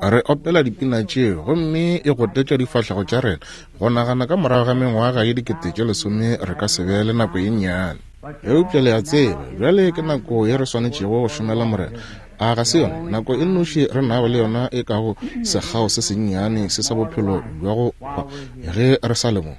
Re opela dipina tšeo, gomme e gotetša difahlego tša rena, go nagana ka morago ga mengwaga ye 10,000 re ka se be le nako ye nnyane. Eupša le a tseba, bjale ke nako ye re swanetšego go šomela Morena. A ga se yona nako e nnoši re nago le yona e kago sekgao se sennyane se sa bophelo bja go hwa ge re sa le mo?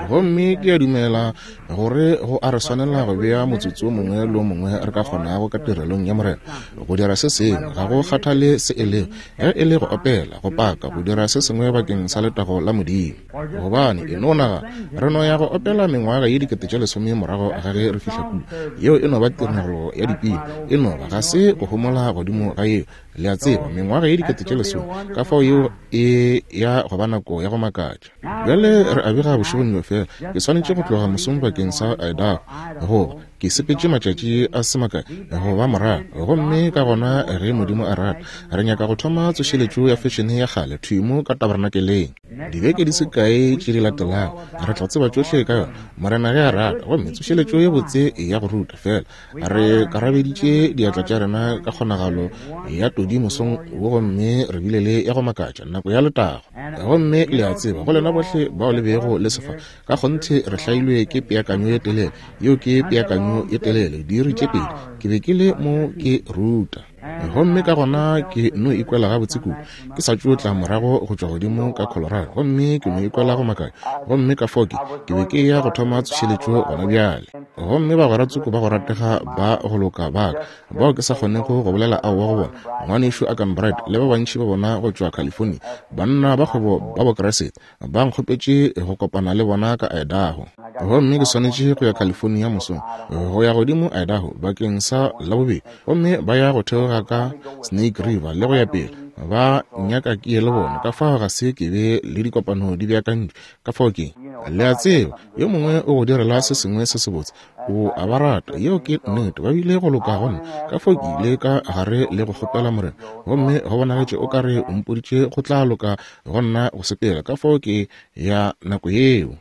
Gomme ke a dumela gore go a re swanela go bea motsotso o mongwe le o mongwe re ka kgonago ka tirelong ya Morena, go dira se sengwe, ga go kgathale se e lego, ge e le go opela, go paka, go dira se sengwe bakeng sa letago la Modimo. Gobane, e no nagana, re no ya go opela mengwaga ye 10,000 morago ga ge re fihla kua. Yeo e no ba tiragalo ya dipina. E no ba, ga se go homola godimo ga yeo, le a tseba, mengwaga ye 10,000. Ka fao yeo e ya go ba nako ya go makatša. Bjale re a bega bošegong bjo fela. Ke swanetše go tloga mosong bakeng sa Idaho, goba ke sepetše matšatši a se makae go ba morago. Gomme ka gona ge Modimo a rata, re nyaka go thoma tsošeletšo ya fešene ya kgale thwi mo ka tabernakeleng. Dibeke di se kae tše di latelago, re tla tseba tšohle ka yona, Morena ge a rata. Gomme tsošeletšo ye botse ya go ruta, feela re karabeditše diatla tša rena ka kgonagalo ya todi mosong wo, gomme re bile le ya go makatša nako ya letago. Gomme le a tseba, go lena bohle bao le bego le se fa, ka kgonthe re hlailwe ke peakanyo ye telele. Yeo ke peakanyo ye telele, diiri tše pedi ke be ke le mo ke ruta. Gomme ka gona ke no ikwela gabotse kudu. Ke sa tšo tla morago go tšwa godimo ka Colorado, gomme ke no ikwela go makatša. Gomme ka fao ke, ke be ke eya go thoma tsošeletšo gona bjale. Gomme bagwera tsoko ba go ratega ba go loka ba ka, bao ke sa kgonego go bolela aowa go bona, Ngwanešu Arganbright le ba bantši ba bona go tšwa California, banna ba kgwebo ba Bokriste, ba nkgopetše go kopana le bona ka Idaho. Gomme ke swanetše go ya California mosong, go ya godimo Idaho bakeng sa Labobedi, gomme ba ya go theoga ka Snake River le go ya pele. Ba nyaka ke ye le bona, ka fao ga se ke be le dikopano di beakantšwe. Ka fao ke, le a tseba, yo mongwe o go direla se sengwe se sebotse, o a ba rata. Yeo ke nnete. Ba bile go loka go nna. Ka fao ke ile ka gare le go kgopela Morena, gomme go bonagetše o ka re o mpoditše go tla loka go nna go sepela. Ka fao ke ya nako yeo.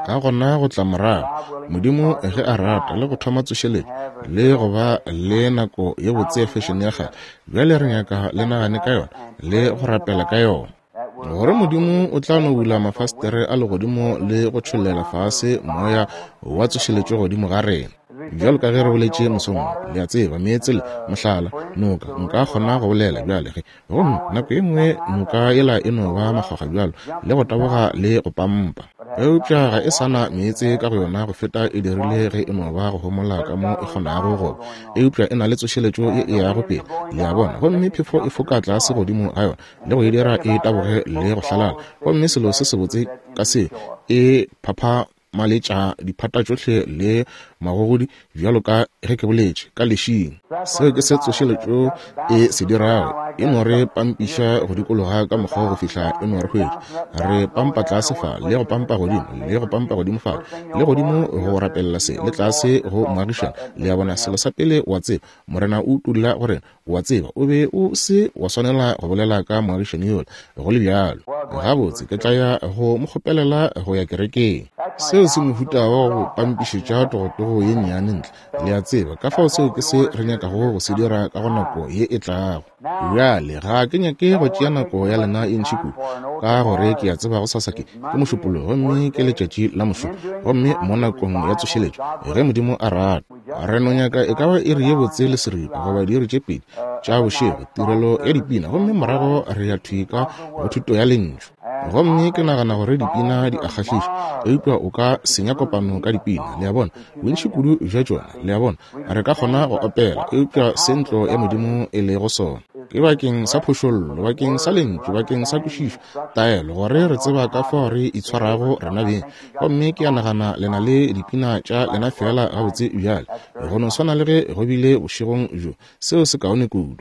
Ka gona go tla morago, Modimo ge a rata, le go thoma tsošeletšo, le go ba le nako ye botse ya fešene ya kgale. Bjale re nyaka le nagane ka yona le go rapela ka yona, gore Modimo o tla no bula mafastere a legodimo le go tšhollela fase moya wa tsošeletšo godimo ga rena. Bjalo ka ge re boletše mosong wo, le a tseba, meetse le, mohlala, noka, nka kgona go bolela bjale ge Gomme nako ye nngwe noka yela e no ba makgwakgwa bjalo, le go taboga le go pampa. Eupša ga e sa na meetse ka go yona go feta e dirile ge e no ba go homola ka mo e kgonago go ba. Eupša e na le tsošeletšo ye e yago pele, le a bona, gomme phefo e foka tlase godimo ga yona le go e dira e taboge le go hlalala. Gomme selo se sebotse ka se, e phapha maletša diphata tšohle le magogodi bjalo ka ge ke boletše ka lešing. Seo ke se tsošeletšo e se dirago, e no re pampiša go dikologa ka mokgwa go fihla e no re hwetša. Re pampa tlase fa le go pampa godimo le go pampa godimo fa le godimo go rapelela se le tlase go moagišana. Le a bona, selo sa pele wa tseba, Morena o utolla go rena, O a tseba, o be o se wa swanela go bolela ka moagišani yola, go le bjalo. Gabotse, ke tla ya go mo kgopelela go ya kerekeng. Seo se mohuta wa go pampišetša togotogo ye nnyane ntle, le a tseba. Ka fao seo ke se re nyakago go se dira ka go nako ye e tlago. Bjale, ga ke nyake go tšea nako ya lena e ntši kudu, ka gore ke a tseba gosasa ke, ke Mošupologo, gomme ke letšatši la mošomo, gomme mo nakong ya tsošeletšo, ge Modimo a rata. Re no nyaka e ka ba iri ye botse le seripa goba diiri tše pedi tša bošego, tirelo ya dipina, gomme morago re ya thwi ka go thuto ya Lentšu. Gomme ke nagana gore dipina di a kgahliša, eupša o ka senya kopano ka dipina, le a bona, bontši kudu bja tšona, le a bona. Re ka kgona go opela, eupša se ntlo ya Modimo e lego sona ke bakeng sa phošollo, bakeng sa Lentšu, bakeng sa kwešišo, taelo, gore re tseba ka fao re itshwarago rena beng. Gomme ke a nagana le na le dipina tša lena feela gabotse bjale, go no swana le ge go bile bošegong bjo. Seo se kaone kudu.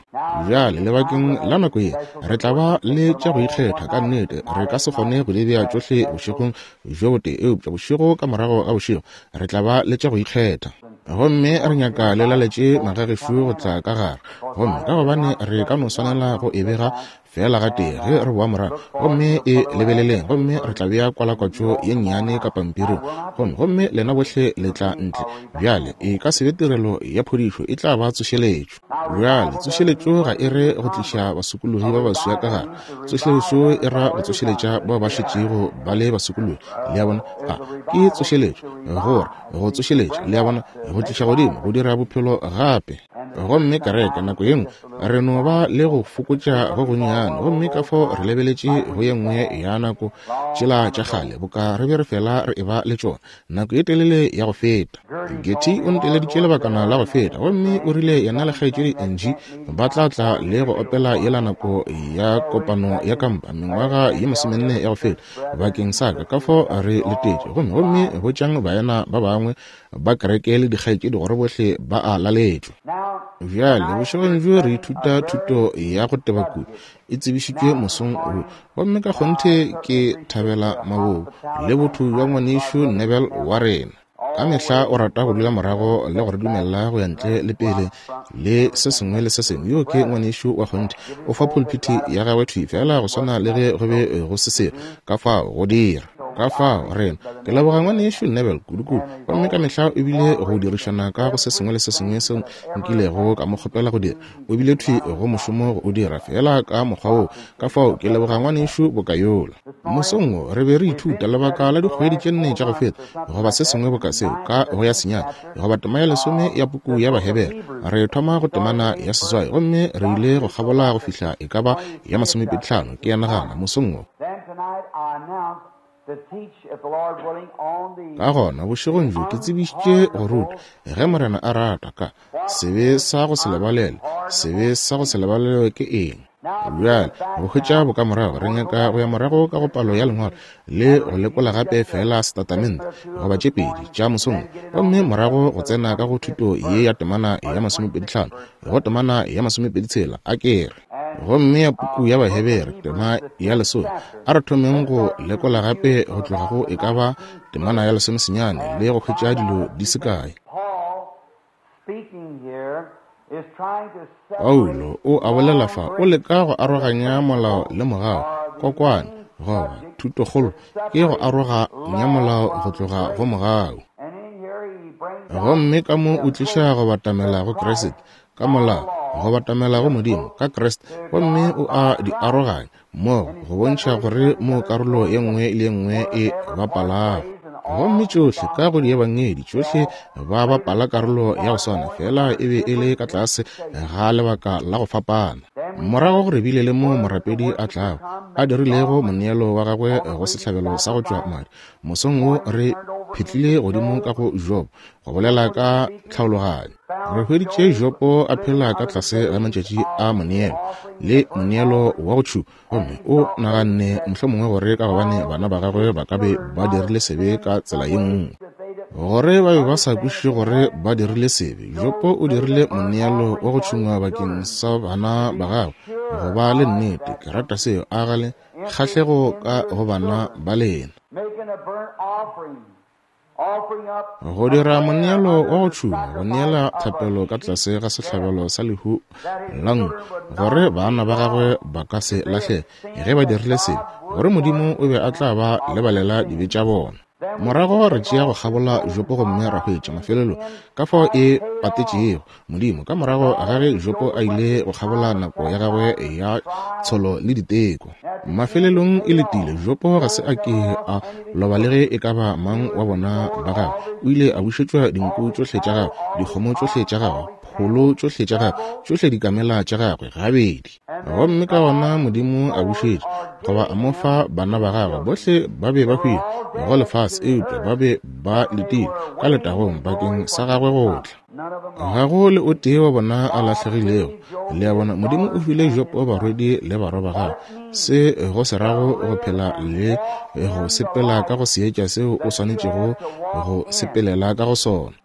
Bjale, lebakeng la nako ye, re tla ba le tša go ikgetha ka nnete. Re ka. ka se kgone go di bea tšohle bošegong bjo botee, eupša bošego ka morago ga bošego re tla ba le tša go ikgetha. Gomme re nyaka le laletše magagešo go tla ka gare, gomme ka gobane re ka no swanela go e bega feela gatee ge re boa morago. Gomme e lebeleleng, gomme re tla bea kwalakwatšo ye nnyane ka pampiring, gomme, gomme lena bohle le tla ntle. Bjale, e ka se be tirelo ya phodišo, e tla ba tsošeletšo. Bjale, tsošeletšo ga e re go tliša basokologi ba baswa ka gare. Tsošeletšo e ra go tsošeletša bao ba šetšego ba le basokologi. Le a bona? A ke tsošeletšo, gore go tsošeletša, le a bona, go tliša godimo, go dira bophelo gape. Gomme kereke nako ye nngwe re no ba le go fokotša go gonnyane, gomme ka fao re lebeletše go ye nngwe ya nako tšela tša kgale boka re be re fela re eba le tšona nako ye telele ya go feta. Getty o nteleditše lebakana la go feta, gomme o rile yena le kgaetšedi Angie ba tla tla le go opela yela nako ya kopano ya kampa mengwaga ye masomenne ya go feta bakeng sa ka. Ka fao re letetše, gomme gomme botšang baena ba bangwe ba kereke le dikgaetšedi gore bohle ba a laletšwa. Bjale bošegong bjo re ithuta thuto ya go teba kudu, e tsebišitšwe mosong wo, gomme ka kgonthe ke thabela mabobo le botho bja ngwanešu Neville wa rena. Ka mehla o rata go dula morago le go re dumelela go ya ntle le pele le se sengwe le se sengwe. Yo ke ngwanešu wa kgonthe, o fa pulpiti ya gagwe thwi feela go swana le ge go be go se selo ka fao go dira. Ka fao rena ke leboga ngwanešu Neville kudu-kudu, gomme ka mehla o bile go dirišana ka go se sengwe le se sengwe seo nkilego ka mo kgopela go dira. O bile thwi go mošomo go o dira feela ka mokgwa woo. Ka fao ke leboga ngwanešu boka yola. Mosong wo re be re ithuta lebaka la dikgwedi tše nne tša go feta goba se sengwe boka seo ka go ya senyane goba tema ya lesome ya puku ya Bahebere. Re thoma go temana ya seswai gomme re ile go kgabola go fihla e ka ba ya masomepedihlano, ke a nagana, mosong wo. Ka gona bošegong bjo ke tsebišitše go ruta, ge Morena a rata, ka sebe sa go se lebalelwe. Sebe sa go se lebalelwe ke eng? Bjale, go hwetša bokamorago, re nyaka go ya morago ka go palo ya Lengwalo le go lekola gape feela setatamente goba tše pedi tša mosong, gomme morago go tsena ka go thuto ye ya temana ya masomepedihlano go temana ya masomepeditshela, a ke re. Gomme ya puku ya Bahebere, tema ya lesome, a re thomeng go lekola gape go tloga go e ka ba temana ya lesomesenyane le go hwetša dilo di se kae. Paulo o a bolela fa, o leka go aroganya molao le mogau, kokwane, goba thutokgolo ke go aroganya molao go tloga go mogau. Gomme ka mo o tliša go batamela go Kriste, ka molao, go batamela go Modimo ka Kriste, gomme o a di aroganya mmogo go bontšha gore mo karolo ye nngwe le ye nngwe e bapalago. Gomme tšohle ka go diebangedi tšohle ba bapala karolo ya go swana, fela e be e le ka tlase ga lebaka la go fapana. Morago go re bile le mo morapedi a tlago a dirilego moneelo wa gagwe go sehlabelo sa go tšwa madi. Mosong wo re phetlile godimo ka go Jobo go bolela ka tlhaologanyo. Re hweditše Jopo a phela ka tlase ga matšatši a moneelo le moneelo wa go tšhuma, gomme o naganne mohlomongwe gore ka gobane bana ba gagwe ba ka be ba dirile sebe ka tsela ye nngwe, gore ba be ba sa kwešiše gore ba dirile sebe. Jopo o dirile moneelo wa go tšhungwa bakeng sa bana ba gagwe go ba le nnete. Ke rata seo. A ga le kgahlego ka go bana ba lena? Go dira moneelo wa go tšhuma, go neela thapelo ka tlase ga sehlabelo sa lehu la nku, gore bana ba gagwe ba ka se lahlege ge ba dirile sebe, gore Modimo o be a tla ba lebalela dibe tša bona. Morago re tšea go kgabola Jopo gomme ra hwetša mafelelong ka fao e patetšego Modimo ka morago ga ge Jopo a ile go kgabola nako ya gagwe ya tsholo le diteko. Mafelelong e letile, Jopo ga se a ke a loba le ge e ka ba mang wa bona ba gagwe. O ile a bušetšwa dinku tšohle tša gagwe, dikgomo tšohle tša gagwe, pholo tšohle tša gagwe, tšohle dikamela tša gagwe, gabedi. Gomme ka gona Modimo a bušetša goba a mo fa bana ba gagwe. Bohle ba be ba hwile go lefase, eupša ba be ba letile ka letagong bakeng sa gagwe go tla. Ga go le o tee wa bona a lahlegilego. Le a bona, Modimo o file Jopo barwedi le barwa ba gagwe. Se go se rago go phela le go sepela ka go seetša seo o swanetšego go sepelela ka go sona.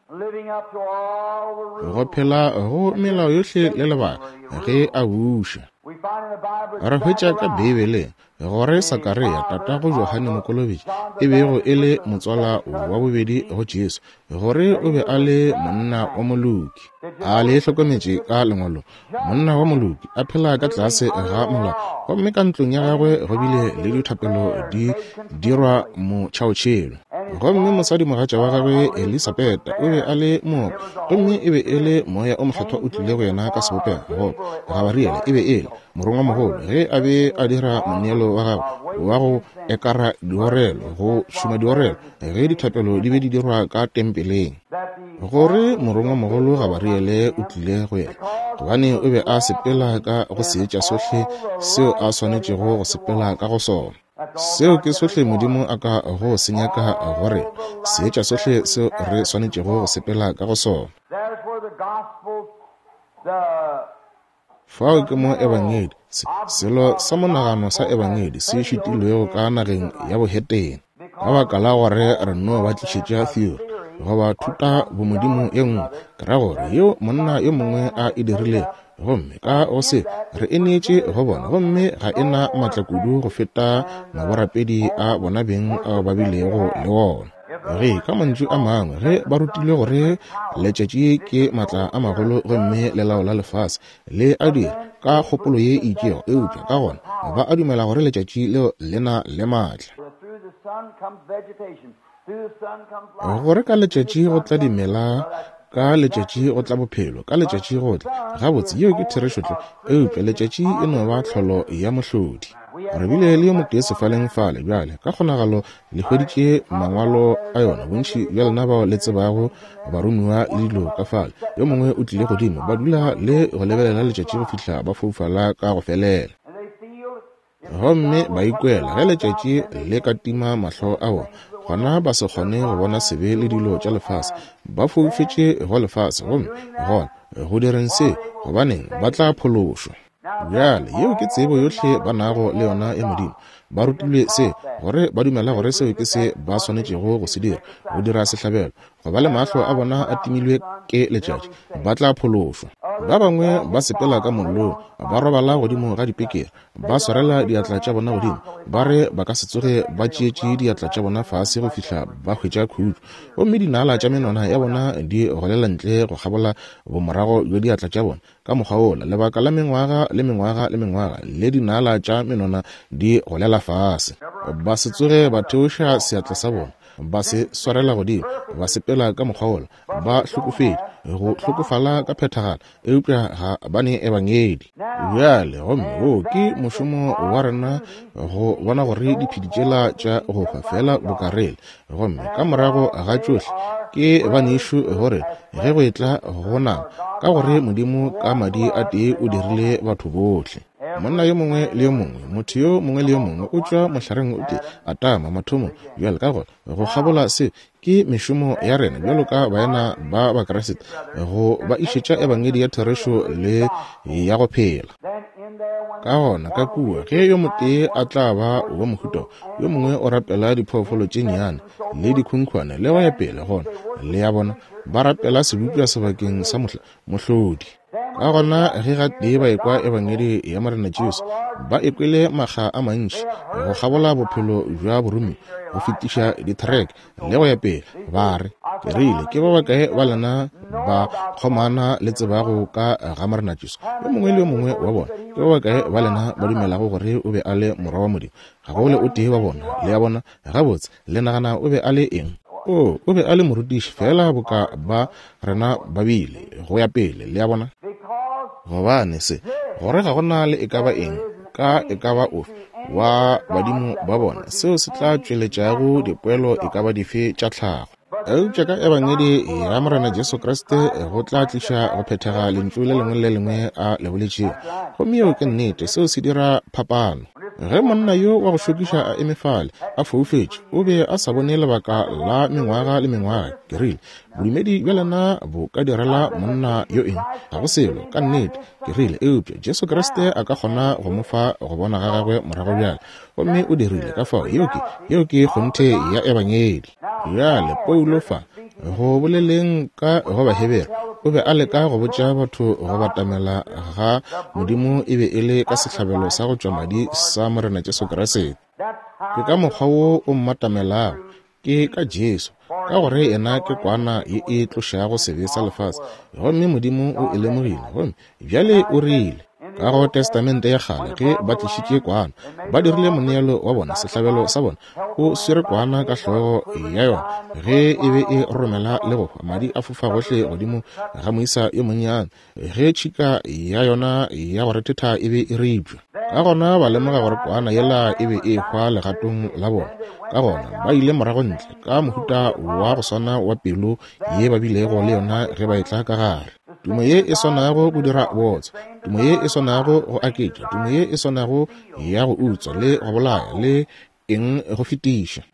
Go phela go melao yohle le lebaka ge a buša. Re hwetša ka Beibeleng gore Sakaria, tatago Johane Mokolobetši, e bego e le motswala wa bobedi go Jesu, gore o be a le monna wa moloki. A le hlokometše ka Lengwalong? Monna wa moloki, a phela ka tlase ga molao, gomme ka ntlong ya gagwe go bile le dithapelo di dirwa motšhaotšhelo. Gomme mosadimogatša wa gagwe Elisabeta o be a le mooka, gomme e be e le Moya o Mokgethwa o tlile go yena ka sebopego, goba Gabariele e be e le morongwamogolo, ge a be a dira moneelo wa gagwe wa go ekara diorelo, go šoma diorelo, ge dithapelo di be di dirwa ka tempeleng. Gore morongwamogolo Gabariele o tlile go yena, gobane o be a sepela ka go seetša sohle seo a swanetšego go sepela ka go sona. Seo ke sohle Modimo a ka go se nyaka go rena, seetša sohle seo re swanetšego go sepela ka go sona. Fao ke mo Ebangedi, se, selo sa monagano sa Ebangedi se šitilwego ka nageng ya bohetene, ka baka la gore re no ba tlišetša theory goba thuta bomodimo ye nngwe, ke ra gore yeo monna yo mongwe a e dirilego, gomme ka go se re e neetše go bona, gomme ga e na maatla kudu go feta maborapedi a bona beng ao ba bilego le wona. Ge, ka mantšu a mangwe, ge ba rutilwe gore letšatši ke maatla a magolo gomme le laola lefase, le a dira ka kgopolo ye e itšego, eupša ka gona ba a dumela gore letšatši leo le na le maatla. Gore ka letšatši go tla dimela, ka letšatši go tla bophelo, ka letšatši go tla. Gabotse, yeo ke therešo tlwa, eupša letšatši e no ba tlholo ya mohlodi. Re bile le yo motee sefaleng fale bjale, ka kgonagalo le hweditše mangwalo a yona, bontši bja lena bao le tsebago baromiwa le dilo ka fale. Yo mongwe o tlile godimo, ba dula le go lebelela letšatši go fihla ba foufala ka go felela. Gomme ba ikwela ge letšatši le ka tima mahlo a bona, gona ba se kgone go bona sebe le dilo tša lefase. Ba foufetše go lefase, gomme gona go direng se, gobaneng, ba tla phološwa. Bjale, yeo ke tsebo yohle ba nago le yona ya Modimo. Ba rutilwe se, gore ba dumela gore seo ke se ba swanetšego go se dira, go dira sehlabelo, go ba le mahlo a bona a timilwe ke letšatši, ba tla phološwa. Ba bangwe ba sepela ka mollong, ba robala godimo ga dipekere, ba swarela diatla tša bona godimo, ba re ba ka se tsoge ba tšeetše diatla tša bona fase go fihla ba hwetša khutšo. Gomme dinala tša menwana ya bona di golela ntle go kgabola bomorago bja diatla tša bona, ka mokgwa wola, lebaka la mengwaga le mengwaga le mengwaga, le dinala tša menwana di golela fase. Ba se tsoge ba theoša seatla sa bona, ba se swarela godimo, ba sepela ka mokgwa wola, ba hlokofetše, go hlokofala ka phethagalo, eupša ga ba ne ebangedi. Bjale, gomme wo ke mošomo wa rena go bona gore diphedi tšela tša go hwa feela boka re le, gomme ka morago ga tšohle ke banešu gore ge go etla go nama, ka gore Modimo ka madi a tee o dirile batho bohle. Monna yo mongwe le yo mongwe, motho yo mongwe le yo mongwe o tšwa mohlareng o tee, Adama, mathomong. Bjale, ka gona, go kgabola se, ke mešomo ya rena bjalo ka baena ba Bakriste go ba išetša ebangedi ya therešo le ya go phela. Ka gona, ka kua, ge yo motee a tla ba wa mohuta yo mongwe o rapela diphoofolo tše nnyane le dikhunkhwane le go ya pele, gona, le a bona, ba rapela sebopša sebakeng sa mohlodi. Ka gona ge gatee ba ekwa Ebangedi ya Morena Jesu, ba e kwele makga a mantši go kgabola bophelo bja boromiwa, go fetiša dithereke le go ya pele, ba re, Ke rile, ke ba bakae ba lena ba kgomana le tsebago ka ga Morena Jesu? Yo mongwe le yo mongwe wa bona. Ke ba bakae ba lena ba dumelago gore o be a le Morwa wa Modimo? Ga go le o tee wa bona. Le a bona? Gabotse, le nagana o be a le eng? O, o be a le morutiši, feela boka ba rena ba bile, go ya pele, le a bona. Gobane se, gore ga go na le e ka ba eng, ka e ka ba ofe wa badimo ba bona, seo se tla tšweletšago dipoelo e ka ba dife tša tlhago. Eupša ka Ebangedi ya Morena Jesu Kriste go tla tliša go phethega lentšu le lengwe le lengwe a le boletšego. Gomme yeo ke nnete, seo se dira phapano. Ge monna yo wa go šokiša a eme fale, a foufetše, o be a sa bone lebaka la mengwaga le mengwaga. Ke rile, Bodumedi bja lena bo ka direla monna yo eng? Ga go selo, ka nnete. Ke rile, Eupša Jesu Kriste a ka kgona go mo fa go bona ga gagwe morago bjale. Gomme o dirile. Ka fao, yeo ke, yeo ke kgonthe ya Ebangedi. Bjale, Paulo fa, Go boleleng ka go Bahebere, o be a leka go botša batho go batamela ga Modimo e be e le ka sehlabelo sa go tšwa madi sa Morena Jesu Kriste. Ke ka mokgwa wo o mmatamelago, ke ka Jesu, ka gore yena ke kwana ye e tlošago sebe sa lefase, gomme Modimo o e lemogile, gomme bjale o rile, Ka go Testamente ya Kgale, ge ba tlišitše kwana, ba dirile moneelo wa bona, sehlabelo sa bona, o swere kwana ka hlogo ya yona, ge e be e romela le go hwa, madi a fofa gohle godimo ga moisa yo monnyane, ge tšhika ya yona ya go rethetha e be e ripša. Ka gona ba lemoga gore kwana yela e be e hwa legatong la bona. Ka gona ba ile morago ntle ka mohuta wa go swana wa pelo ye ba bilego le yona ge ba etla ka gare. Tumo ye e swanago go dira bootswa, tumo ye e swanago go aketša, tumo ye e swanago ya go utswa le go bolaya le eng go fetiša.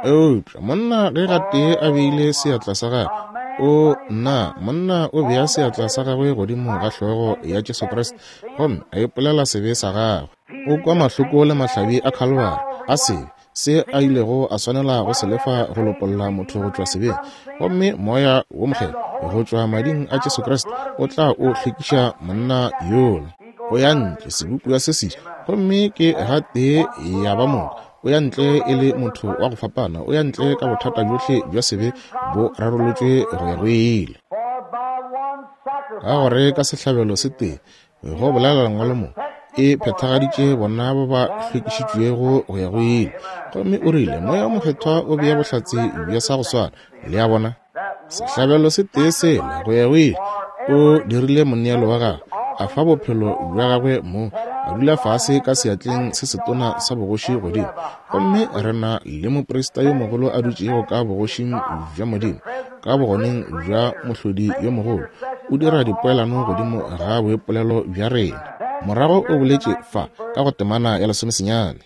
Eupša monna ge gatee a beile seatla sa gagwe, o nna monna o bea seatla sa gagwe godimo ga hlogo ya Jesu Kriste gomme a ipolela sebe sa gagwe. O kwa mahloko le mahlabi a Khalvari a sebe se a ilego a swanela go se lefa go lopolla motho go tšwa sebeng, gomme Moya wo Mokgethwa go tšwa mading a Jesu Kriste o tla o hlwekiša monna yola. O ya ntle sebopiwa se seswa, gomme ke gatee ya ba moka. O ya ntle e le motho wa go fapana, o ya ntle ka bothata bjohle bja sebe bo rarolotšwe go ya go ile. Ka gore ka sehlabelo se tee, go bolela Lengwalo mo, e phethagaditše bona ba ba hlwekišitšwego go ya go ile. Gomme o rile, Moya o Mokgethwa o bea bohlatse bja sa go swana. Le a bona? Sehlabelo se tee sela go ya go ile, o dirile moneelo wa gagwe, a fa bophelo bja gagwe mo, a dula fase ka seatleng se setona sa bogoši godimo. Gomme re na le moprista yo mogolo a dutšego ka bogošing bja Modimo, ka bogoneng bja Mohlodi yo mogolo, o dira dipoelano godimo ga boipolelo bja rena. Morago o boletše fa ka go temana ya lesomesenyane.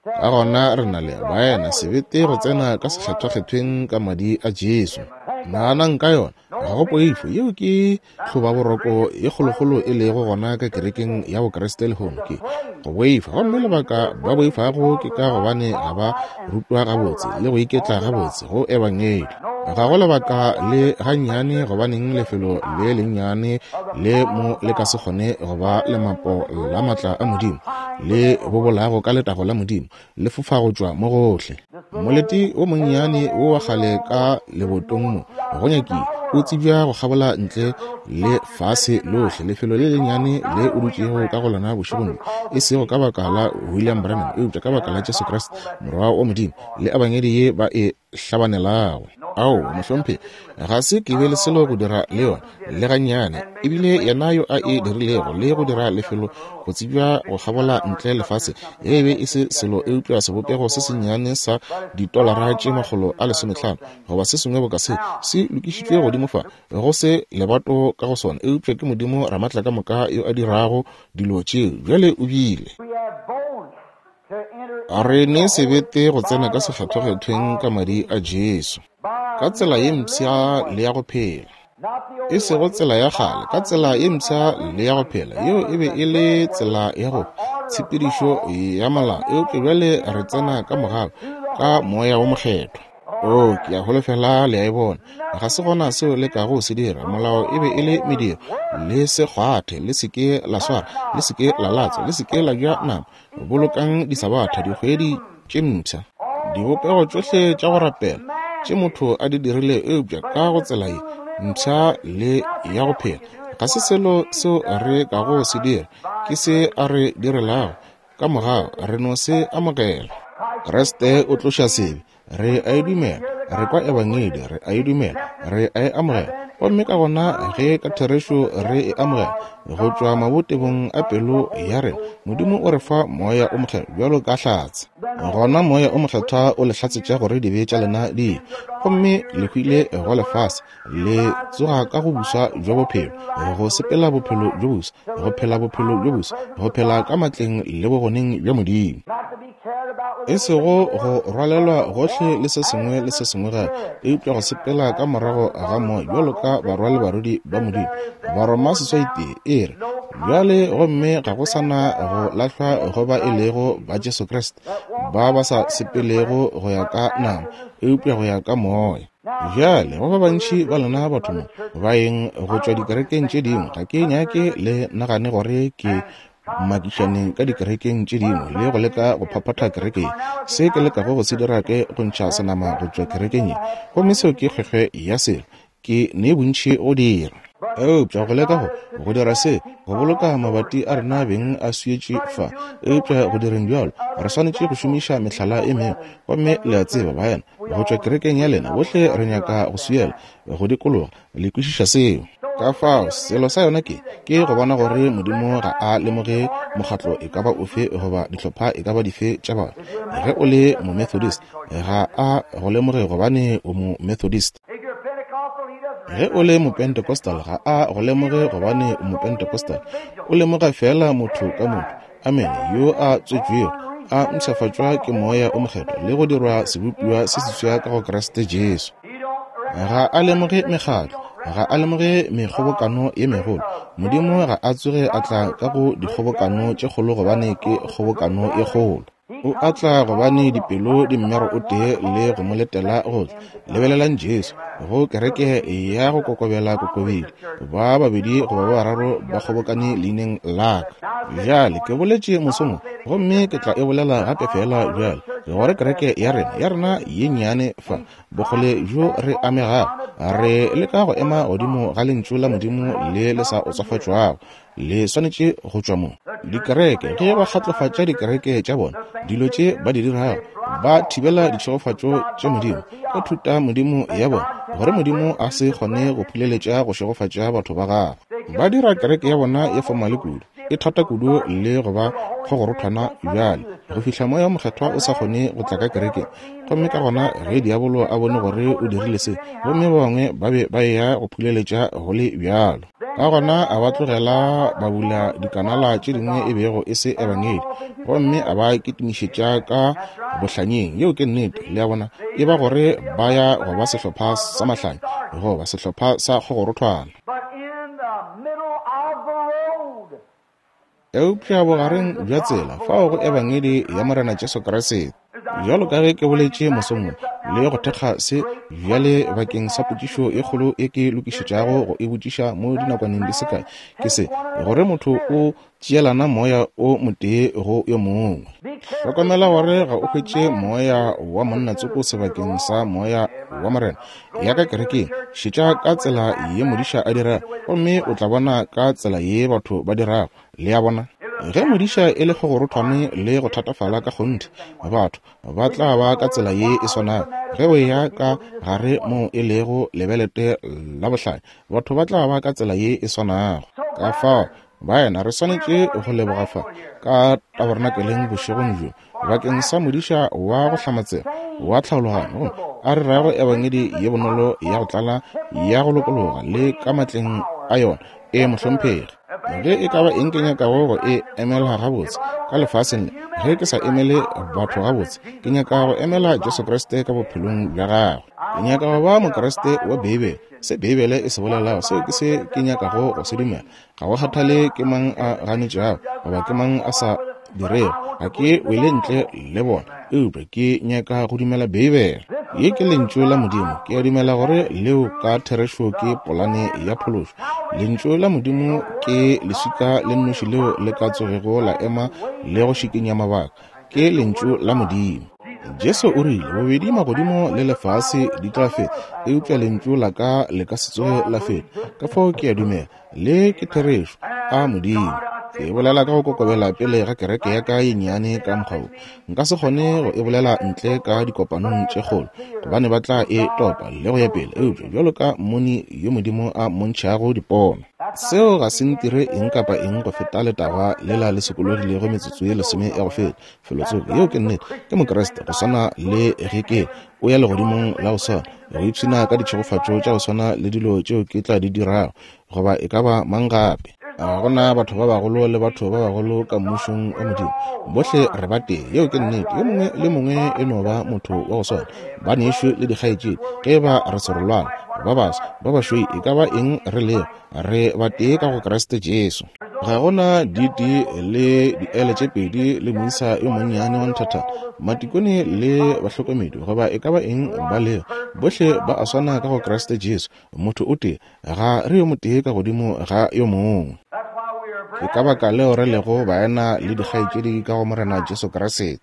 Ka gona re na le baena sebete go tsena ka sekgethwakgethweng ka madi a Jesu. Naganang ka yona, ga go poifo. Yeo ke tlhobaboroko ye kgolokgolo e lego gona ka kerekeng ya Bokriste lehono, ke go boifa. Gomme lebaka ba boifago ke ka gobane ga ba rutwa gabotse le go iketla gabotse go Ebangedi. Ga go lebaka le gannyane gobaneng lefelo le lennyane le mo le ka se kgone go ba lemapo la matla a Modimo le bobolago ka letago la Modimo le fofa go tšwa mo gohle. Molete o monnyane wo wa kgale ka lebotong mo go nyakile o tsebja go kgabola ntle le fase lohle, lefelo le lennyane le o dutšego ka go lona bošegong bjo, e sego ka baka la William Branham, eupša ka baka la Jesu Kriste, Morwa wa Modimo, le Ebangedi ye ba e hlabanelago. Aowa, mohlomphegi, ga se ke be le selo go dira le yona, le gannyane. Ebile yena yo a e dirilego le go dira lefelo go tsebja go kgabola ntle lefase, ge e be e se selo eupša sebopego se sennyane sa ditolara tše 150 goba se sengwe boka se, se lokišitšwe godimo fa, go se lebato ka go sona, eupša ke Modimo Ramaatlakamoka yo a dirago dilo tšeo. Bjale o bile. Re ne sebete go tsena ka sekgethwakgethweng ka madi a Jesu, ka tsela ye mpsha le ya go phela, e sego tsela ya kgale, ka tsela ye mpsha le ya go phela. Yeo e be e le tsela ya go tshepedišo ya molao, eupša bjale re tsena ka mogau, ka Moya wo Mokgethwa. Oo, ke a holofela le a e bona. Ga se gona seo le kago se dira. Molao e be e le mediro. Le se kgwathe, le se ke la swara, le se ke la latswa, le se ke la ja nama. Bolokang disabatha, dikgwedi tše mpsha, dibopego tšohle tša go rapela tše motho a di dirile, eupša ka go tsela ye mpsha le ya go phela. Ga se selo seo re kago se dira, ke se a re direlago. Ka mogau re no se amogela. Kriste o tloša sebe. Re a e dumela. Re kwa Ebangedi. Re a e dumela. Re a e amogela. Gomme ka gona ge ka therešo re e amogela go tšwa mabotebong a pelo ya rena, Modimo o re fa Moya o Mokgethwa bjalo ka hlatse. Gona Moya o Mokgethwa o le hlatsetša gore dibe tša lena di ile, gomme le hwile go lefase, le tsoga ka go buswa bja bophelo, go sepela bophelo bjo boswa, go phela bophelo bjo boswa, go phela ka matleng le bogoneng bja Modimo. E sego go rwalelwa gohle le se sengwe le se sengwe gape, eupša go sepela ka morago ga Moya bjalo ka barwa le barwedi ba Modimo. Baroma seswaitee e re, Bjale, gomme ga go sa na go lahlwa go ba e lego ba Jesu Kriste, ba ba sa sepelego go ya ka nama, eupša go ya ka Moya. Bjale, go ba bantši ba lena batho mo, baeng go tšwa dikerekeng tše dingwe, ga ke nyake le nagane gore ke makišane ka dikerekeng tše dingwe le go leka go phaphatha kereke ye. Se ke lekago go se dira ke go ntšha senama go tšwa kerekeng ye, gomme seo ke kgwekgwe ya selo. Ke ne bontši go dira. Eupša go leka go dira se, go boloka mabati a rena beng a swietše fa. Eupša go direng bjalo, re swanetše go šomiša mehlala e mengwe. Gomme le a tseba, baena, go tšwa kerekeng ya lena, bohle re nyaka go swiela, go dikologa. Le kwešiša seo. Ka fao, selo sa yona ke, ke go bona gore Modimo ga a lemoge mokgatlo e ka ba ofe goba dihlopha e ka ba dife tša batho. Ge o le Momethodist, ga a go lemoge gobane o Momethodist. Ge o le Mopentecostal, ga a go lemoge gobane o Mopentecostal. O lemoga feela motho ka motho, amene, yo a tswetšwego, a mpshafatšwa ke Moya o Mokgethwa le go dirwa sebopiwa se seswa ka go Kriste Jesu. Ga a lemoge mekgatlo, ga a lemoge mekgobokano ye megolo. Modimo ga a tsoge a tla ka go dikgobokano tše kgolo gobane ke kgobokano ye kgolo. O a tla gobane dipelo di mmero o tee le go mo letela go tla. Lebelelang Jesu, go kereke ya go kokobela kokobedi, ba babedi goba ba bararo ba kgobokane leineng la ka. Bjale, ke boletše mosong wo, gomme ke tla e bolela gape feela bjale, gore kereke ya rena, ya rena ye nnyane fa, bokgole bjo re amegago, re leka go ema godimo ga Lentšu la Modimo le le sa otswafatšwago. Le swanetše go tšwa mo. Dikereke, ge ba kgatlofatša dikereke tša bona, dilo tše ba di dirago, ba thibela ditšhegofatšo tša Modimo ka thuta Modimo ya bona, gore Modimo a se kgone go phuleletša go šegofatša batho ba gagwe. Ba dira kereke ya bona ye fomale kudu, e thata kudu le go ba kgogorothwana bjale, go fihla Moya wo Mokgethwa o sa kgone go tla ka kerekeng. Gomme ka gona ge diabolo a bone gore o dirile se, gomme ba bangwe ba be ba eya go phuleletša go le bjalo. Ka gona a ba tlogela ba bula dikanala tše dingwe e bego e se ebangedi, gomme a ba kitimišetša ka bohlanyeng. Yeo ke nnete, le a bona, e ba gore ba ya go ba sehlopha sa mahlanya goba sehlopha sa kgogorothwana. Eupša bogareng bja tsela, fao go Ebangedi ya Morena Jesu Kriste. Bjalo ka ge ke boletše mosong wo, le go thekga se bjale bakeng sa potšišo e kgolo e ke lokišetšago go e botšiša mo dinakwaneng di se kae, ke se, gore motho o tšeelana moya o motee go yo mongwe. Hlokomela gore ga o hwetše moya wa monna tsoko sebakeng sa moya wa Morena. Ya ka kerekeng, šetša ka tsela ye modiša a dirago, gomme o tla bona ka tsela ye batho ba dirago. Le a bona? Ge modiša e le kgogorothwane le go thatafala ka kgonthe, batho ba tla ba ka tsela ye e swanago. Ge o eya ka gare moo e lego lebelete la bohlanya, batho ba tla ba ka tsela ye e swanago. Ka fao, baena, re swanetše go leboga fa ka tabernakeleng bošegong bjo bakeng sa modiša wa go hlamatsega wa tlhaologanyo, gomme a re rago ebangedi ye bonolo ya go tlala ya go lokologa le ka matleng a yona. E mohlomphegi, ge e ka ba eng ke nyakago go e emela gabotse ka lefaseng le, ge ke sa emele batho gabotse, ke nyaka go emela Jesu Kriste ka bophelong bja gagwe. Ke nyaka go ba Mokriste wa Beibele. Se Beibele e se bolelago, seo ke se ke nyakago go se dumela. Ga go kgathale ke mang a ganetšago goba ke mang a sa dirego, ga ke wele ntle le bona, eupša ke nyaka go dumela Beibele. Ye ke Lentšu la Modimo. Ke a dumela gore leo ka therešo ke polane ya phološo. Lentšu la Modimo ke leswika le nnoši leo le ka tsogego la ema le go šikinya mabaka. Ke Lentšu la Modimo. Jesu o rile, Bobedi magodimo le lefase di tla feta, eupša Lentšu la ka le ka se tsoge la feta. Ka fao ke a dumela le ke therešo a Modimo. Ke e bolela ka go kokobela pele ga kereke ya ka ye nnyane ka mokgwa wo. Nka se kgone go e bolela ntle ka dikopanong tše kgolo, gobane ba tla e topa le go ya pele, eupša bjalo ka mmoni yo Modimo a mmontšhago dipono. Seo ga se ntire eng kapa eng go feta letagwa lela le sokologilego metsotso ye lesome ya go feta, felotsoko. Yeo ke nnete. Ke Mokriste, go swana le ge ke o ya legodimong la go swana, go ipshina ka ditšhegofatšo tša go swana le dilo tšeo ke tla di dirago, goba e ka ba mang gape. Ga go na batho ba bagolo le batho ba bagolo ka Mmušong wa Modimo. Bohle re ba tee. Yeo ke nnete. Yo mongwe le mongwe e no ba motho wa go swana, banešu le dikgaetšedi, ge e ba re serolwana, ba baso, ba bašweu, e ka ba eng re lego, re ba tee ka go Kriste Jesu. Ga go na DD le diele tše pedi le moisa yo monnyane wa nthathana, matikone le bahlokomedi, goba e ka ba eng ba lego, bohle ba a swana ka go Kriste Jesu, motho o tee, ga re yo motee ka godimo ga yo mongwe. Ke ka baka leo re lego baena le dikgaetšedi ka go Morena Jesu Kriste.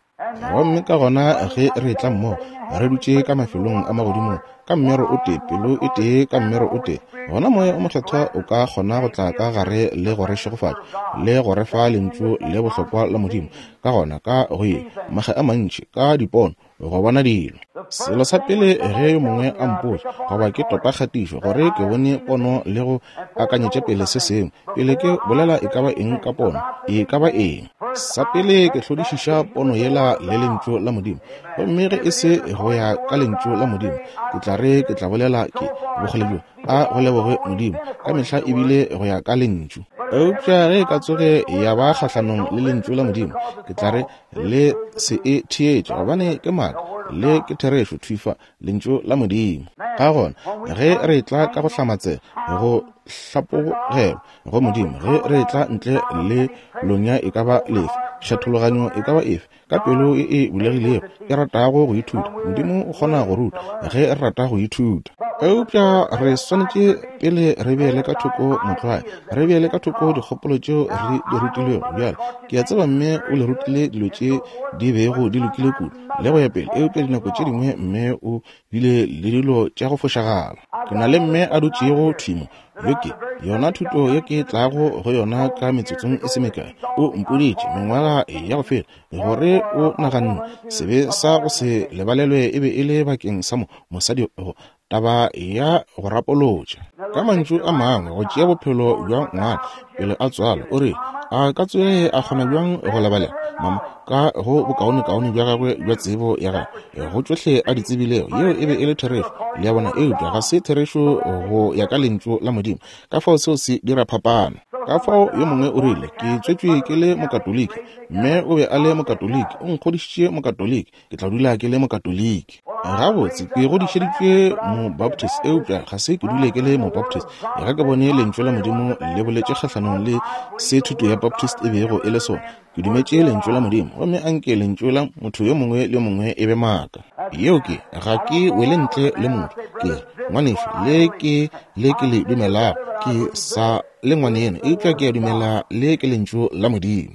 Gomme ka gona ge re etla mmogo, re dutše ka mafelong a magodimong, ka mmero o tee, pelo e tee, ka mmero o tee, gona Moya o Mokgethwa o ka kgona go tla ka gare le go re šegofatša, le go re fa Lentšu le bohlokwa la Modimo. Ka gona ka go ye, makga a mantši, ka dipono, go bona dilo. Selo sa pele ge yo mongwe a mpotša, goba ke topa kgatišo, gore ke bone pono le go akanyetša pele se sengwe, pele ke bolela e ka ba eng ka pono, e ka ba eng. Sa pele ke hlodišiša pono yela le Lentšu la Modimo. Gomme ge e se go ya ka Lentšu la Modimo, ke tla re ke tla bolela ke bokgole bjo, a go leboge Modimo, ka mehla e bile go ya ka Lentšu. Eupša ge e ka tsoge ya ba kgahlanong le Lentšu la Modimo, ke tla re le se e theetše, gobane ke maaka, le ke therešo thwi fa, Lentšu la Modimo. Ka gona ge re etla ka go hlamatsega, go hlapologelwa go Modimo, ge re etla ntle le lonya e ka ba lefe, kgethologanyo e ka ba efe, ka pelo e e bulegilego e ratago go ithuta, Modimo o kgona go ruta ge re rata go ithuta. Eupša re swanetše pele re beele ka thoko motlwae, re beele ka thoko dikgopolo tšeo re di rutilwego. Bjale ke a tseba mme o le rutile dilo tše di bego di lokile kudu le go ya pele, eupša dinako tše dingwe mme o bile le dilo tša go fošagala. Ke na le mme a dutšego thwi mo. Yo ke yona thuto ye ke tlago go yona ka metsotsong e se mekae. O mpoditše mengwaga ya go feta gore o naganne sebe sa go se lebalelwe e be e le bakeng sa mo mosadi go taba ya go rapolotša. Ka mantšu a mangwe, go tšea bophelo bja ngwana pele a tswalwa. O re a ka tsoge a kgona bjang go lebalela mama ka go bokaonekaone bja gagwe bja tsebo ya gagwe go tšohle a di tsebilego? Yeo e be e le therešo, le a bona, eupša ga se therešo go ya ka Lentšu la Modimo. Ka fao seo se dira phapano. Ka fao yo mongwe o rile, Ke tswetšwe ke le Mokatoliki. Mme o be a le Mokatoliki, o nkgodišitše Mokatoliki. Ke tla dula ke le Mokatoliki. Gabotse, ke godišeditšwe Mobaptist, eupša ga se ke dule ke le Mobaptist. Ga ke bone Lentšu la Modimo le boletše kgahlanong le se thuto ya Baptist e bego e le sona. Ke dumetše Lentšu la Modimo, gomme anke lentšu la motho yo mongwe le yo mongwe e be maaka. Yeo ke, ga ke wele ntle le motho. Ke re, ngwanešu, le ke le ke le dumelago, ke sa le ngwaneno, eupša ke a dumela le ke Lentšu la Modimo.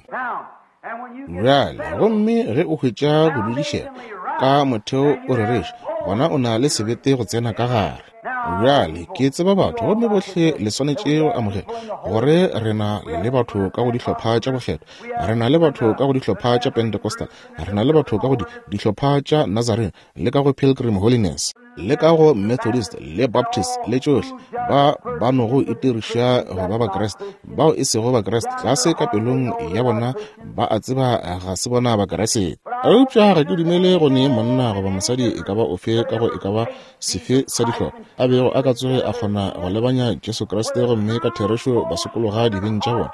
Bjale, gomme ge o hwetša go dudišega ka motheo o rereša, gona o na le sebete go tsena ka gare. Bjale, ke tseba batho, gomme bohle le swanetše go amogela gore re na le batho ka go dihlopha tša bokgethwa, re na le batho ka go dihlopha tša Pentecostal, re na le batho ka go di, dihlopha tša Nazarene, le ka go Pilgrim Holiness, le ka go Methodist le Baptist le tšohle, ba ba nogo itiriša go ba Bakriste, bao e sego Bakriste, tlase ka pelong ya bona ba a tseba ga se bona Bakriste. Eupša ga ke dumele go ne monna goba mosadi e ka ba ofe ka go e ka ba sefe sa dihlopha a bego a ka tsoge a kgona go lebanya Jesu Kriste gomme ka therešo ba sokologa dibeng tša bona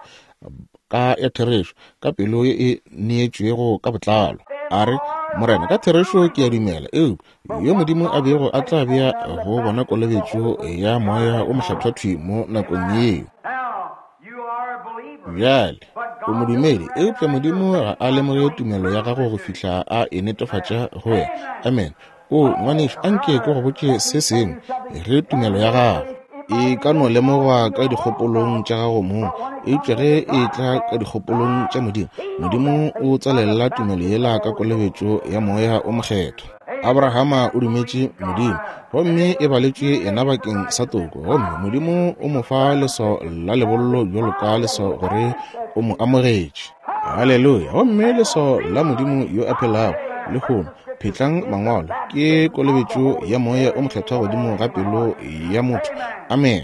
ka ya therešo ka pelo ye e neetšwego ka botlalo. A re, Morena, ka therešo ke a dumela, eupša yo Modimo a bego a tla bea go bona kolobetšo ya Moya wo Mokgethwa thwi mo nakong yeo. Bjale, o modumedi, eupša Modimo ga a lemoge tumelo ya gago go fihla a e netefatša go wena. Amen. O, ngwanešu, anke ke go botše se sengwe, ge tumelo ya gago e ka no lemogwa ka dikgopolong tša gago mong, eupša ge e tla ka dikgopolong tša Modimo, Modimo o tswalelela tumelo yela ka kolobetšo ya Moya o Mokgethwa. Abrahama o dumetše Modimo, gomme e baletšwe yena bakeng sa toko, gomme Modimo o mo fa leswao la lebollo bjalo ka leswao gore o mo amogetše. Haleluya! Gomme leswao la Modimo yo a phelago lehono, phetlang Mangwalo, ke kolobetšo ya Moya o Mokgethwa godimo ga pelo ya motho. Amen.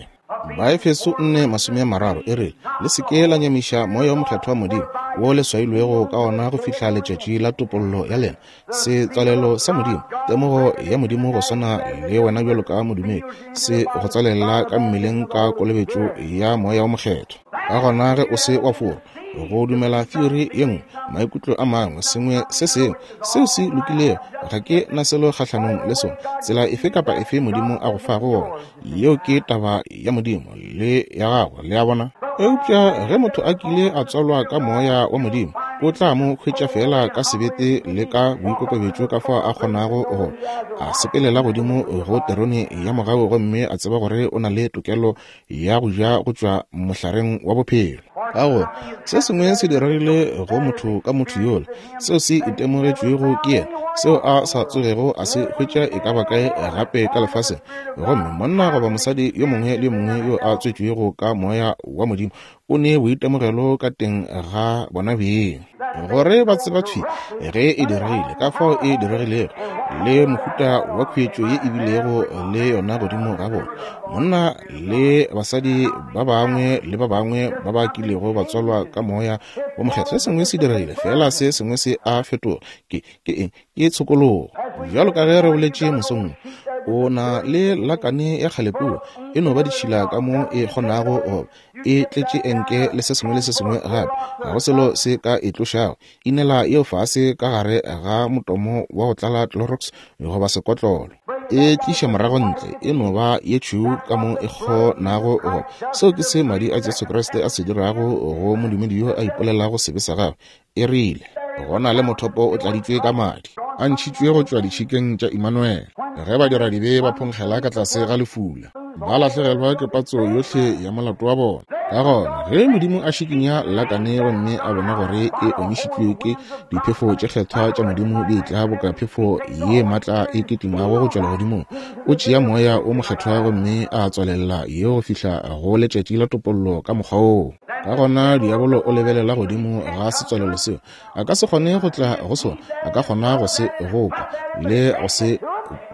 Baefeso 4:30 e re, Le se ke la nyamiša Moya o Mokgethwa wa Modimo, wo le swailwego ka ona go fihla letšatši la topollo ya lena. Setswalelo sa Modimo, temogo ya Modimo go swana le wena bjalo ka modumedi, se go tswalela ka mmeleng ka kolobetšo ya Moya o Mokgethwa. Ka gona ge o se wa forwa go dumela theory ye nngwe, maikutlo a mangwe, sengwe se sengwe seo se lokilego, ga ke na selo kgahlanong le sona, tsela efe kapa efe Modimo a go fago gona, yeo ke taba ya Modimo le ya gago, le a bona. Eupša ge motho a kile a tswalwa ka Moya wa Modimo, o tla mo hwetša feela ka sebete le ka boikokobetšo ka fao a kgonago go a sepelela godimo go terone ya mogau gomme a tseba gore o na le tokelo ya go ja go tšwa mohlareng wa bophelo. Ka gore se sengwe se diregile go motho ka motho yola, seo se itemogetšwego ke yena, seo a sa tsogego a se hwetša e ka ba kae gape ka lefaseng. Gomme monna goba mosadi yo mongwe le yo mongwe yo a tswetšwego ka Moya wa Modimo o ne boitemogelo ka teng ga bona beng, gore ba tseba thwi ge e diregile, ka fao e diregilego, le mohuta wa khuetšo ye e bilego le yona godimo ga bona. Monna le basadi ba bangwe le ba bangwe ba ba kilego ba tswalwa ka Moya wo Mokgethwa, se sengwe se diregile, feela se sengwe se a fetoga. Ke, ke eng? Ke tshokologo. Bjalo ka ge re boletše mosong wo, o na le lakane ya kgale kua, e no ba ditšhila ka mo e kgonago go ba, e tletše enke le se sengwe le se sengwe gape, ga go selo se ka e tlošago. Inela yeo fase ka gare ga motomo wa go tlala Clorox goba sekotlolo. E tliša morago ntle, e no ba ye tšhweu ka mo e kgonago go ba. Seo ke se Madi a Jesu Kriste a se dirago go modumedi yo a ipolelago sebe sa gagwe. E rile, Go na le mothopo o tladitšwe ka madi, a ntšhitšwe go tšwa ditšhikeng tša Imanuele. Ge badiradibe ba phonkgela ka tlase ga lefula, ba lahlegelwa ke patso yohle ya molato wa bona. Ka gona, ge Modimo a šikinya lakane gomme a bona gore e omišitšwe ke diphefo tše kgethwa tša Modimo di etla boka phefo ye matla e kitimago go tšwa legodimong, o tšea Moya wo Mokgethwa gomme a tswalelela ye go fihla go letšatši la topollo ka mokgwa woo. Ka gona diabolo o lebelela godimo ga setswalelo seo. A ka se kgone go tla go sona, a ka kgona go se goka le go se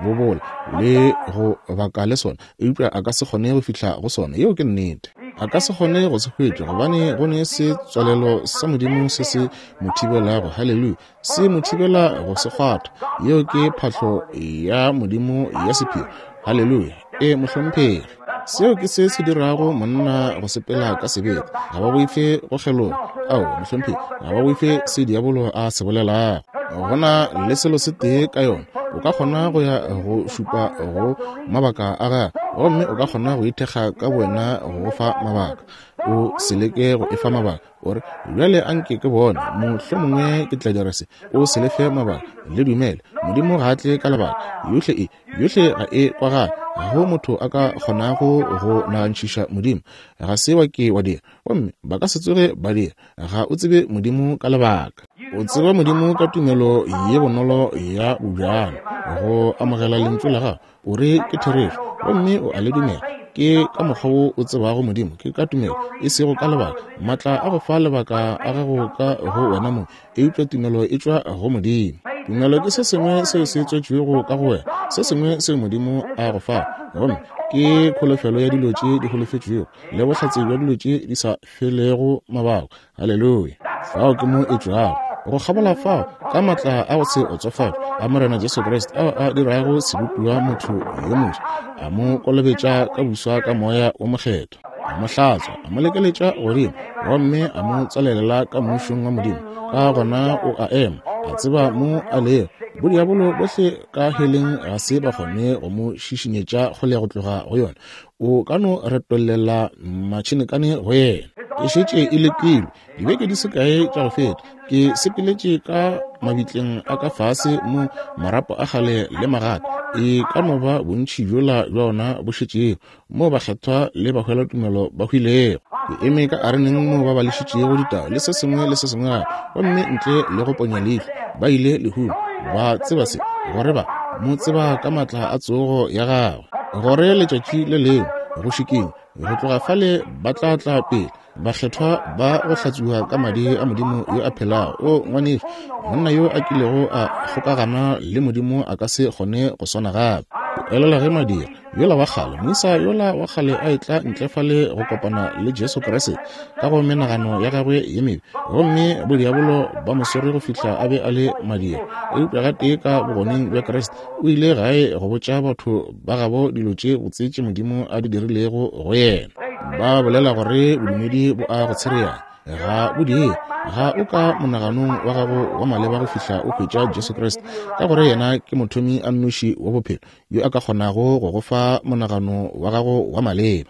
bobola le go baka le sona, eupša a ka se kgone go fihla go sona. Yeo ke nnete. A ka se kgone go se hwetša, gobane go ne setswalelo sa Modimo se se mo thibelago. Haleluya! Se mo thibela go se kgwatha. Yeo ke phahlo ya Modimo ya sephiri. Haleluya! E, mohlomphegi. Seo ke se se dirago monna go sepela ka sebete. Ga ba boife go kgeloga. Ao, mohlomphegi, ga ba boife se diabolo a se bolelago. Go na le selo se tee ka yona. O ka kgona go ya go šupa go mabaka a gagwe, gomme o ka kgona go ithekga ka bowena go go fa mabaka. O se leke go e fa mabaka. O re, Bjale a nke ke bone, mohlomongwe ke tla dira se. O se lefe mabaka. Le dumele. Modimo ga a tle ka lebaka. Yohle e, yohle ga e kwagale. Ga go motho a ka kgonago go nagantšhiša Modimo. Ga se wa ke wa dira, gomme ba ka se tsoge ba dira. Ga o tsebe Modimo ka lebaka. O tseba Modimo ka tumelo ye bonolo ya bobjalo, go amogela Lentšu la Gagwe. O re ke therešo, gomme o a le dumela. Ke ka mokgwa wo o tsebago Modimo, ke ka tumelo, e sego ka lebaka. Matla a go fa lebaka a gago ka go wena mong, eupša tumelo e tšwa go Modimo. Tumelo ke se sengwe seo se tswetšwego ka go wena, se sengwe seo Modimo a go fago, gomme ke kholofelo ya dilo tše di holofetšwego le bohlatse bja dilo tše di sa felego mabaka. Haleluya! Fao ke mo e tšwago. Go kgabola fao, ka matla a go se otsofatšwe a Morena Jesu Kriste ao a dirago sebopiwa motho yo moswa, a mo kolobetša ka buswa ka Moya wo Mokgethwa, a mo hlatswa, a mo lekeletša godimo, gomme a mo tswalelela ka Mmušong wa Modimo. Ka gona o a ema, a tseba mo a lego. Bodiabolo bohle ka heleng ga se ba kgone go mo šišinyetša kgole go tloga go yona. O ka no retollela matšhenekane go yena. E šetše e lekilwe dibeke di se kae tša go feta. Ke sepeletše ka mabitleng a ka fase mo marapo a kgale le magata e ka no ba bontši bjola bja ona bo šetšego mo bakgethwa le bahwelatumelo ba hwilego. Ke eme ka areneng mo ba bališitšego ditao le se sengwe le se sengwe gape, gomme ntle le go ponya leihlo ba ile lehung. Ba tseba se, gore ba mo tseba ka matla a tsogo ya gagwe, gore letšatši le lengwe go šikinywa go tloga fale ba tla tla pele bakgethwa ba go hlatswiwa ka madi a Modimo yo a phelago. O ngwanešu, monna yo a kilego a kgokagana le Modimo a ka se kgone go swana gape. Ke elela ge madira yola wa kgale, moisa yola wa kgale a etla ntle fale go kopana le Jesu Kriste ka go menagano ya gagwe ye mebe, gomme bodiabolo ba mo swere go fihla a be a le madira. Eupša gatee ka bogoneng bja Kriste, o ile gae go botša batho ba gabo dilo tše botse tše Modimo a di dirilego go yena. Ba bolela gore bodumedi bo a go tshereanya. Ga bo dire. Ga o ka monaganong wa gago wa maleba go fihla o hwetša Jesu Kriste, ka gore yena ke mothomi a nnoši wa bophelo yo a ka kgonago go go fa monagano wa gago wa maleba.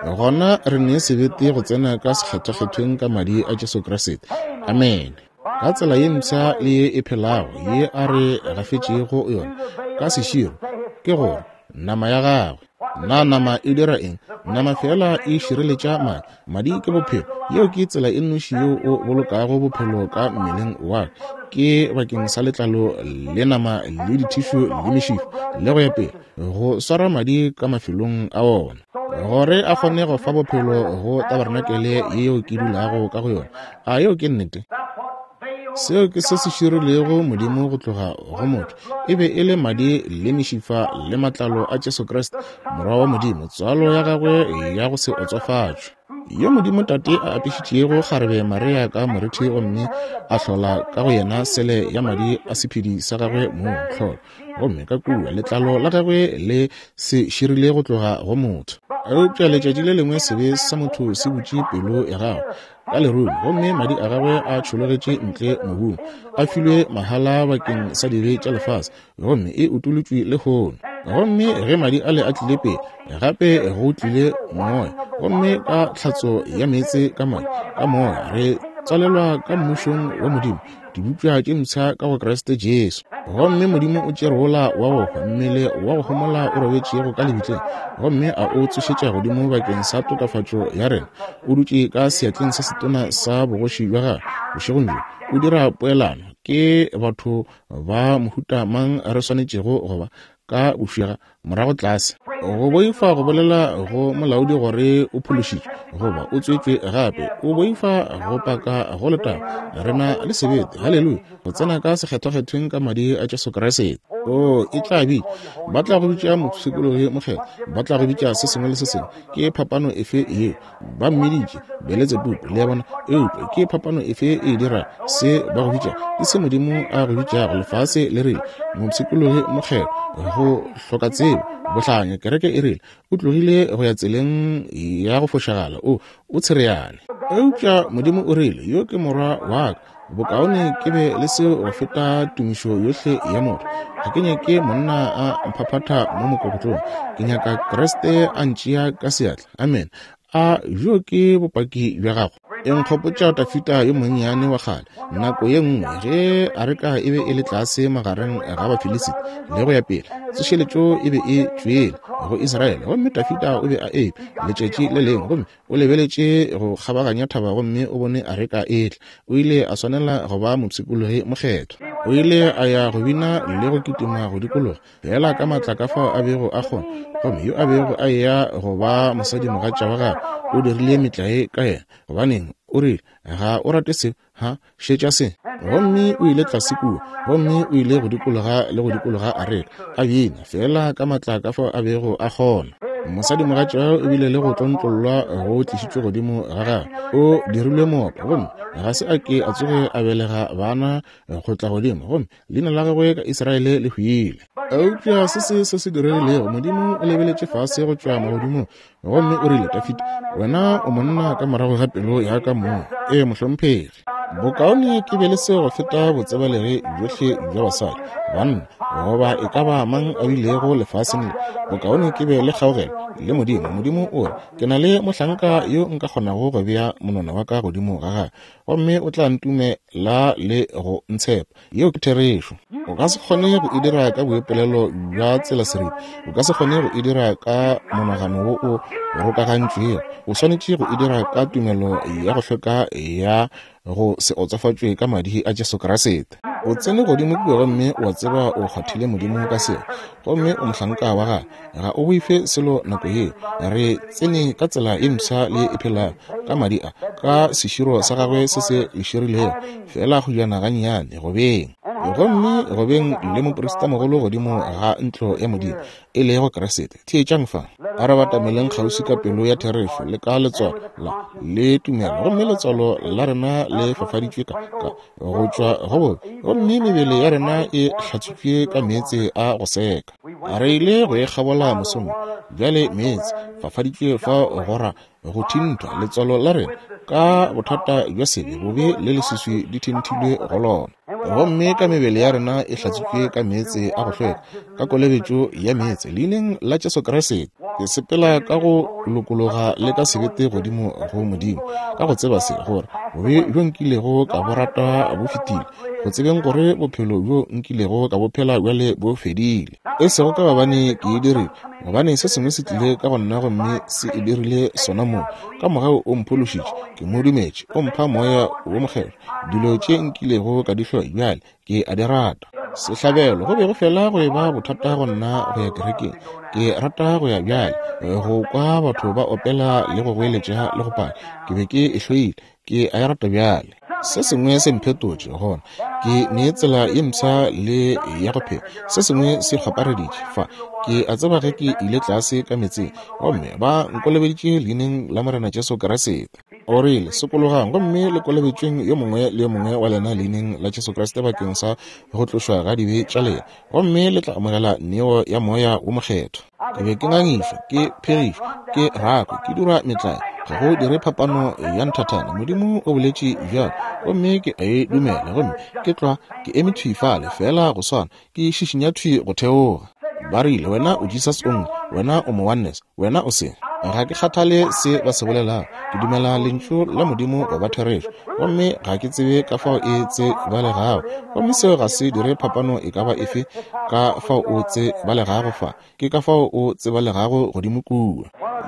Gona re ne sebete go tsena ka sekgethwakgethweng ka madi a Jesu Kriste. Amene. Ka tsela ye mpsha le ye e phelago ye a re gafetšego yona ka seširo, ke gore nama ya gagwe. Na nama e dira eng? Nama fela e šireletša madi. Madi ke bophelo. Yeo ke tsela e nnoši yeo o bolokago bophelo ka mmeleng wa ka, ke bakeng sa letlalo le nama le dithišu le mešifa le go ya pele, go swara madi ka mafelong a ona, gore a kgone go fa bophelo go tabarenakele yeo ke dulago ka go yona. A yeo ke nnete? Seo ke se se širilego Modimo go tloga go motho. E be e le madi le mešifa le matlalo a Jesu Kriste, Morwa wa Modimo, tswalo ya gagwe ya go se otswafatšwe, yo Modimo Tate a apešitšego kgarebe Maria ka morithi gomme a hlola ka go yena sele ya madi a sephedi sa gagwe mong, tlholo. Gomme ka kua letlalo la gagwe le se širile go tloga go motho. Eupša letšatši le lengwe sebe sa motho se butše pelo ya gagwe ka lerung, gomme madi a gagwe a tšhologetše ntle mobung, a filwe mahala bakeng sa dibe tša lefase, gomme e utolotšwe lehono. Gomme ge madi ale a tlile pele, gape go tlile moya, gomme ka tlhatso ya meetse ka madi, ka moya re tswalelwa ka mmušong wa Modimo, dibopša tše mpsha ka go Kriste Jesu. Gomme Modimo o tšere wola wa go hwa, mmele wa go homola o robetšego ka lebitleng, gomme a o tsošetša godimo bakeng sa tokafatšo ya rena. O dutše ka seatleng se setona sa bogoši bja gagwe bošegong bjo, o dira poelano. Ke batho ba mohuta mang re swanetšego go ba ka bošega morago tlase? Go boifa go bolela go molaodi gore o phološitšwe goba o tswetšwe gape, o boifa go paka go letago. Re na le sebete, haleluya, go tsena ka sekgethwakgethweng ka madi a Jesu Kriste. O e tla bitša, ba tla go bitša mopshikologi mokgethwa, ba tla go bitša se sengwe le se sengwe. Ke phapano efe yeo? Ba mmiditše Beletsebubu, le a bona. Eupša ke phapano efe e dira se ba go bitša? Ke se Modimo a go bitšago. Lefase le rile mopshikologi mokgethwa, go hloka tsebo, bohlanya. Kereke e rile o tlogile go ya tseleng ya go fošagala, o o tshereane. Eupša Modimo o rile, yo ke morwa wa ka, bokaone ke be le seo go feta tumišo yohle ya motho. Ga ke nyake monna a mphaphatha mo mokokotlong, ke nyaka Kriste a ntšea ka seatla. Amen. A bjo ke bopaki bja gago? E nkgopotša Dafida yo monnyane wa kgale, nako ye nngwe ge areka e be e le tlase magareng ga Bafilisita le go ya pele, tsošeletšo e be e tšwele go Israele, gomme Dafida o be a eme letšatši le lengwe gomme o lebeletše go kgabaganya thaba gomme o bone areka e tla. O ile a swanela go ba mopshikologi mokgethwa. O ile a ya go bina le go kitima go dikologa feela ka matla ka fao a bego a kgona, gomme yo a bego a eya go ba mosadimogatša wa gagwe o dirile metlae ka yena. Gobaneng, o rile, ga o rate seo, ha? Šetša se. Gomme o ile tlase kua, gomme o ile go dikologa le go dikologa areka, a bina feela ka matla ka fao a bego a kgona. Mosadimogatša o bile le go tlontlollwa go tlišitšwe godimo ga gagwe. O dirilwe moopa, gomme ga se a ke a tsoge a belega bana go tla godimo, gomme leina la gagwe ka Israele le hwile. Eupša se se se se diregilego, Modimo o lebeletše fase go tšwa magodimong gomme o rile, Dafida, wena o monna ka morago ga pelo ya ka mong. Ee, mohlomphegi. Bokaone ke be le seo go feta botsebalegi bjohle bja basadi, banna, goba e ka ba mang a bilego lefaseng le. Bokaone ke be le kgaogelo le Modimo. Modimo o re, Ke na le mohlanka yo nka kgonago go bea monwana wa ka godimo ga gagwe, gomme o tla ntumela le go ntshepa. Yeo ke therešo. O ka se kgone go e dira ka boipolelo bja tsela seripa. O ka se kgone go e dira ka monagano wo o rokagantšwego. O swanetše go e dira ka tumelo ya go hlweka ya go se otsofatšwe ka madi a Jesu Kriste. O tsene godimo kua gomme wa tseba o kgwathile Modimo ka seo, gomme o mohlanka wa gagwe. Ga o boife selo nako yeo. Re tsene ka tsela ye mpsha le e phelago ka madi a, ka seširo sa gagwe se se leširilego, feela go jana gannyane go beng. Gomme go beng le moprista mogolo godimo ga ntlo ya Modimo, e lego Kriste. Theetšang fa. A re batameleng kgauswi ka pelo ya therešo le ka letswalo la le tumelo, gomme letswalo la rena le fafaditšwe ka, ka go tšwa go bobe, gomme mebele ya rena e hlatswitšwe ka meetse a go seka. Re ile go e kgabola mosong wo. Bjale meetse fafaditšwe fa go ra go thinthwa letswalo la rena. Ka bothata bja sebe, bobe le leswiswi di thenthilwe go lona. Gomme ka mebele ya rena e hlatswitšwe ka meetse a go hlweka, ka kolobetšo ya meetse, Leineng la Jesu Kriste, ke sepela ka go lokologa le ka sebete godimo go Modimo, ka go tseba se, gore bobe bjo nkilego ka bo rata bo fetile, go tsebeng gore bophelo bjo nkilego ka bo phela bjale bo fedile. E sego ka gobane ke e dirile, gobane se sengwe se tlile ka go nna gomme se e dirile sona mong. Ka mogau o mphološitše, ke mo dumetše, o mpha Moya wo Mokgethwa. Dilo tše nkilego ka di hloya bjale ke a di rata. Sehlabelo go be go fela go eba bothata go nna go ya kerekeng. Ke rata go ya bjale, go kwa batho ba opela le go goeletša le go paka. Ke be ke e hloile, ke a e rata bjale. Se sengwe se mphetotše gona, ke ne tsela ye mpsha le ya go phela. Se sengwe se kgwapareditše fa. Ke a tseba ge ke ile tlase ka meetseng gomme ba nkolobeditše leineng la Morena Jesu Kriste. O rile, Sokologang gomme le kolobetšweng yo mongwe le yo mongwe wa lena leineng la Jesu Kriste bakeng sa go tlošwa ga dibe tša lena, gomme le tla amogela neo ya Moya wo Mokgethwa. Ke be ke ngangišwa, ke phegišwa, ke rakwa, ke dirwa metlae. Ga go dire phapano ya nthathana. Modimo o boletše bjalo, gomme ke a e dumela. Gomme ke tlwa ke eme thwi fale, feela go swana, ke šišinya thwi go theoga. Ba rile, Wena o Jesus Only, wena o mo Oneness, wena o se. Ga ke kgathale se ba se bolelago. Ke dumela Lentšu la Modimo go ba therešo, gomme ga ke tsebe ka fao e tsebalegago. Gomme seo ga se dire phapano e ka ba efe ka fao o tsebalegago fa, ke ka fao o tsebalegago godimo kua.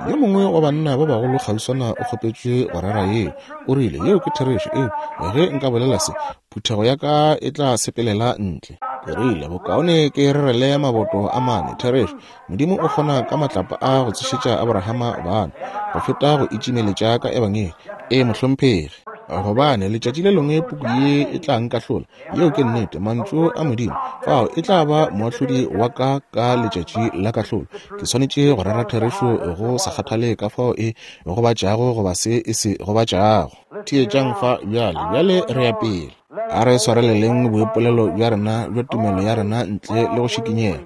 Yo mongwe wa banna ba bagolo kgauswana o kgopetšwe go rera yeo. O rile, Yeo ke therešo, eupša ge nka bolela se, phuthego ya ka e tla sepelela ntle. Ke rile, Bokaone ke rerele maboto a mane. Therešo, Modimo o kgona ka matlapa a go tsošetša Abrahama bana, go feta go itšimeletša ka Ebangedi. Ee, mohlomphegi. Gobane letšatši le lengwe puku ye e tla nkahlola, yeo ke nnete, mantšu a Modimo, fao e tla ba moahlodi wa ka ka letšatši la kahlolo. Ke swanetše go rera therešo go sa kgathale ka fao e gobatšago goba se e se gobatšago. Theetšang fa bjale, bjale re ya pele. A re swareleleng boipolelo bja rena bja tumelo ya rena ntle le go šikinyega.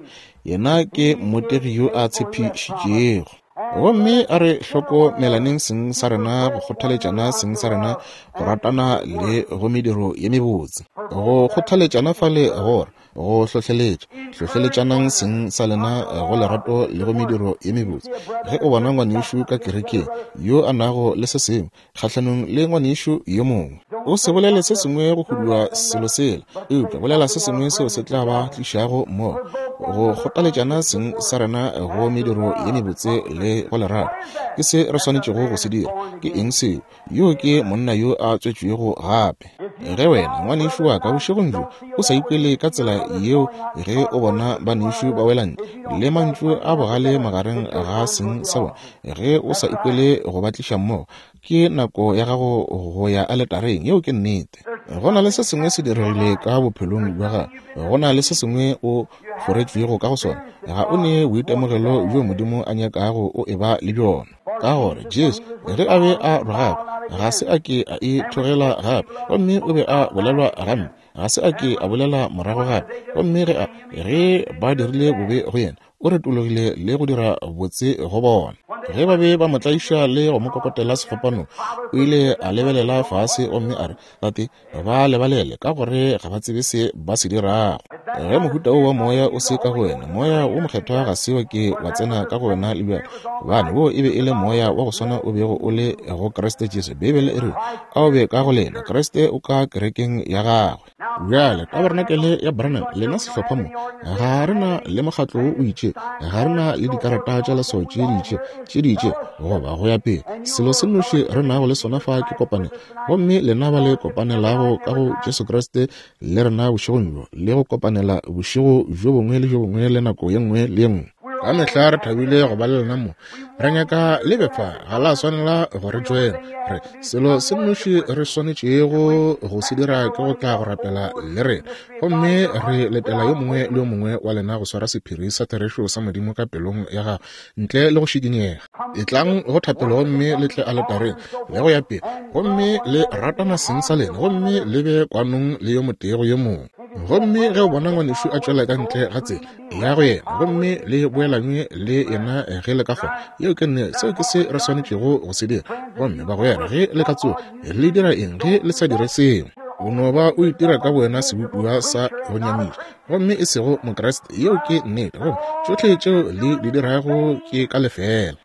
Yena ke mmotegi yo a tshepišitšego. Gomme a re hlokomelaneng seng sa rena, go kgothaletšana seng sa rena, go ratana le go mediro ye mebotse. Go kgothaletšana fale gore go hlohleletša. Hlohleletšanang seng sa lena go lerato le go mediro ye mebotse. Ge o bona ngwanešu ka kerekeng yo a nago le se sengwe kgahlanong le ngwanešu yo mongwe, o se bolele se sengwe go hudua selo sela, eupša bolela se sengwe seo se tla ba tlišago mmogo. Go kgothaletšana seng sa rena go mediro ye mebotse le go lerato ke se re swanetšego go se dira. Ke eng seo? Yo ke monna yo a tswetšwego gape. Ge wena, ngwanešu wa ka, bošegong bjo o sa ikwele ka tsela yeo ge o bona banešu ba wela ntle le mantšu a bogale magareng ga seng sa bona, ge o sa ikwele go ba tliša mmogo, ke nako ya gago go ya aletareng. Yeo ke nnete. Go na le se sengwe se diregile ka bophelong bja gago. Go na le se sengwe o foretšwego ka go sona. Ga o ne boitemogelo bjo Modimo a nyakago o eba le bjona. Ka gore Jesu, ge a be a rogakwa, ga se a ke a ithogela gape, gomme o be a bolelwa gampe, ga se a ke a bolela morago gape. Gomme ge a, ge ba dirile bobe go yena, o retologile le go dira botse go bona. Ge ba be ba mo tlaiša le go mo kokotela sefapanong, o ile a lebelela fase gomme a re, Tate, ba lebalele, ka gore ga ba tsebe se ba se dirago. Ge mohuta wo wa moya o se ka go wena, Moya wo Mokgethwa ga se wa ke wa tsena ka go wena le bjale, gobane wo e be e le Moya wa go swana o bego o le go Kriste Jesu. Beibele e rile, A o be ka go lena, Kriste o ka kerekeng ya gagwe. Bjale, Tabarenakele ya Branham, lena sehlopha mo, ga re na le mokgatlo wo o itše, ga re na le dikarata tša leswao tše di itše, tše di itše, goba go ya pele. Selo se nnoši re nago le sona fa ke kopanelo. Gomme lena ba le kopanelago ka go Jesu Kriste le rena bošegong bjo, le go kopanela bošego bjo bongwe le bjo bongwe le nako ye nngwe le ye nngwe. Ka mehla re thabile go ba le lena mo. Re nyaka le be fa, ga la swanela go re joina. Re, selo se nnoši re swanetšego go se dira ke go tla go rapela le rena. Gomme re letela yo mongwe le yo mongwe wa lena go swara sephiri sa therešo sa Modimo ka pelong ya gago, ntle le go šikinyega. Etlang go thapelo gomme le tle aletareng le go ya pele, gomme le ratana seng sa lena, gomme le be kwanong le yo motee go yo mongwe. Gomme ge o bona ngwanešu a tšwela ka ntle ga tsela, ya go yena gomme le boelanywe le yena ge le ka kgona. Yeo ke nne, seo ke se re swanetšego go se dira. Gomme bagwera, ge le ka tsoga, le dira eng ge le sa dire seo? O no ba o itira ka bowena sebopiwa sa go nyamiša, gomme e sego Mokriste. Yeo ke nnete. Gomme tšohle tšeo le di dirago ke ka lefeela.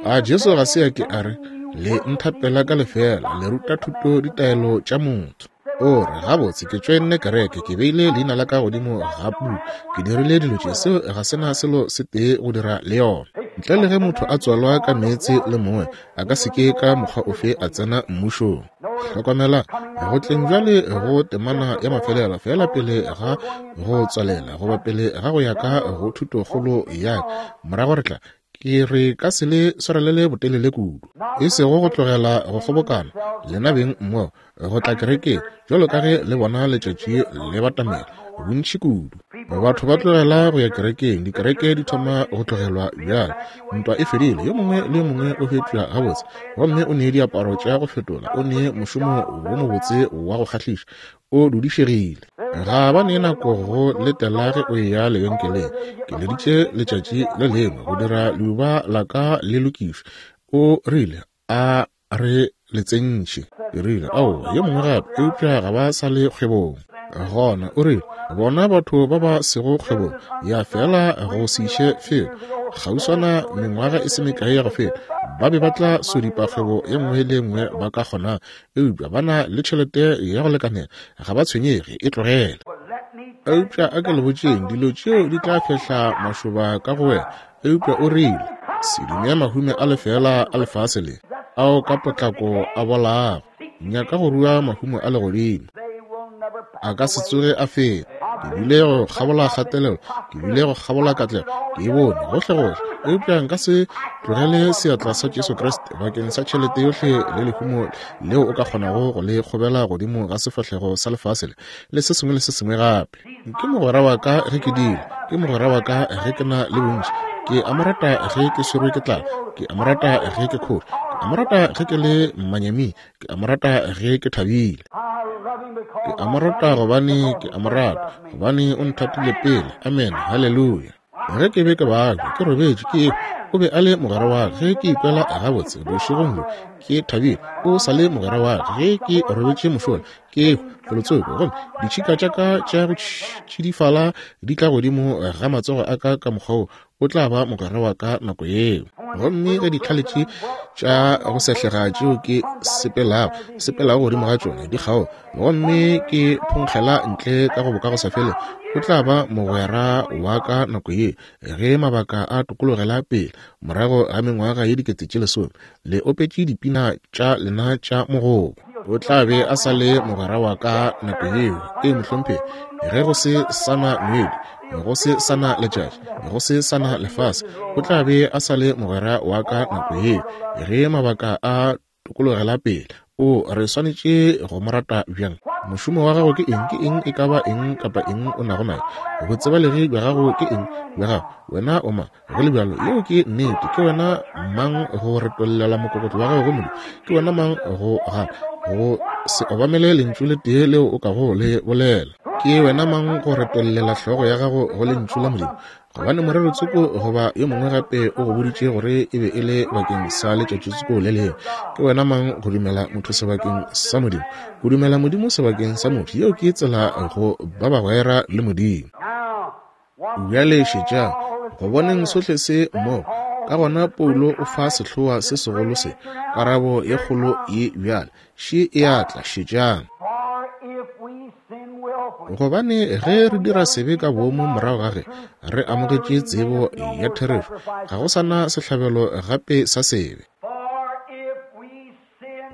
A Jesu ga se a ke a re, Le nthapela ka lefeela, le ruta thuto ditaelo tša motho. O re, Gabotse, ke tšoenne kereke, ke beile leina la ka godimo ga puku, ke dirile dilo tše. Seo ga se na selo se tee go dira le yona. Ntle le ge motho a tswalwa ka meetse le moya, a ka se ke ka mokgwa ofe a tsena mmušong. Hlokomela, go tleng bjale go temana ya mafelelo, feela pele ga go tswalela, goba pele ga go ya ka go thutokgolo ya ka, morago re tla Ke re ka se le swarelele botelele kudu, e sego go tlogela go kgobokana lena beng mmogo go tla kerekeng, bjalo ka ge le bona letšatši le batamela bontši kudu. Batho ba tlogela go ya kerekeng, dikereke di thoma go tlogelwa bjale. Ntwa e fedile, yo mongwe le yo mongwe o fetšwa gabotse, gomme o ne diaparo tša go fetola, o ne mošomo wo mobotse wa go kgahliša, o dudišegile. Ga ba ne nako go letela ge o eya lebenkeleng. Ke leditše letšatši le lengwe go dira leuba la ka le lokišwe. O rile, A re le tsentšhe. Ke rile, Aowa, yo mongwe gape, eupša ga ba sa le kgwebong. Gona o rile, Bona batho ba ba sego kgwebong, ya feela go se iše felo. Kgauswana mengwaga e se mekae ya go feta, ba be ba tla sodipa kgwebo ye nngwe le ye nngwe ba ka kgonang, eupša ba na le tšhelete ya go lekanela, ga ba tshwenyege, e tlogele. Eupša a ke le botšeng, dilo tšeo di tla fehla mašoba ka go wena. Eupša o rile, Se dume mahume a lefeela a lefase le, ao ka potlako a bolago. Nyaka go rua mahumo a legodimo. A ka se tsoge a feta. Ke bile go kgabola kgatelelo, ke bile go kgabola katlego, ke e bone gohlegohle. Eupša nka se tlogele seatla sa Jesu Kriste bakeng sa tšhelete yohle le lehumo leo o ka kgonago go le kgobela godimo ga sefahlego sa lefase le, le se sengwe le se sengwe gape. Ke mogwera wa ka ge ke dira, ke mogwera wa ka ge ke na le bontši. Ke a mo rata ge ke swerwe ke tlala, ke a mo rata ge ke khore, ke a mo rata ge ke le manyaming, ke a mo rata ge ke thabile. Ke a mo rata gobane ke a mo rata, gobane o nthatile pele. Amen. Haleluya. Ge ke be ke babja, ke robetše, ke ehwa, o be a le mogwera wa ka. Ge ke ikwela gabotse bošegong bjo, ke thabile, o sa le mogwera wa ka. Ge ke robetše mošola, ke ehwa felotsoko, gomme ditšhika tša ka tša go tšidifala di tla godimo ga matsogo a ka ka mokgwa wo, o tla ba mogwera wa ka nako yeo. Gomme ge ditlhale tše tša go sehlega tšeo ke sepelago, sepelago godimo ga tšona di kgaoga, gomme ke phonkgela ntle ka go bokagosafelego, o tla ba mogwera wa ka nako ye, ge mabaka a tokologela pele, morago ga mengwaga ye 10,000, le opetše dipina tša lena tša mogobo. O tla be a sa le mogwera wa ka nako yeo. Ee, mohlomphegi, ge go se sa na moedi, go se sa na letšatši, go se sa na lefase, o tla be a sa le mogwera wa ka nako yeo, ge mabaka a tokologela pele. O re swanetše go mo rata bjang? Mošomo wa gago ke eng? Ke eng e ka ba eng kapa eng o nago nayo? Botsebalegi bja gago ke eng? Bja gago. Wena o mang? Go le bjalo, yeo ke nnete. Ke wena mang go retollela mokokotlo wa gago go Modimo? Ke wena mang go gana go se obamele lentšu le tee leo o kago le bolela? Ke wena mang go retollela hlogo ya gago go lentšu la Modimo? Gobane morero tsoko goba yo mongwe gape o go boditše gore e be e le bakeng sa letšatši tsoko le lengwe. Ke wena mang go dumela motho sebakeng sa Modimo? Go dumela Modimo sebakeng sa motho, yeo ke tsela go ba bagwera le Modimo. Bjale šetšang, go boneng sohle se mmogo, ka gona Paulo o fa sehloa se segolo se, karabo ye kgolo ye bjale. Še e a tla, šetšang. Gobane ge re dira sebe ka boomo morago ga ge re amogetše tsebo ya therešo, ga go sa na sehlabelo gape sa sebe.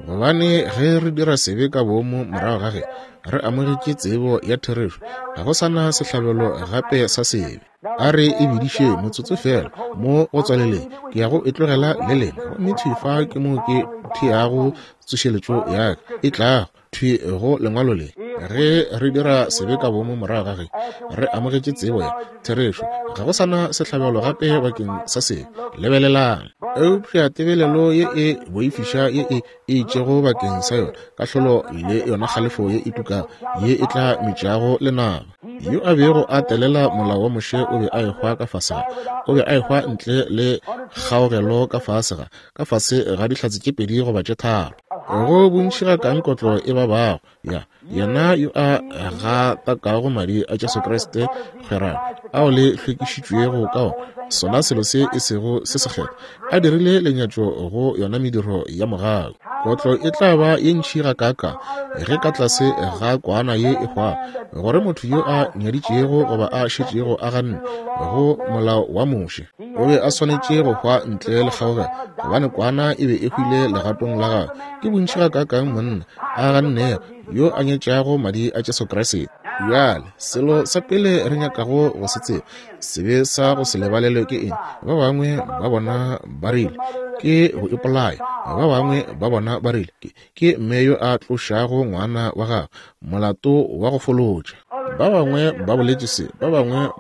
Gobane ge re dira sebe ka boomo morago ga ge re amogetše tsebo ya therešo, ga go sa na sehlabelo gape sa sebe. A re e bidiše motsotso feela mo go tswaleleng. Ke ya go e tlogela le lena. Gomme thwi fa ke mo ke theago tsošeletšo ya ka e tlago, thwi go Lengwalo le. Ge re dira sebe ka boomo morago ga ge re amogetše tsebo ya therešo, ga go sa na sehlabelo gape bakeng sa sebe. Lebelelang. Eupša tebelelo ye e boifiša ye e itšego bakeng sa yona kahlolo le yona kgalefo ye e tukago ye e tla metšago lenaba. Yo a bego a telela molao wa Moshe o be a ehwa ka fase ga, o be a ehwa ntle le kgaogelo ka fase ga, ka fase ga dihlatse tše pedi goba tše tharo. Go bontši ga kang kotlo e babago ya yena yo a gatakago madi a Jesu Kriste kgwerano ao le hlwekišitšwego ka ona, sona selo se e sego se sekgethwa, a dirile lenyatšo go yona mediro ya mogau. Kotlo e tla ba ye ntši gakaakang ge ka tlase ga kwana ye e hwago, gore motho yo a nyaditšego goba a šetšego a ganne go molao wa Moshe, o be a swanetše go hwa ntle le kgaogelo, gobane kwana e be e hwile legatong la gagwe. Ke bontši gakaakang monna a gannego yo a nyetšago madi a Jesu Kriste. Bjale, selo sa pele re nyakago go se tseba, sebe sa go se lebalelwe ke eng? Ba bangwe ba bona ba rile ke go ipolaya, ba bangwe ba bona ba rile ke mme yo a tlošago ngwana wa gagwe molato wa go folotša. Ba bangwe ba boletše se, ba bangwe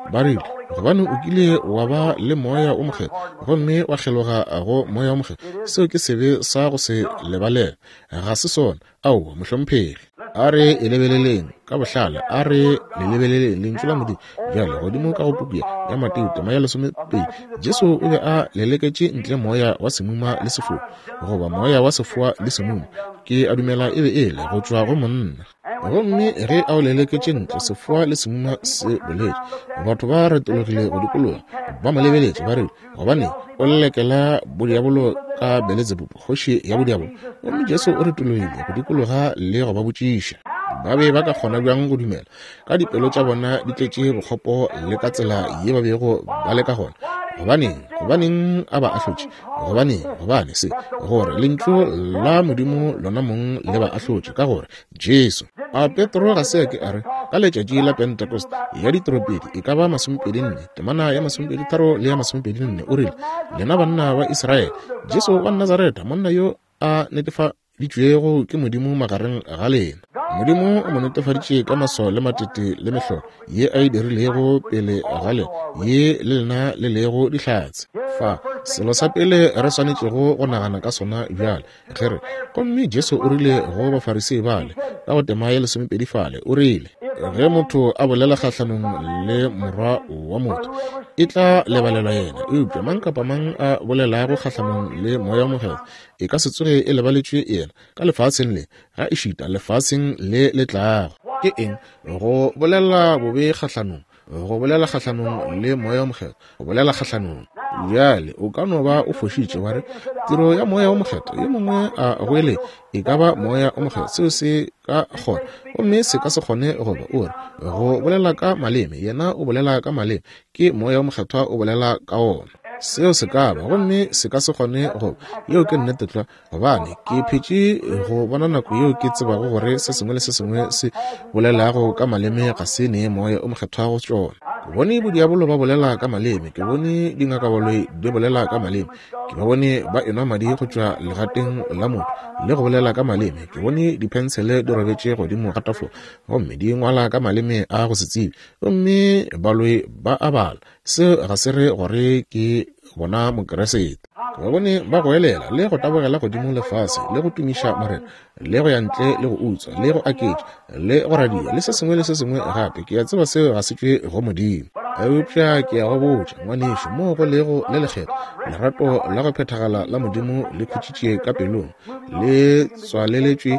ba rile gobane o kile wa ba le Moya o Mokgethwa gomme wa kgeloga go Moya o Mokgethwa. Seo ke sebe sa go se lebalelwe. Ga se sona. Aowa, mohlomphegi. A re e lebeleleng ka bohlale, a re le lebeleleng Lentšu la Modimo. Bjale, godimo ka go puku ya Mateo, tema ya lesomepedi, Jesu o be a leleketše ntle moya wa semuma le sefoa, goba moya wa sefoa le semuma, ke a dumela e be e le, go tšwa go monna. Gomme ge a o leleketše ntle, sefoa le semuma se boletše. Batho ba retologile go dikologa, ba mo lebeletše, ba rile, Gobaneng o lelekela bodiabolo ka Beletsebubu, kgoši ya bodiabolo? Gomme Jesu o retologile go dikologa le go ba botšiša. Ba be ba ka kgona bjang go dumela, ka dipelo tša bona di tletše bokgopo le ka tsela ye ba bego ba le ka gona? Gobaneng, gobaneng a ba ahlotše? Gobaneng, gobane se, gore Lentšu la Modimo lona mong le ba ahlotše, ka gore Jesu. A Petro ga se a ke a re, ka letšatši la Pentecost, ya ditropedi e ka ba masomepedi-nne, temana ya masomepedi-tharo le ya masomepedi-nne, o rile, Lena banna ba Israele, Jesu wa Nazaretha, monna yo a netefaditšwego ke Modimo magareng ga lena. Modimo o mo netefaditše ka maswao le matete le mehlolo ye a e dirilego pele ga lena, ye le lena le lego dihlatse. Fa, selo sa pele re swanetšego go nagana ka sona bjale, Ge re, gomme Jesu o rile go Bafarisei bale, ka go tema ya lesomepedi fale, o rile, Ge motho a bolela kgahlanong le Morwa wa motho, e tla lebalelwa yena, eupša mang kapa mang a bolelago kgahlanong le Moya wo Mokgethwa, e ka se tsoge e lebaletšwe yena, ka lefaseng le, ga ešita lefaseng le le tlago. Ke eng? Go bolela bobe kgahlanong, go bolela kgahlanong le Moya wo Mokgethwa, go bolela kgahlanong. Bjale, o ka no ba o fošitše, wa re, Tiro ya Moya wo Mokgethwa, yo mongwe a goeletša, e ka ba Moya wo Mokgethwa, seo se ka kgona, gomme se ka se kgone go ba. O re, Go bolela ka maleme, yena o bolela ka maleme, ke Moya wo Mokgethwa o bolela ka ona. Seo se ka ba, gomme se ka se kgone go ba. Yeo ke nnete tlwa. Gobane ke phetše go bona nako yeo ke tsebago gore se sengwe le se sengwe se bolelago ka maleme ga se nee Moya o Mokgethwa go tšona. Ke bone bodiabolo ba bolela ka maleme, ke bone dingakabaloi di bolela ka maleme, ke ba bone ba enwa madi go tšwa legateng la motho le go bolela ka maleme, ke bone diphensele di robetše godimo ga tafola gomme di ngwala ka maleme a go se tsebe, gomme baloi ba a bala. Seo ga se re gore ke bona Mokeresete. Ke ba bone ba goelela le go tabogela godimo le fase le go tumiša Morena le go ya ntle le go utswa le go aketša le go radia le se sengwe le se sengwe gape. Ke a tseba seo ga se tšwe go Modimo. Eupša ke a go botša, ngwanešu, moo go lego le lekgethwa, lerato la go phethagala la Modimo le khutšitše ka pelong, le tswaleletšwe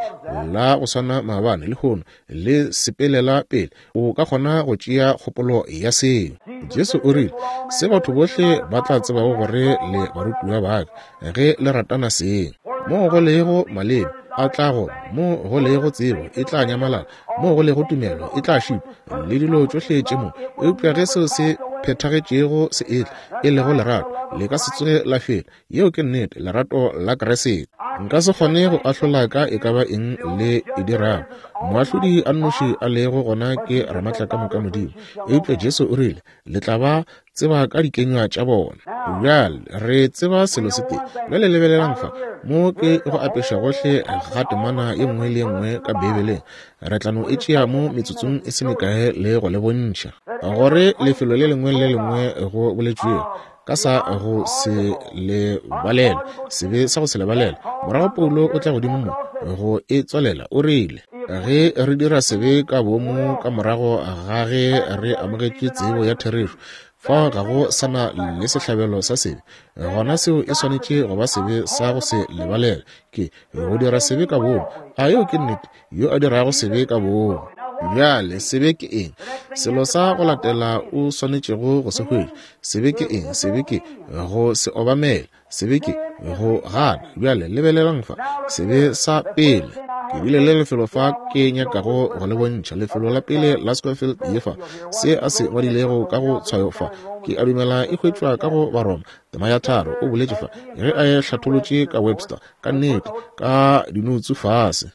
la go swana maabane, lehono, le sepelela pele. O ka kgona go tšea kgopolo ya seo. Jesu o rile, Se batho bohle ba tla tsebago gore le barutiwa ba ka, ge le ratana seng. Moo go lego maleme, a tla go, mo go lego tsebo, e tla nyamalala, mo go lego tumelo, e tla šitwa, le dilo tšohle tše mo. Eupša ge seo se phethagetšego se etla, e lego lerato, Le ka se tsoge la fela. Yeo ke nnete, lerato la Kriste. Nka se kgone go ahlola ka e ka ba eng le e dirago. Moahlodi a nnoši a lego gona ke Ramatlakamoka Modimo. Eupša Jesu o rile, Le tla ba tseba ka dikenywa tša bona. Bjale re tseba selo se tee. Bjale lebelelang fa, mo ke go apeša gohle ga temana ye nngwe le ye nngwe ka Beibeleng. Re tla no e tšea mo metsotsong e se mekae le go le bontšha gore lefelo le lengwe le le lengwe go boletšwego ka sa go se lebalelwe, sebe sa go se lebalelwe. Morago Paulo o tla godimo mo go e tswalela, o rile, Ge re dira sebe ka boomo ka morago ga ge re amogetše tsebo ya therešo, fao ga go sa na le sehlabelo sa sebe, gona seo e swanetše go ba sebe sa go se lebalelwe. Ke go dira sebe ka boomo. A yeo ke nnete? Yo a dirago sebe ka boomo. Bjale, sebe ke eng? Selo sa go latela o swanetšego go se hwetša. Sebe ke eng? Sebe ke go se obamele. Sebe ke go gana. Bjale, lebelelang fa. Sebe sa pele. Ke bile le lefelo fa ke nyakago go le bontšha. Lefelo la pele la Scofield ye fa. Se a se ngwadilego ka go tshwayo fa. Ke a dumela e hwetšwa ka go Baroma, tema ya 3. O boletše fa, ge a e hlatholotše ka Webster, ka nnete, ka dinoutsu fase.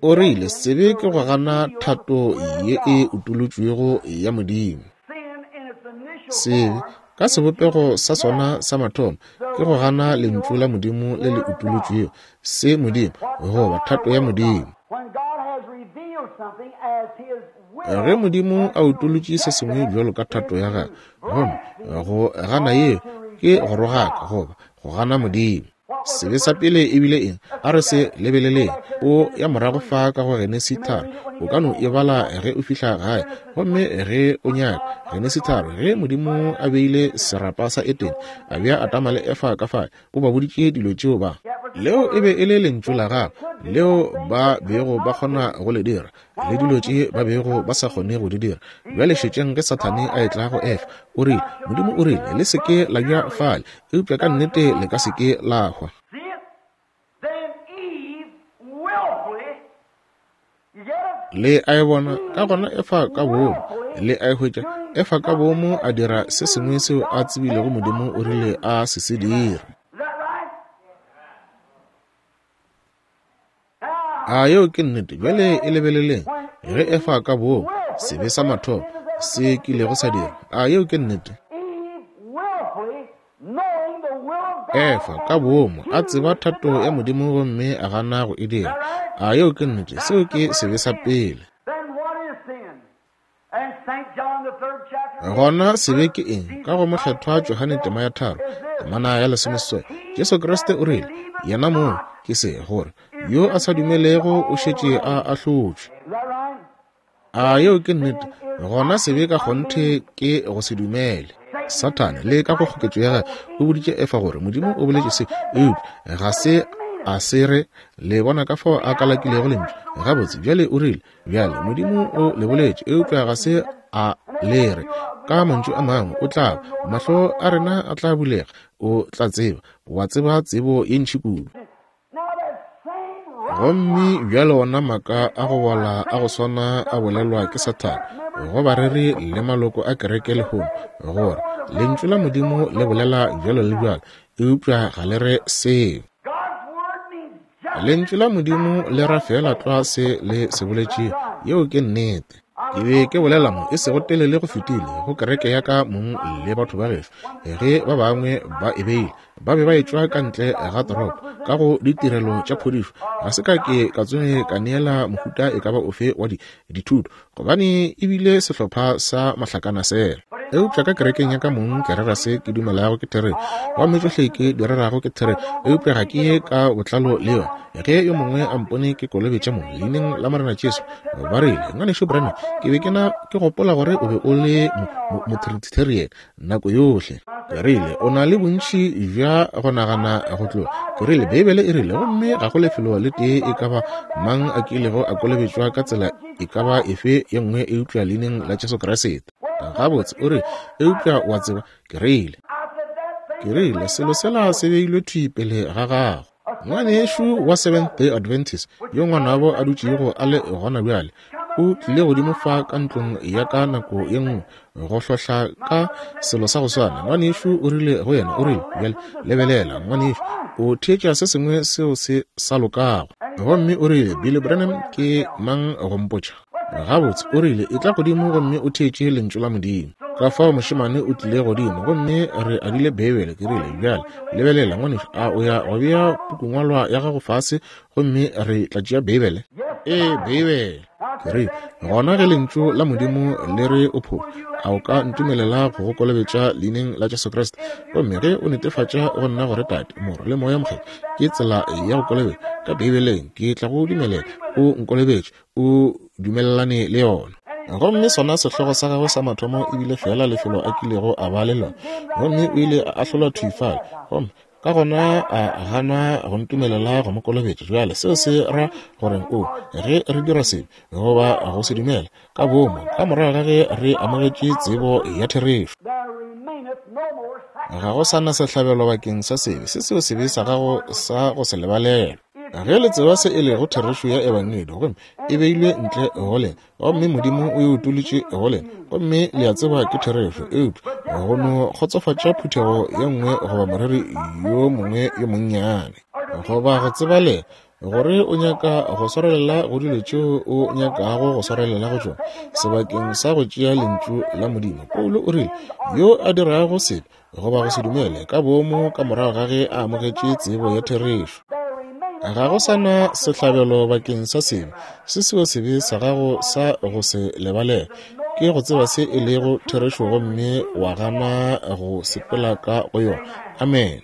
O rile, Sebe ke go gana thato ye e utolotšwego ya Modimo. Sebe, ka sebopego sa sona sa mathomo, ke go gana Lentšu la Modimo le le utolotšwego, se Modimo, goba thato ya Modimo. Ge Modimo a utolotše se sengwe bjalo ka thato ya Gagwe, gomme go gana yeo ke go rogaka goba go gana Modimo. Sebe sa pele e bile eng? A re se lebeleleng. O ya morago fa ka go Genesi 3. O ka no e bala ge o fihla gae. Gomme ge o nyaka, Genesi 3, ge Modimo a beile serapa sa Edene, a bea Adama le Efa ka fale, o ba boditše dilo tšeo ba. Leo e be e le Lentšu la Gagwe, leo ba bego ba kgona go le dira. le dilo tše ba bego ba sa kgone go di dira. Bjale šetšeng ge Sathane a etla go Efa, o rile, Modimo o rile, le se ke la ja fale, eupša ka nnete le ka se ke la hwa. Le a e bona? Ka gona Efa ka boomo, le a e hwetša, Efa ka boomo a dira se sengwe seo a tsebilego Modimo o rile a se se dire. A yeo ke nnete? Bjale e lebeleleng. Ge Efa ka boomo, sebe sa mathomo se kilego sa dira. A yeo ke nnete? Efa ka boomo a tseba thato ya Modimo gomme a gana go e dira. A yeo ke nnete? Seo ke sebe sa pele. Gona sebe ke eng? Ka go Mokgethwa Johane tema ya 3, temana ya 16, Jesu Kriste o rile, Yena mong ke se, gore yo a sa dumelego o šetše a ahlotšwe. A yeo ke nnete? Gona sebe ka kgonthe ke go se dumele. Sathane le ka go kgoketšo ya gagwe o boditše Efa gore Modimo o boletše se, eupša ga se a se re. Le bona ka fao a kalakilego lentšu gabotse. Bjale o rile, Bjale, Modimo o le boletše, eupša ga se a le re. Ka mantšu a mangwe, o tla ba, mahlo a rena a tla bulega, o tla tseba, wa tseba tsebo ye ntši kudu. Gomme bjale ona maaka a go bola a go swana a bolelwa ke Sathane go bareri le maloko a kereke lehono, gore Lentšu la Modimo le bolela bjalo le bjalo, eupša ga le re seo. Lentšu la Modimo le ra feela tlwa se le se boletšego. Yeo ke nnete. Ke be ke bolela mo e sego telele go fetile go kereke ya ka mong le batho ba gešo, ge ba bangwe ba e beile, ba be ba etšwa ka ntle ga toropo ka go ditirelo tša phodišo. Ga se ka ke ka tsoge ka neela mohuta e ka ba ofe wa di, dithuto, gobane e bile sehlopha sa mahlakanasela. Eupša ka kerekeng ya ka mong ke rera se ke dumelago ke therešo, gomme tšohle ke di rerago ke therešo, eupša ga ke ye ka botlalo le yona. Ge yo mongwe a mpone ke kolobetša mo leineng la Morena Jesu, ba rile, Ngwanešu Branham, ke be ke na ke gopola gore o be o le mo-Trinitarian nako yohle. Ke rile, O na le bontši bja go nagana go tloga. Ke rile, Beibele e rile, gomme ga go lefelo le tee e ka ba mang a kilego a kolobetšwa ka tsela e ka ba efe ye nngwe eupša Leineng la Jesu Kriste. Gabotse, o rile, eupša o a tseba, ke rile, ke rile, selo sela se beilwe thwi pele ga gago. Ngwanešu wa Seventh Day Adventist, yo ngwanabo a dutšego a le gona bjale, O tlile godimo fa ka ntlong ya ka nako ye nngwe go hlohla ka selo sa go swana. Ngwanešu o rile go yena, o rile, Bjale, lebelela, ngwanešu, o theetša se sengwe seo se sa lokago. Gomme o rile, Billy Branham ke mang go mpotša? Gabotse, o rile, etla godimo gomme o theetše Lentšu la Modimo. Ka fao mošemane o tlile godimo, gomme re adile Beibele. Ke rile, Bjale, lebelela, ngwanešu, a o ya go bea pukungwalwa ya gago fase gomme re tla tšea Beibele? Ee, Beibele. Ke rile, Gona ge Lentšu la Modimo le re o phošo, a o ka ntumelela go go kolobetša Leineng la Jesu Kriste? Gomme ge o netefatša go nna gore Tate, Morwa, le Moya Mokgethwa ke tsela ya go kolobetša ka Beibeleng, ke tla go dumelela o nkolobetše, o dumelelane le yona. Gomme sona sehlogo sa gagwe sa mathomo e bile feela lefelo a kilego a ba le lona, gomme o ile a ahlolwa thwi fale, gomme ka gona a gana go ntumelela go mo kolobetša. Bjale seo se ra goreng? O, ge re dira sebe goba go se dumela ka boomo ka morago ga ge re amogetše tsebo ya therešo, ga go sa na sehlabelo bakeng sa sebe, se seo sebe sa gago sa go se lebalelwa. Ge le tseba se e lego therešo ya Ebangedi, gomme e beilwe ntle go lena, gomme Modimo o e utolotše go lena, gomme le a tseba ke therešo, eupša go no kgotsofatša phuthego ye nngwe goba moreri yo mongwe yo monnyane, goba go tseba lena gore o nyaka go swarelela go dilo tšeo o nyakago go swarelela go tšona, sebakeng sa go tšea Lentšu la Modimo. Paulo o rile, Yo a dirago sebe goba go se dumele ka boomo ka morago ga ge a amogetše tsebo ya therešo, ga go sa na sehlabelo bakeng sa sebe. Se seo sebe sa gago sa go se lebalela ke go tseba se e lego therešo gomme wa gana go sepela ka go yona. Amen.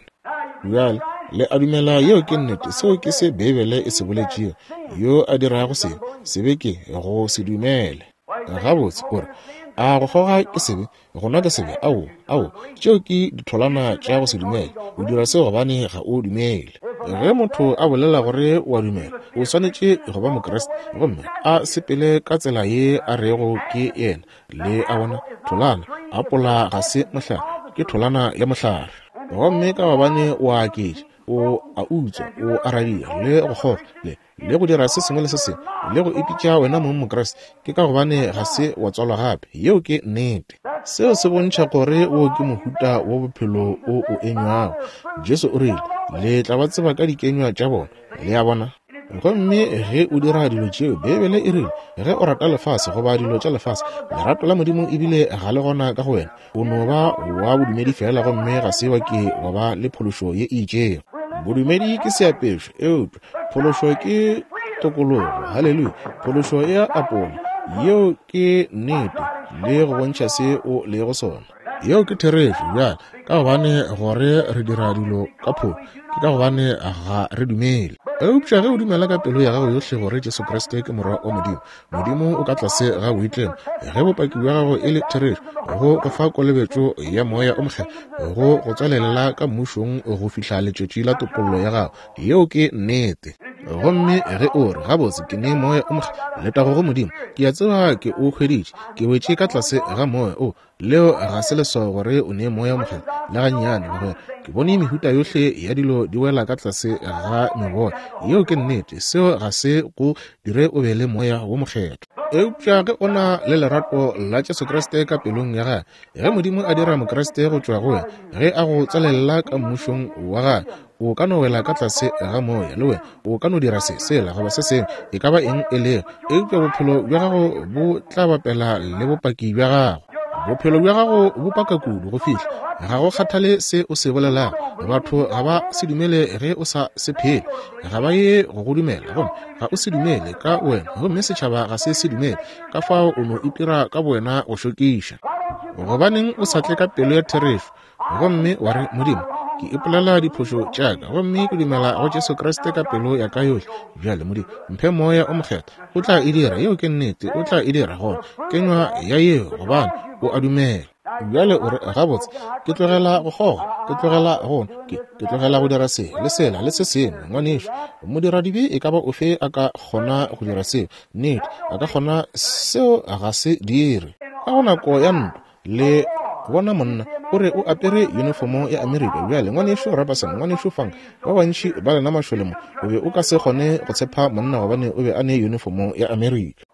Bjale le a dumela yeo ke nnete? Seo ke se Beibele e se boletšego. Yo a dirago sebe, sebe ke go se dumele. Gabotse, o re, a go kgoga ke sebe? Go nwa ke sebe? Ao, ao, tšeo ke ditholwana tša go se dumele. O dira seo gobane ga o dumele. Ge motho a bolela gore o a dumela, o swanetše go ba Mokriste gomme a sepele ka tsela ye a rego ke yena. Le a bona, tholwana, apola ga se mohlare, ke tholwana ya mohlare. Gomme ka gobane o a aketša, o a utswa, o a radia le go kgoga, le le go dira se sengwe le se sengwe, le go ipitša wena mong Mokriste, ke ka gobane ga se wa tswalwa gape. Yeo ke nnete. Seo se bontšha gore wo ke mohuta wa bophelo o o enywago. Jesu o rile, Le tla ba tseba ka dikenywa tša bona. Le a bona? Gomme ge o dira dilo tšeo, Beibele e rile, ge o rata lefase goba dilo tša lefase, lerato la Modimo ebile ga le gona ka go wena. O no ba wa bodumedi feela gomme ga se wa ke wa ba le phološo ye e itšego. Bodumedi ke seapešo, eupša phološo ke tokologo. Haleluya! Phološo e a apola. Yeo ke nnete, le go bontšha se o lego sona. Yeo ke therešo. Bjale, ka gobane gore re dira dilo ka phošo, ke ka gobane ga re dumele. Eupša ge o dumela ka pelo ya gago yohle gore Jesu Kriste ke Morwa wa Modimo, Modimo o ka tlase ga boitlemo, ge bopaki bja gago e le therešo, go go fa kolobetšo ya Moya o Mokgethwa, go go tswalelela ka Mmušong go fihla letšatši la topollo ya gago. Yeo ke nnete. Gomme ge o re, Gabotse, ke ne Moya o Mokgethwa, letago go Modimo, ke a tseba ke o hweditše, ke wetše ka tlase ga Moya o, Leo ga se leswao gore o ne Moya wo Mokgethwa, le gannyane, mogwera. Ke bone mehuta yohle ya dilo di wela ka tlase ga meboya. Yeo ke nnete. Seo ga se go dire o be le Moya wo Mokgethwa. Eupša ge o na le lerato la Jesu Kriste ka pelong ya gagwe, ge Modimo a dira Mokriste go tšwa go wena, ge a go tswalelela ka Mmušong wa gagwe, o ka no wela ka tlase ga moya le wena, o ka no dira se, sela, goba se sengwe, e ka ba eng e lego, eupša bophelo bja gago bo tla bapela le bopaki bja gago. Bophelo bja gago bo paka kudu go fihla ga go kgathale se o se bolelago, batho ga ba se dumele ge o sa se phele, ga ba ye go go dumela, gomme ga o se dumele ka wena, gomme setšhaba ga se se dumele, ka fao o no itira ka bowena go šokiša. Gobaneng o sa tle ka pelo ya therešo gomme wa re, Modimo, ke ipolela diphošo tša ka gomme ke dumela go Jesu Kriste ka pelo ya ka yohle. Bjale, Modimo, mphe Moya o Mokgethwa. O tla e dira. Yeo ke nnete. O tla e dira gona. Kenywa ya yeo, gobane o a dumela. Bjale o re, Gabotse, ke tlogela go kgoga, ke tlogela go nwa, ke, ke tlogela go dira se, le sela, le se sengwe. Ngwanešu, modiradibe e ka ba ofe a ka kgona go dira seo. Nnete, a ka kgona. Seo ga se dire. Ka go nako ya ntwa, Le bona monna o re o apere yunifomo ya Amerika. Bjale, Ngwanešu Robertson, Ngwanešu Funk, ba bantši ba lena mašole mo, o be o ka se kgone go tshepa monna gobane o be a ne yunifomo ya Amerika.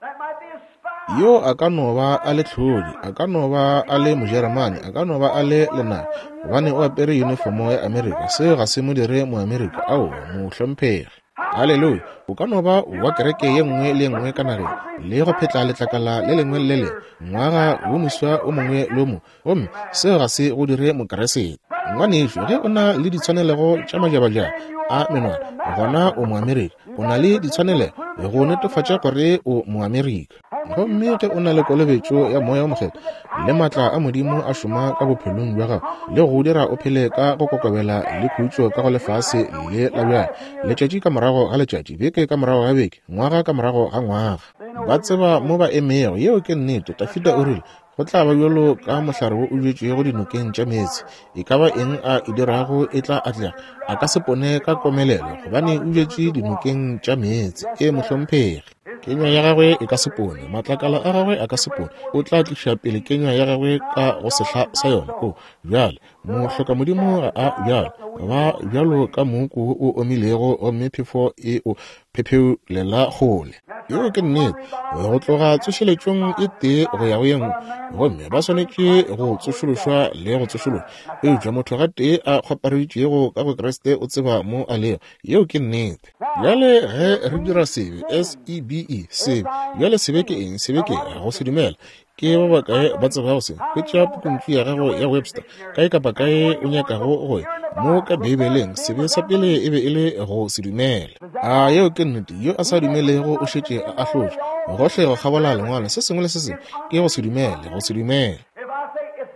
Yo a ka no ba a le tlhodi, a ka no ba a le Mojeremane, a ka no ba a le lenaba, gobane o apere yunifomo ya Amerika. Seo ga se mo dire Moamerika. Aowa, mohlomphegi. Haleluya! O ka no ba wa kereke ye nngwe le ye nngwe ka nageng, le go phetla letlakala le lengwe le le lengwe, ngwaga wo moswa o mongwe le o mongwe, gomme seo ga se go dire Mokeresete. Ngwanešu, ge o na le ditshwanelego tša majabajaba a menwana, gona o Moamerika. O na le ditshwanelego go netefatša gore o Moamerika. Gomme ge o na le kolobetšo ya Moya wo Mokgethwa le maatla a Modimo a šoma ka bophelong bja gago le go dira o phele ka go kokobela le khutšo ka go lefase le la bjale, letšatši ka morago ga letšatši, beke ka morago ga beke, ngwaga ka morago ga ngwaga, ba tseba mo ba emego. Yeo ke nnete. Dafida o rile, Go tla ba bjalo ka mohlare wo o bjetšwego dinokeng tša meetse. E ka ba eng a e dirago e tla atlega. A ka se pone ka komelelo, gobane o bjetše dinokeng tša meetse. E mohlomphegi. Kenywa ya gagwe e ka se pone, matlakala a gagwe a ka se pone. O tla tliša pele kenywa ya gagwe ka go sehla sa yona. O bjale, mohlokamodimo ga a bjalo. Ba bjalo ka mooko wo o omilego gomme phefo e o phepheulela kgole. Yeo ke nnete, go tloga tsošeletšong e tee go ya go ye nngwe, gomme ba swanetše go tsošološwa le go tsošološwa. Eupša motho gatee a kgwapareditšwego ka go Kriste o tseba mo a lego. Yeo ke nnete. Bjale ge re dira sebe, S-E-B-E, sebe. Bjale sebe ke eng? Sebe ke go se dumela. Ke ba bakae ba tsebago se? Hwetša pukuntšu ya gago ya Webster, kae kapa kae o nyakago go ya. Mo ka Beibeleng, sebe sa pele e be e le go se dumele. A yeo ke nnete? Yo a sa dumelego o šetše a ahlotšwe. Gohle go kgabola Lengwalo, se sengwe le se sengwe ke go se dumele, go se dumele.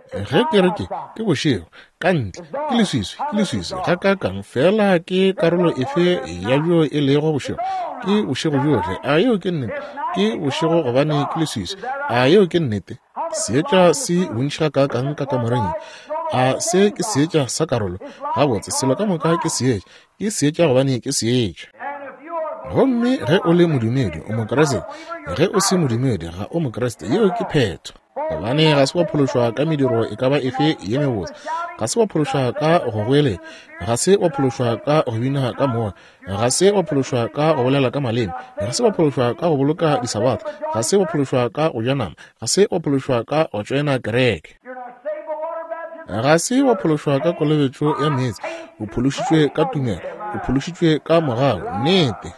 Ge ke re ke, ke bošego, ka ntle, ke leswiswi, ke leswiswi gakaakang, fela ke karolo efe ya bjo e lego bošego? Ke bošego bjohle. A yeo ke nnete? Ke bošego gobane ke leswiswi. A yeo ke nnete? Seetša se bontši gakaakang ka kamoreng ye. A se ke seetša sa karolo? Gabotse, selo ka moka ke seetša. Ke seetša gobane ke seetša. Gomme ge o le modumedi, o Mokriste. Ge o se modumedi, ga o Mokriste. Yeo ke phetho. Gobane ga se wa phološwa ka mediro e ka ba efe ye mebotse, ga se wa phološwa ka go goeletša, ga se wa phološwa ka go bina ka moya, ga se wa phološwa ka go bolela ka maleme, ga se wa phološwa ka go boloka disabatha, ga se wa phološwa ka go ja nama, ga se wa phološwa ka go tšoena kereke, ga se wa phološwa ka kolobetšo ya meetse. O phološitšwe ka tumelo, o phološitšwe ka mogau. Nnete.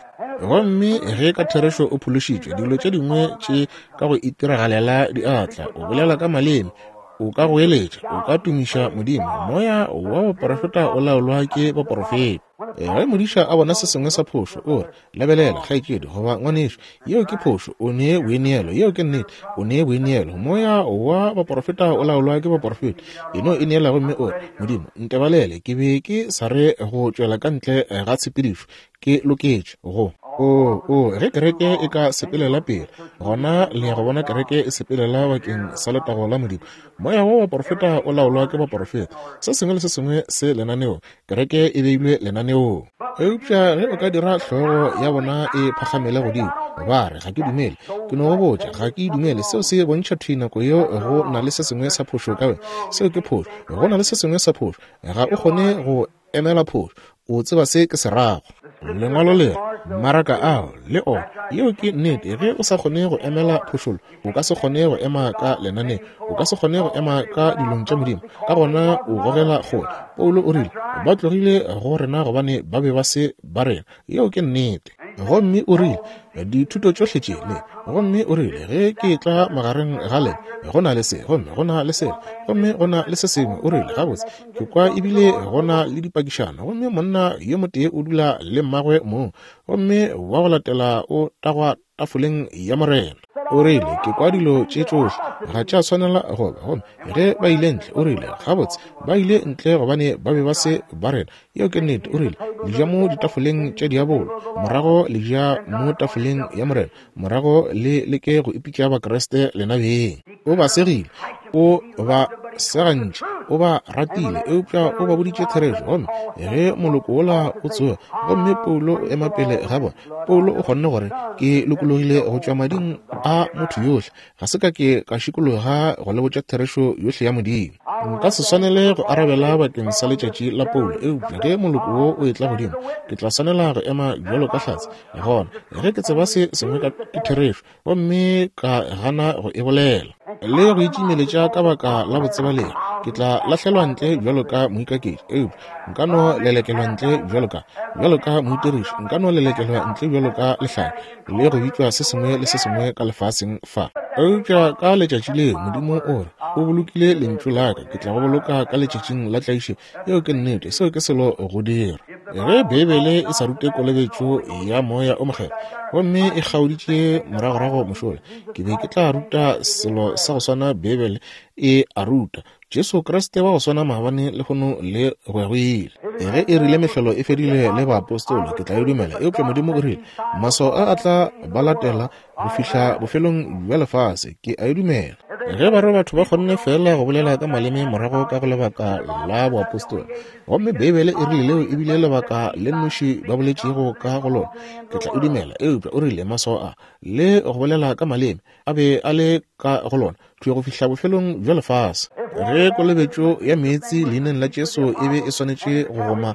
Gomme ge ka therešo o phološitšwe, dilo tše dingwe tše ka go itiragalela di a tla. O bolela ka maleme, o ka goeletša, o ka tumiša Modimo. Moya wa boporofeta o laolwa ke baporofeta. Ge modiša a bona se sengwe sa phošo, o re, Lebelela, kgaetšedi, goba ngwanešu, yeo ke phošo. O ne boineelo. Yeo ke nnete. O ne boineelo. Moya wa baporofeta o laolwa ke baporofeta. E no ineela gomme o re, Modimo, ntebalele, ke be ke sa re go tšwela ka ntle ga tshepedišo. Ke loketše go. O, o, ge kereke e ka sepelela pele, gona le ya go bona kereke e sepelela bakeng sa letago la Modimo. Moya wa baporofeta o laolwa ke baporofeta. Se sengwe le se sengwe se lenaneong. Kereke e beilwe lenaneong. Eupša ge o ka dira hlogo ya bona e phagamele godimo, ba re, Ga ke dumele. Ke no go botša, ga ke e dumele. Seo se bontšha thwi nako yeo go na le se sengwe sa phošo ka wena. Seo ke phošo. Go na le se sengwe sa phošo. Ga o kgone go emela phošo. O tseba se ke se rago. Lengwalo le re, Maraka ao, le ona. Yeo ke nnete. Ge o sa kgone go emela phošolo, o ka se kgone go ema ka lenaneng. O ka se kgone go ema ka dilong tša Modimo. Ka gona o gogela kgole. Paulo o rile, Ba tlogile go rena gobane ba be ba se ba rena. Yeo ke nnete. Gomme o rile, Dithuto tšohle tše, le, gomme o rile, ge ke etla magareng ga lena, go na le se, gomme go na le sela, gomme go na le se sengwe. O rile, Gabotse, ke kwa ebile go na le dipakišano, gomme monna yo motee o dula le mmagwe mong, gomme wa go latela o tagwa tafoleng ya Morena. O rile, Ke kwa dilo tše tšohle, ga tša swanela go ba. Gomme ge ba ile ntle, o rile, gabotse, ba ile ntle gobane ba be ba se ba rena. Yeo ke nnete. O rile, Le ja mo ditafoleng tša diabolo, morago le ja mo tafoleng ya Morena, morago le leke go ipitša Bakriste lena beng. O ba segile. O ba. Se gantši o ba ratile, eupša o ba boditše therešo. Gomme ge moloko wola o tsoga, gomme Paulo o ema pele ga bona, Paulo o kgonne gore, Ke lokologile go tšwa mading a motho yohle. Ga se ka ke ka šikologa go le botša therešo yohle ya Modimo. Nka se swanele go arabela bakeng sa letšatši la Paulo, eupša ge moloko wo o etla godimo, ke tla swanela go ema bjalo ka hlatse. Gona, ge ke tseba se sengwe ka ke therešo, gomme ka gana go e bolela le go itšimeletša ka baka la botsebalegi, ke tla lahlelwa ntle bjalo ka moikaketši. Eupša nka no lelekelwa ntle bjalo ka, bjalo ka moitiriši, nka no lelekelwa ntle bjalo ka lehlanya le go bitšwa se sengwe le se sengwe ka lefaseng fa. Eupša ka letšatši leo, Modimo o re, O bolokile lentšu la ka, ke tla go boloka ka letšatšing la tlaišo. Yeo ke nnete, seo ke selo go dira. Ge Beibele e sa rute kolobetšo ya Moya o Mokgethwa, gomme e kgaoditše moragorago mošola, ke be ke tla ruta selo sa go swana Beibele e a ruta, Jesu Kriste wa go swana maabane, lehono le go ya go ile. Ge e rile mehlolo e fedile le baapostola, ke tla e dumela. Eupša Modimo o rile, Maswao a a tla ba latela go fihla bofelong bja lefase. Ke a e dumela. Ge ba re batho ba kgonne feela go bolela ka maleme morago ka go lebaka la boapostola, gomme Beibele e rile leo e bile lebaka le nnoši ba boletšego ka go lona, ke tla e dumela. Eupša o rile maswao a le go bolela ka maleme a be a le ka go lona thwi go fihla bofelong bja lefase. Ge kolobetšo ya meetse leineng la Jesu e be e swanetše go goma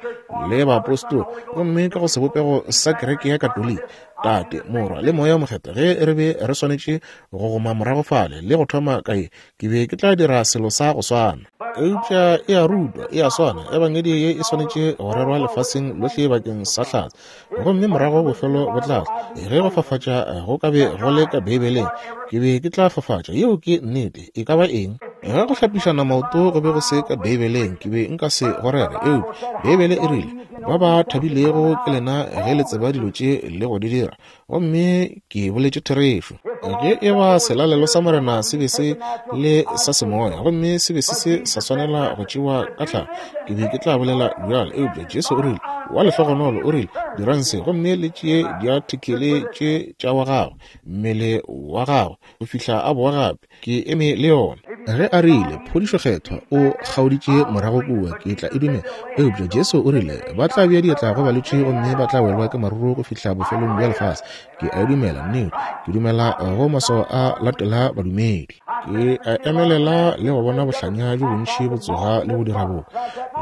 le baapostola, gomme ka go sebopego sa kereke ya Katoliki, Tate, Morwa, le Moya wo Mokgethwa, ge re be re swanetše go goma morago fale le go thoma ka ye, ke be ke tla dira selo sa go swana. Eupša e a rutwa, e a swana, Ebangedi ye e swanetše go rerwa lefaseng lohle bakeng sa hlatse, gomme morago bofelo bo tla tla. Ge go fafatša go ka be go le ka Beibeleng, ke be ke tla fafatša. Yeo ke nnete. E ka ba eng? Ge go hlapišana maoto go be go se ka Beibeleng, ke be nka se go rere. Eupša Beibele e rile, Ba ba thabilego ke lena ge le tseba dilo tše le go di dira. Gomme ke boletše therešo. Ge e ba selalelo sa Morena se be se le sa semoya gomme se be se se sa swanela go tšewa ka tlhago, ke be ke tla bolela bjalo. Eupša Jesu o rile, Wa lehlogonolo, o rile, dirang se gomme le tšee diathekele tše tša wa gagwe, mmele wa gagwe, go fihla a boa gape. Ke eme le yona. Ge a rile, Phodišo Kgethwa, o kgaoditše morago kua, ke tla e dumela. Eupša Jesu o rile, Ba tla bea diatla go balwetši gomme ba tla welwa ke maruru go fihla bofelong bja lefase. Ke a e dumela, nnete. Ke dumela go maswao a latela badumedi. Ke a emelela le go bona bohlanya bjo bontši bo tsoga le go dira boka,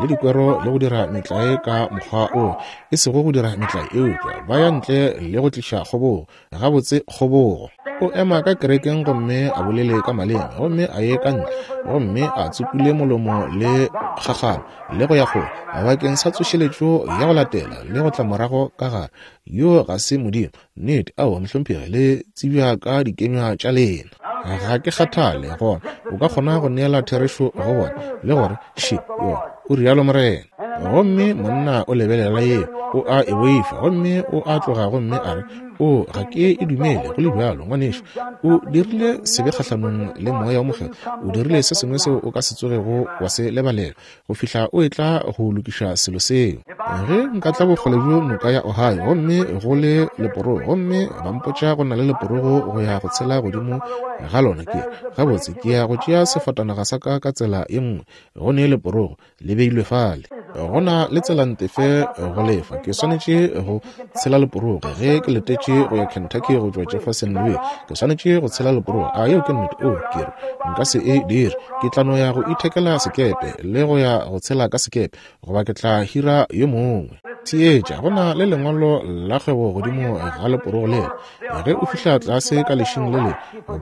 le dikwero le go dira metlae ka mokgwa o, e sego go dira metlae, eupša ba ya ntle le go tliša kgobogo. Gabotse, kgobogo. O ema ka kerekeng gomme a bolele ka maleme, gomme a ye ka ntle gomme a tsupule molomo le kgakgano le go ya kgole bakeng sa tsošeletšo ya go latela le go tla morago ka gare. Yo ga se Modimo. Nnete, aowa, mohlomphegi, le tsebja ka dikenywa tša lena. Ga ke kgathale, gona o ka kgona go neela therešo go bona le gore še yona, o rialo Morena. Gomme monna o lebelela yeo, o a e boifa, gomme o a tloga gomme a re, O, ga ke e dumele, go le bjalo, ngwanešu. O dirile sebe kgahlanong le Moya wo Mokgethwa. O dirile se sengwe seo o ka se tsogego wa se lebalela, go fihla o etla go lokiša selo seo. Ge nka tla bokgole bjo noka ya Ohio, gomme go le leporogo, gomme ba mpotša go na le leporogo go ya go tshela godimo ga lona, ke, gabotse, ke ya go tšea sefatanaga sa ka ka tsela ye nngwe, go ne leporogo le beilwe fale. Go na le tselantefe go lefa. Ke swanetše go tshela leporogo ge ke letetše go ya Kentucky go tšwa Jeffersonville. Ke swanetše go tshela leporogo. A yeo ke nnete? Oh, ke re nka se e dire. Ke tla no ya go ithekela sekepe le go ya go tshela ka sekepe, goba ke tla hira yo mongwe. Theetša, go na le lengwalo la kgwebo godimo ga leporogo lela. Ge o fihla tlase ka lešing le le,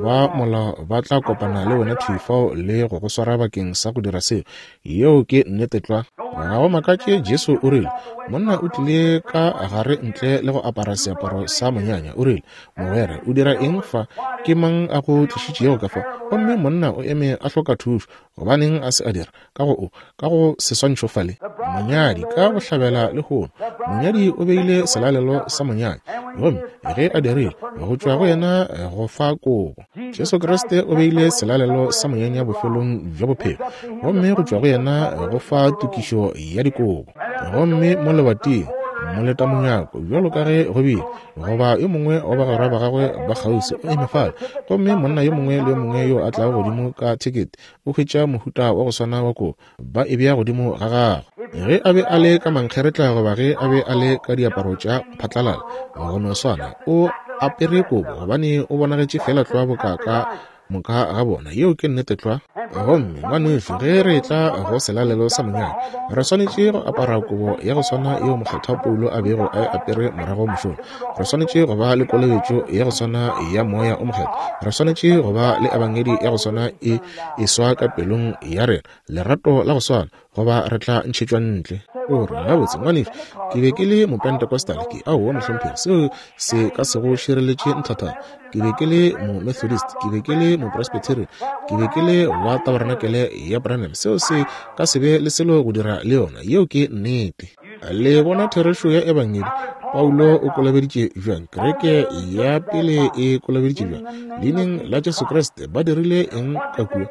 ba molao ba tla kopana le wena thwi fao le go go swara bakeng sa go dira seo. Yeo ke nnete tlwa. Ga go makatše Jesu o rile, Monna o tlile ka gare ntle le go apara seaparo sa monyanya. O rile, Mogwera, o dira eng fa? Ke mang a go tlišitšego ka fa? Gomme monna o eme a hloka thušo. Gobaneng a se a dira? Ka go o, ka go seswantšho fale, monyadi ka bohlabela lehono, monyadi o beile selalelo sa monyanya, gomme ge a dirile, go tšwa go yena go fa kobo. Jesu Kriste o beile selalelo sa monyanya bofelong bja bophelo, gomme go tšwa go yena go fa tokišo ya dikobo. Gomme mo lebating, Moletamonyako, bjalo ka ge go bile, goba yo mongwe wa bagwera ba gagwe ba kgauswi o eme fale, gomme monna yo mongwe le yo mongwe yo a tlago godimo ka thekete o hwetša mohuta wa go swana wa kobo, ba e bea godimo ga gagwe. Ge a be a le ka mankgeretla goba ge a be a le ka diaparo tša phatlalala, go no swana, o apere kobo gobane o bonagetše feela tlwa boka ka moka ga bona. Yeo ke nnete tlwa. Gomme, ngwanešu, ge re etla go selalelo sa monyanya, re swanetše go apara kobo ya go swana yeo Mokgethwa Paulo a bego a e apere morago mošola. Re swanetše go ba le kolobetšo ya go swana ya Moya o Mokgethwa. Re swanetše go ba le Ebangedi ya go swana e eswa ka pelong ya rena, lerato la go swana, goba re tla ntšhetšwa ntle. O re, Gabotse, ngwanešu, ke be ke le Mopentecostal. Ke, aowa, mohlomphegi, seo se ka se go šireletše nthathana. Ke be ke le Momethodist, ke be ke le Mopresbyterian, ke be ke le wa Tabarenakele ya Branham. Seo se ka se be le selo go dira le yona. Yeo ke nnete. Le bona therešo ya Ebangedi? Paulo o kolobeditše bjang? Kereke ya pele e kolobeditše bjang? Leineng la Jesu Kriste. Ba dirile eng ka kua?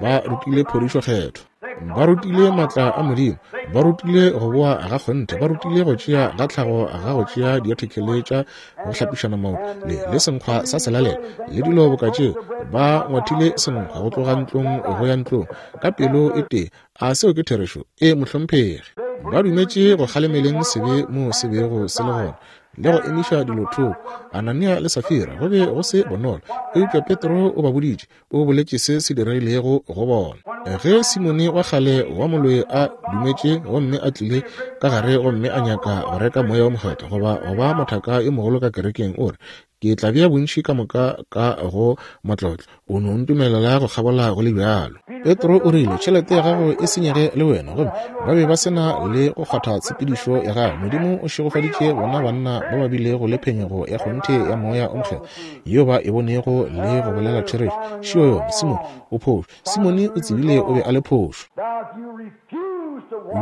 Ba rutile phodišo Kgethwa. Ba rutile maatla a Modimo. Ba rutile go boa ga kgonthe. Ba rutile go tšea ga tlhago ga go tšea diathekele tša go hlapišana maoto le, le senkgwa sa selalelo le dilo boka tšeo. Ba ngwathile senkgwa go tloga ntlong go ya ntlong ka pelo e tee. A seo ke therešo? Ee, mohlomphegi. Ba dumetše go kgalemeleng sebe moo se bego se le gona le go emiša dilo thoko. Anania le Safira go be go se bonolo, eupša Petro o ba boditše, o boletše se se diregilego go bona. Ge Simone wa kgale wa moloi a dumetše gomme a tlile ka gare gomme a nyaka go reka Moya wo Mokgethwa goba go ba mothaka yo mogolo ka kerekeng, o re, Ke tla bea bontši ka moka ka go matlotlo. O no ntumelela go kgabola go le bjalo. Petro o rile, Tšhelete ya gago e senyege le wena. Gomme ba be ba se na le go kgwatha tshepedišo ya gagwe. Modimo o šegofaditše bona banna ba ba bilego le phenyego ya kgonthe ya Moya o Mokgethwa, yeo ba e bonego le go bolela therešo. Šio yona. Simone o phošo. Simone o tsebile o be a le phošo.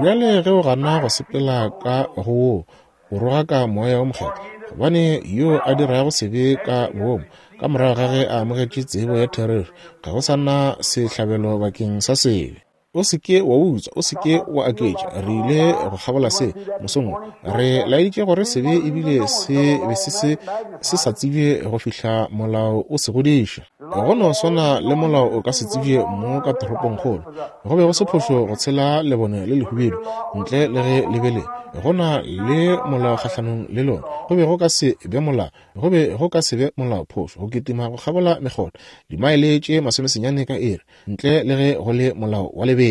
Bjale ge o gana go sepela ka go woo, o rogaka Moya wo Mokgethwa, gobane yo a dirago sebe ka boomo, ka morago ga ge a amogetše tsebo ya therešo, ga go sa na sehlabelo bakeng sa sebe. O se ke wa utswa, o se ke wa aketša. Re ile go kgabola se mosong wo. Re laeditše gore sebe ebile se be se se se sa tsebje go fihla molao o se godiša. Go no swana le molao o ka se tsebje mo ka toropongkgolo. Go be go se phošo go tshela lebone le lehubedu ntle le ge le be le go na le molao kgahlanong le lona. Go be go ka se be molao, go be go ka se be molao phošo go kitima go kgabola mekgotha dimaele tše masomesenyane ka iri ntle le ge go le molao wa lebelo.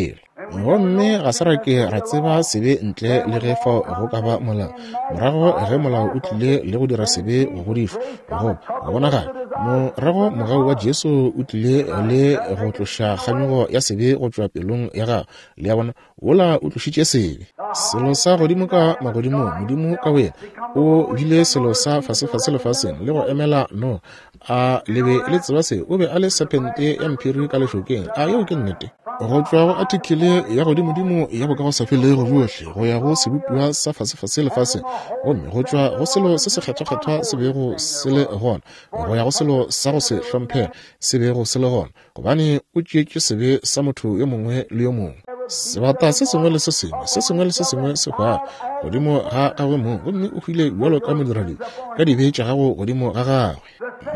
Gomme ga se ra ke ra tseba sebe ntle le ge fao go ka ba molao. Morago ge molao o tlile le go dira sebe go godišwa, goba go bonagala, morago mogau wa Jesu o tlile le go tloša kganyogo ya sebe go tšwa pelong ya gago. Le a bona, wola o tlošitše sebe. Selo sa godimo ka magodimong, Modimo ka boyena o bile selo sa fasefase lefaseng le go emela Noa. A le be le tseba se? O be a le sephente ya mphiri ka lešokeng. A yeo ke nnete? Go tšwa go athikele ya godimodimo ya bokagosafelego bjohle go ya go sebopiwa sa fasefase lefaseng, gomme go tšwa go selo se sekgethwakgethwa se bego se le gona go ya go selo sa go se hlomphege se bego se le gona, gobane o tšeetše sebe sa motho yo mongwe le yo mongwe. Sebata se sengwe le se sengwe, se sengwe le se sengwe se hwago godimo ga gagwe mong, gomme o hwile bjalo ka modiradibe ka dibe tša gago godimo ga gagwe.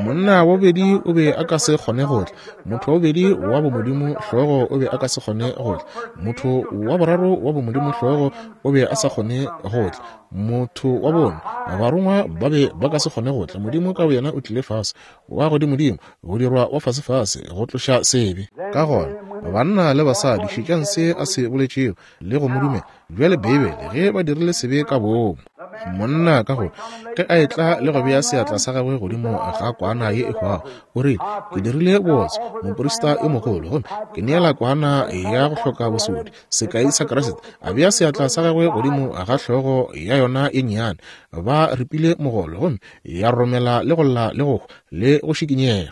Monna wa bobedi o be a ka se kgone go tla. Motho wa bobedi wa bomodimo hlogo o be a ka se kgone go tla. Motho wa boraro wa bomodimo hlogo o be a sa kgone go tla. Motho wa bone, barongwa ba be ba ka se kgone go tla. Modimo ka boyena o tlile fase, wa godimodimo, go dirwa wa fasefase, go tloša sebe. Ka gona, banna le basadi, šetšang se a se boletšego le go mo dumela. Bjale Beibele, ge ba dirile sebe ka boomo, monna ka gore ge a etla le go bea seatla sa gagwe godimo ga kwana ye e hwago, o rile, Ke dirile bootswa, moprista yo mogolo, gomme ke neela kwana ya go hloka bosodi, sekai sa Kriste. A bea seatla sa gagwe godimo ga hlogo ya yona e nnyane, ba ripile mogolo, gomme ya romela le go lla le go hwa le go šikinyega.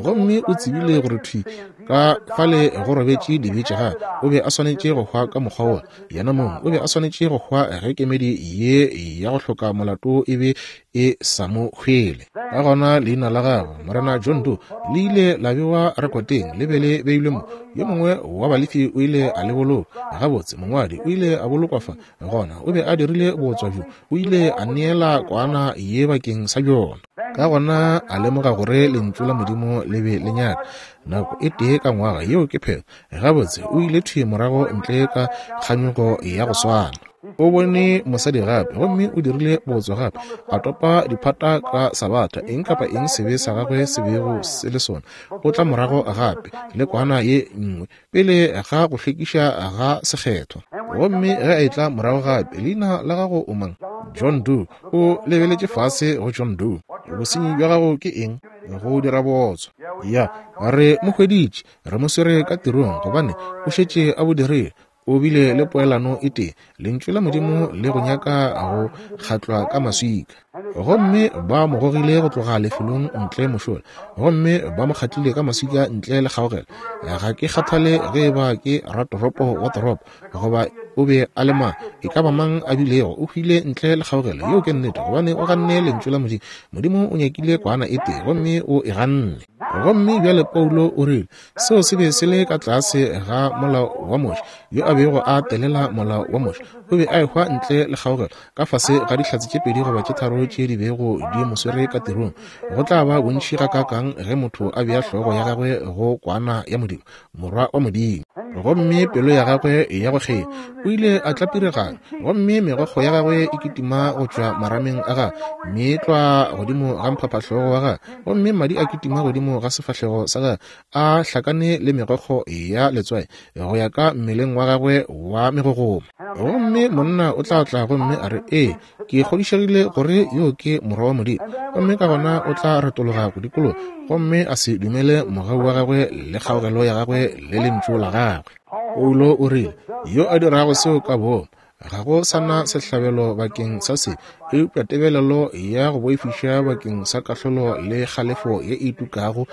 Gomme o tsebile gore thwi ka fale go robetše dibe tša gagwe. O be a swanetše go hwa ka mokgwa wola. Yena mong o be a swanetše go hwa ge kemedi ye ya go hloka molato e be e sa mo hwele. Ka gona leina la gagwe, Morena John Doe, le ile la bewa rekoteng, le be le beilwe mo. Yo mongwe wa Balefi o ile a le boloka. Gabotse, mongwadi o ile a bolokwa fa. Gona o be a dirile bootswa bjo, o ile a neela kwana ye bakeng sa bjona. Ka gona a lemoga gore Lentšu la Modimo le be le nyaka nako e tee ka ngwaga, yeo ke phetho. Gabotse, o ile thwi morago ntle ka kganyogo ya go swana. O bone mosadi gape, gomme o dirile bootswa gape, a topa diphata ka Sabatha, eng kapa eng sebe sa gagwe se bego se le sona. O tla morago gape le kwana ye nngwe pele ga go hlwekiša ga sekgethwa. Gomme ge a etla morago gape, leina la gago o mang? John Doe. O lebeletše fase go John Doe. Bosenyi bja gago ke eng? Go dira bootswa. Ya, re mo hweditše, re mo swere ka tirong, gobane o šetše a bo dirile. O bile le poelano e tee, Lentšu la Modimo le go nyaka go kgatlwa ka maswika. Gomme ba mo gogile go tloga lefelong ntle mošola, gomme ba mo kgatlile ka maswika ntle le kgaogelo. Ga ke kgathale ge e ba ke ratoropo wa toropo, goba o be a le mang, e ka ba mang a bilego, o hwile ntle le kgaogelo. Yeo ke nnete, gobane o ganne Lentšu la Modimo. Modimo o nyakile kwana e tee, gomme o e ganne. Gomme bjale Paulo o rile, Seo se be se le ka tlase ga molao wa Moshe. Yo a bego a telela molao wa Moshe o be a ehwa ntle le kgaogelo, ka fase ga dihlatse tše pedi goba tše tharo tše di bego di mo swere ka tirong. Go tla ba bontši gakaakang ge motho a bea hlogo ya gagwe go Kwana ya Modimo, Morwa wa Modimo! Gomme pelo ya gagwe ya go kgea o ile a tlapiregana, gomme megokgo ya gagwe e kitima go tšwa marameng a gagwe, meetlwa godimo ga mphaphahlogo wa gagwe, gomme madi a kitima godimo ga sefahlego sa gagwe, a hlakane le megokgo ya letswai go ya ka mmeleng wa gagwe wa megogoma. Gomme monna o tla tla gomme a re, Ee, ke kgodišegile gore yo ke Morwa wa Modimo. Gomme ka gona o tla retologa go dikologa gomme a se dumele mogau wa gagwe le kgaogelo ya gagwe le lentšu la gagwe. Paulo o rile, Yo a dirago seo ka boomo, Ga go sa na sehlabelo bakeng sa se, eupša tebelelo ya go boifiša bakeng sa kahlolo le kgalefo ye e tukago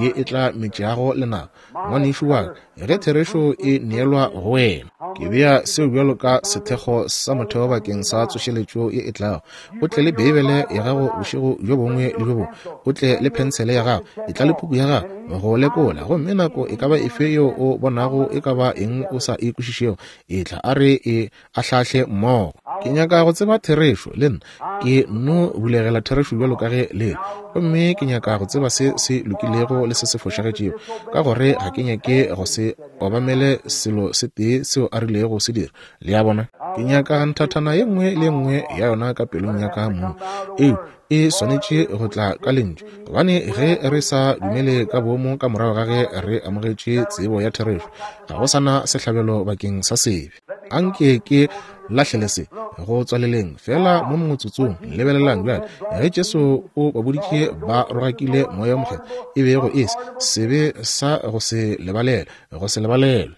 ye e tla metšago lenaba. Ngwanešu wa ka, ge therešo e neelwa go wena, ke bea seo bjalo ka sethekgo sa motheo bakeng sa tsošeletšo ye e tlago. O tle le Beibele ya gago bošego bjo bongwe le bjo bongwe, o tle le phensele ya gago, etla le puku ya gago go lekola, gomme nako e ka ba efe yeo o bonago e ka ba eng o sa e kwešišego, Etla a re e ahlaahle mmogo. Ke nyaka go tseba therešo, le nna. Ke nno bulegela therešo bjalo ka ge le le. Gomme ke nyaka go tseba se se lokilego le se se fošagetšego, ka gore ga ke nyake go se obamele selo se tee seo a rilego se dira. Le a bona? Ke nyaka nthathana ye nngwe le ye nngwe ya yona ka pelong ya ka mong. Eo e swanetše go tla ka Lentšu, gobane ge re sa dumele ka boomo ka morago ga ge re amogetše tsebo ya therešo, ga go sa na sehlabelo bakeng sa sebe. Anke ke lahlele se go tswaleleng fela mo motsotsong. Lebelelang bjale, ge Jesu o ba boditše ba rogakile Moya wo Mokgethwa, e bego e se sebe sa go se lebalelwe, go se lebalelwe.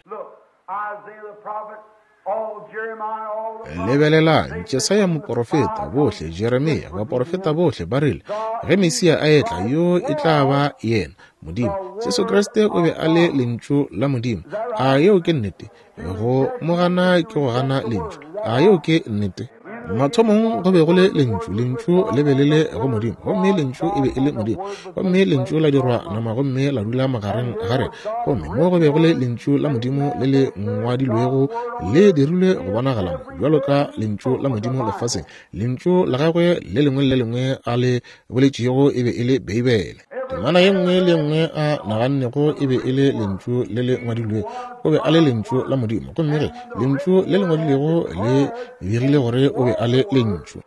Lebelelang, Jesaya moporofeta, bohle, Jeremia, baporofeta bohle ba rile, ge Mesia a etla, yo e tla ba yena, Modimo. Jesu Kriste o be a le Lentšu la Modimo. A yeo ke nnete? Go mo gana ke go gana Lentšu. A yeo ke nnete? Mathomong go be go le Lentšu, Lentšu le be le le go Modimo, gomme Lentšu e be e le Modimo. Gomme Lentšu la dirwa nama gomme la dula magareng ga rena. Gomme mo go be go le Lentšu la Modimo le le ngwadilwego le dirilwe go bonagala mo, bjalo ka Lentšu la Modimo lefaseng. Lentšu la gagwe le lengwe le le lengwe a le boletšego e be e le Beibele. Temana ye nngwe le ye nngwe a nagannego e be e le Lentšu le le ngwadilwego. O be a le Lentšu la Modimo. Gomme ge Lentšu le le ngwadilwego le begile gore o be a le Lentšu,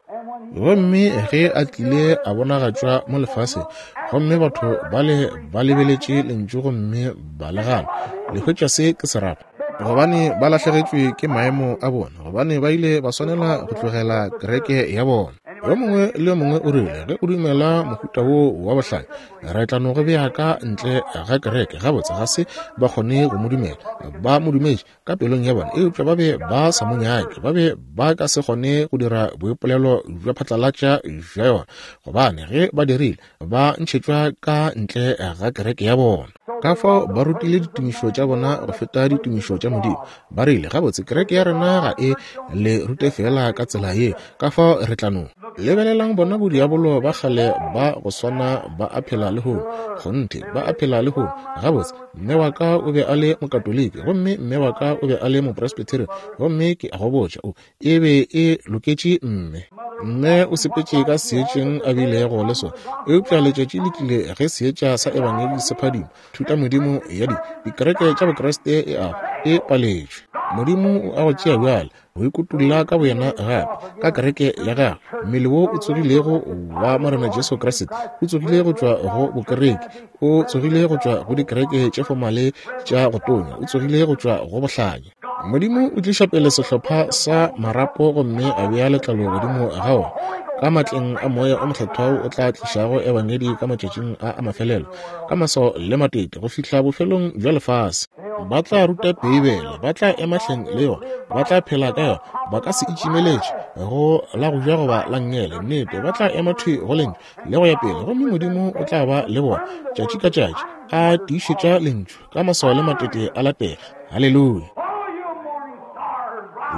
gomme ge a tlile a bonagatšwa mo lefaseng, gomme batho bale ba lebeletše Lentšu gomme ba le gana, le hwetša se ke se rata. Gobane ba lahlegetšwe ke maemo a bona, gobane ba ile ba swanela go tlogela kereke ya bona. Yo mongwe le yo mongwe o rile, ge o dumela mohuta wo wa bohlale, re tla no go bea ka ntle ga kereke. Gabotse, ga se ba kgone go mo dumela. Ba mo dumetše ka pelong ya bona, eupša ba be ba sa mo nyake. Ba be ba ka se kgone go dira boipolelo bja phatlalatša bja yona, gobane ge ba dirile, ba ntšhetšwa ka ntle ga kereke ya bona. Ka fao ba rutile ditumišo tša bona go feta ditumišo tša Modimo. Ba rile, Gabotse, kereke ya rena ga e le rute feela ka tsela ye, ka fao re tla no. Lebelelang bona bodiabolo ba kgale ba go swana ba a phela lehono. Kgonthe, ba a phela lehono. Gabotse, mme wa ka o be a le Mokatoliki, gomme mme wa ka o be a le Mopresbyterian, gomme ke a go botša, o, e be e loketše mme. Mme o sepetše ka seetšeng a bilego le sona. Eupša letšatši le tlile ge seetša sa Ebangedi se phadima, thutamodimo ya di, dikereke tša Bokriste e a, e paletšwe. Modimo o a go tšea bjale, go ikutulla ka boyena gape ka kereke ya gagwe. Mmele wo o tsogilego wa Morena Jesu Kriste o tsogile go tšwa go bokereke, o tsogile go tšwa go dikereke tše fomale tša go tonya, o tsogile go tšwa go bohlanya. Modimo o tliša pele sehlopha sa marapo gomme a bea letlalo godimo ga ona. Ka matleng a Moya o Mokgethwa wo o tla tlišago Ebangedi ka matšatšing a a mafelelo, ka maswao le matete go fihla bofelong bja lefase. Ba tla ruta Beibele, ba tla ema hleng le yona, ba tla phela ka yona, ba ka se itšimeletše go la go ja goba la nngele. Nnete, ba tla ema thwi go Lentšu le go ya pele, gomme Modimo o tla ba le bona tšatši ka tšatši, a tiišetša Lentšu ka maswao le matete a latela. Haleluya!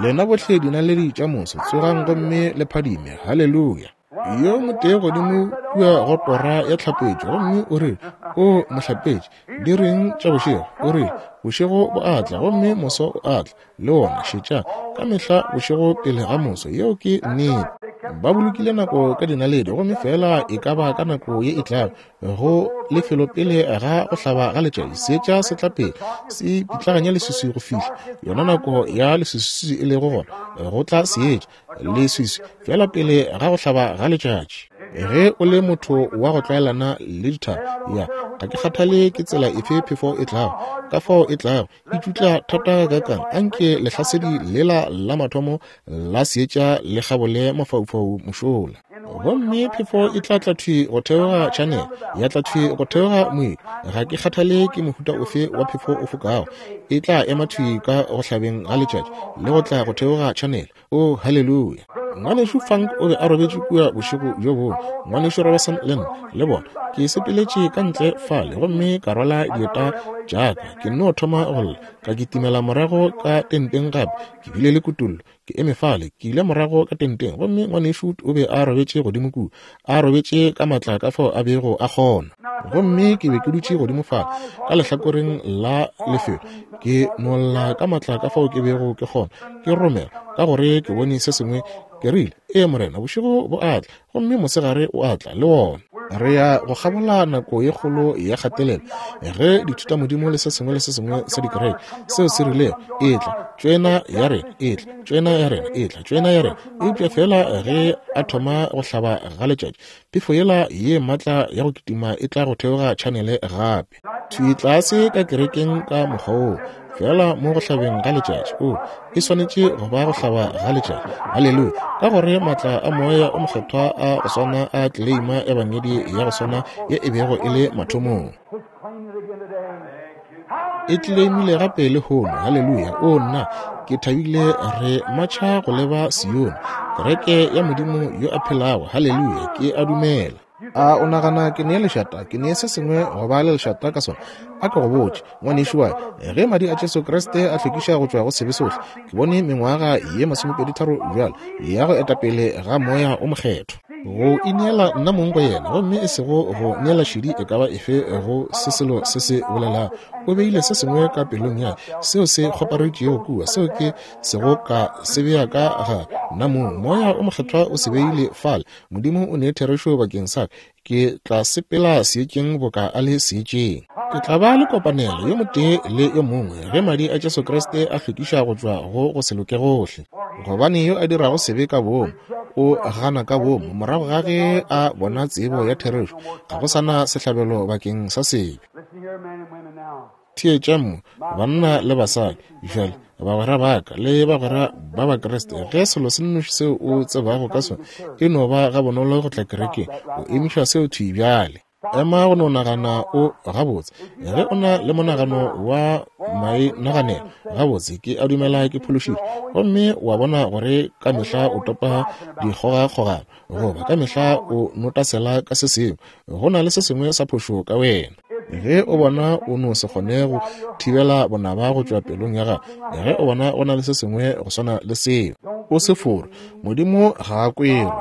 Lena bohle dinaledi tša moso, tsogang gomme le phadime. Haleluya! Yo motee godimo kua go tora ya tlhapetšo, gomme o rile, O mohlapetši, di reng tša bošego? O rile, Bošego bo a tla, gomme moso o a tla, le wona. Šetša, ka mehla bošego pele ga moso. Yeo ke nnete. Ba bolokile nako ka dinaledi, gomme feela e ka ba ka nako ye e tlago, go lefelo pele ga go hlaba ga letšatši, seetša se tla pele se pitlaganya leswiswi go fihla yona nako ya leswiswi e lego gona, go tla seetša leswiswi fela pele ga go hlaba ga letšatši. Ge o le motho wa go tlwaelana le dithaba, ya, ga ke kgathale ke tsela efe phefo e tlago, ka fao e tlago, e tšutla thata gakang, anke lehlasedi lela la mathomo la seetša le kgabole mafaufau mošola. Gomme phefo e tla tla thwi go theoga channel, ya tla thwi go theoga moedi. Ga ke kgathale ke mohuta ofe wa phefo o fokago, e tla ema thwi ka go hlabeng ga letšatši le go tla go theoga channel. O, haleluya! Ngwanešu Funk o be a robetše kua bošego bjo bongwe, Ngwanešu Roberson le nna, le bona. Ke sepeletše ka ntle fale gomme ka rwala dieta tša ka, ke nno thoma go lla, ka kitimela morago ka tenteng gape. Ke bile le kutollo. Ke eme fale, ke ile morago ka tenteng, gomme Ngwanešu o be a robetše godimo kua, a robetše ka matla ka fao a bego a kgona. Gomme ke be ke dutše godimo fale ka lehlakoreng la lefelo, ke no lla ka matla ka fao ke bego ke kgona, ke romela, ka gore ke bone se sengwe. Ke rile, Ee, Morena, bošego bo a tla, gomme mosegare o a tla, le wona. Re ya go kgabola nako ye kgolo ya kgatelelo, ge dithutamodimo le se sengwe le se sengwe sa dikereke seo se rilego, Etla, tšoena ya rena, etla, tšoena ya rena, etla, tšoena ya rena. Eupša feela ge a thoma go hlaba ga letšatši, phefo yela ye maatla ya go kitima e tla go theoga tšhanele gape. Thwi tlase ka kerekeng ka mokgwa woo, feela mo go hlabeng ga letšatši. O, e swanetše go ba go hlaba ga letšatši. Haleluya! Ka gore maatla a Moya o Mokgethwa a go swana a tleleima Ebangedi ya go swana ye e bego e le mathomong. E tleleimile gape lehono. Haleluya! O, nna, ke thabile re matšha go leba Sione, kereke ya Modimo yo a phelago. Haleluya! Ke a dumela. A o nagana ke nee lešata, ke nee se sengwe go ba le lešata ka sona? A ke go botše, ngwanešu wa ka, ge madi a Jesu Kriste a hlwekiša go tšwa go sebe sohle, ke bone mengwaga ye masomepeditharo bjalo ya go eta pele ga Moya o Mokgethwa. Go ineela nna mong go yena, gomme e sego go neela šedi e ka ba efe go se selo se se bolelago. O beile se sengwe ka pelong ya ka seo se kgoparetšego kua, seo ke sego ka se bea ka ga nna mong. Moya o Mokgethwa o se beile fale. Modimo o ne therešo bakeng sa ka. Ke tla sepela seetšeng boka a le seetšeng. Ke tla ba le kopanelo yo motee le yo mongwe ge madi a Jesu Kriste a hlwekiša go tšwa go go se loke gohle. Gobane yo a dirago sebe ka boomo o gana ka boomo morago ga ge a bona tsebo ya therešo, ga go sa na sehlabelo bakeng sa sebe. Theetšang mo, banna le basadi, bjale, bagwera ba ka le bagwera ba Bakriste, ge selo se nnoši seo o tsebago ka sona e no ba gabonolo go tla kerekeng, o emiša seo thwi bjale. Ema go no nagana o gabotse. Ge o na le monagano wa mainaganelo, gabotse, ke a dumela ke phološitšwe, gomme wa bona gore ka mehla o topa dikgogakgogano, goba ka mehla o notasela ka se sengwe, go na le se sengwe sa phošo ka wena. Ge o bona o no se kgone go thibela bonaba go tšwa pelong ya gago, ge o bona go na le se sengwe go swana le seo, o se forwe. Modimo ga a kwerwe.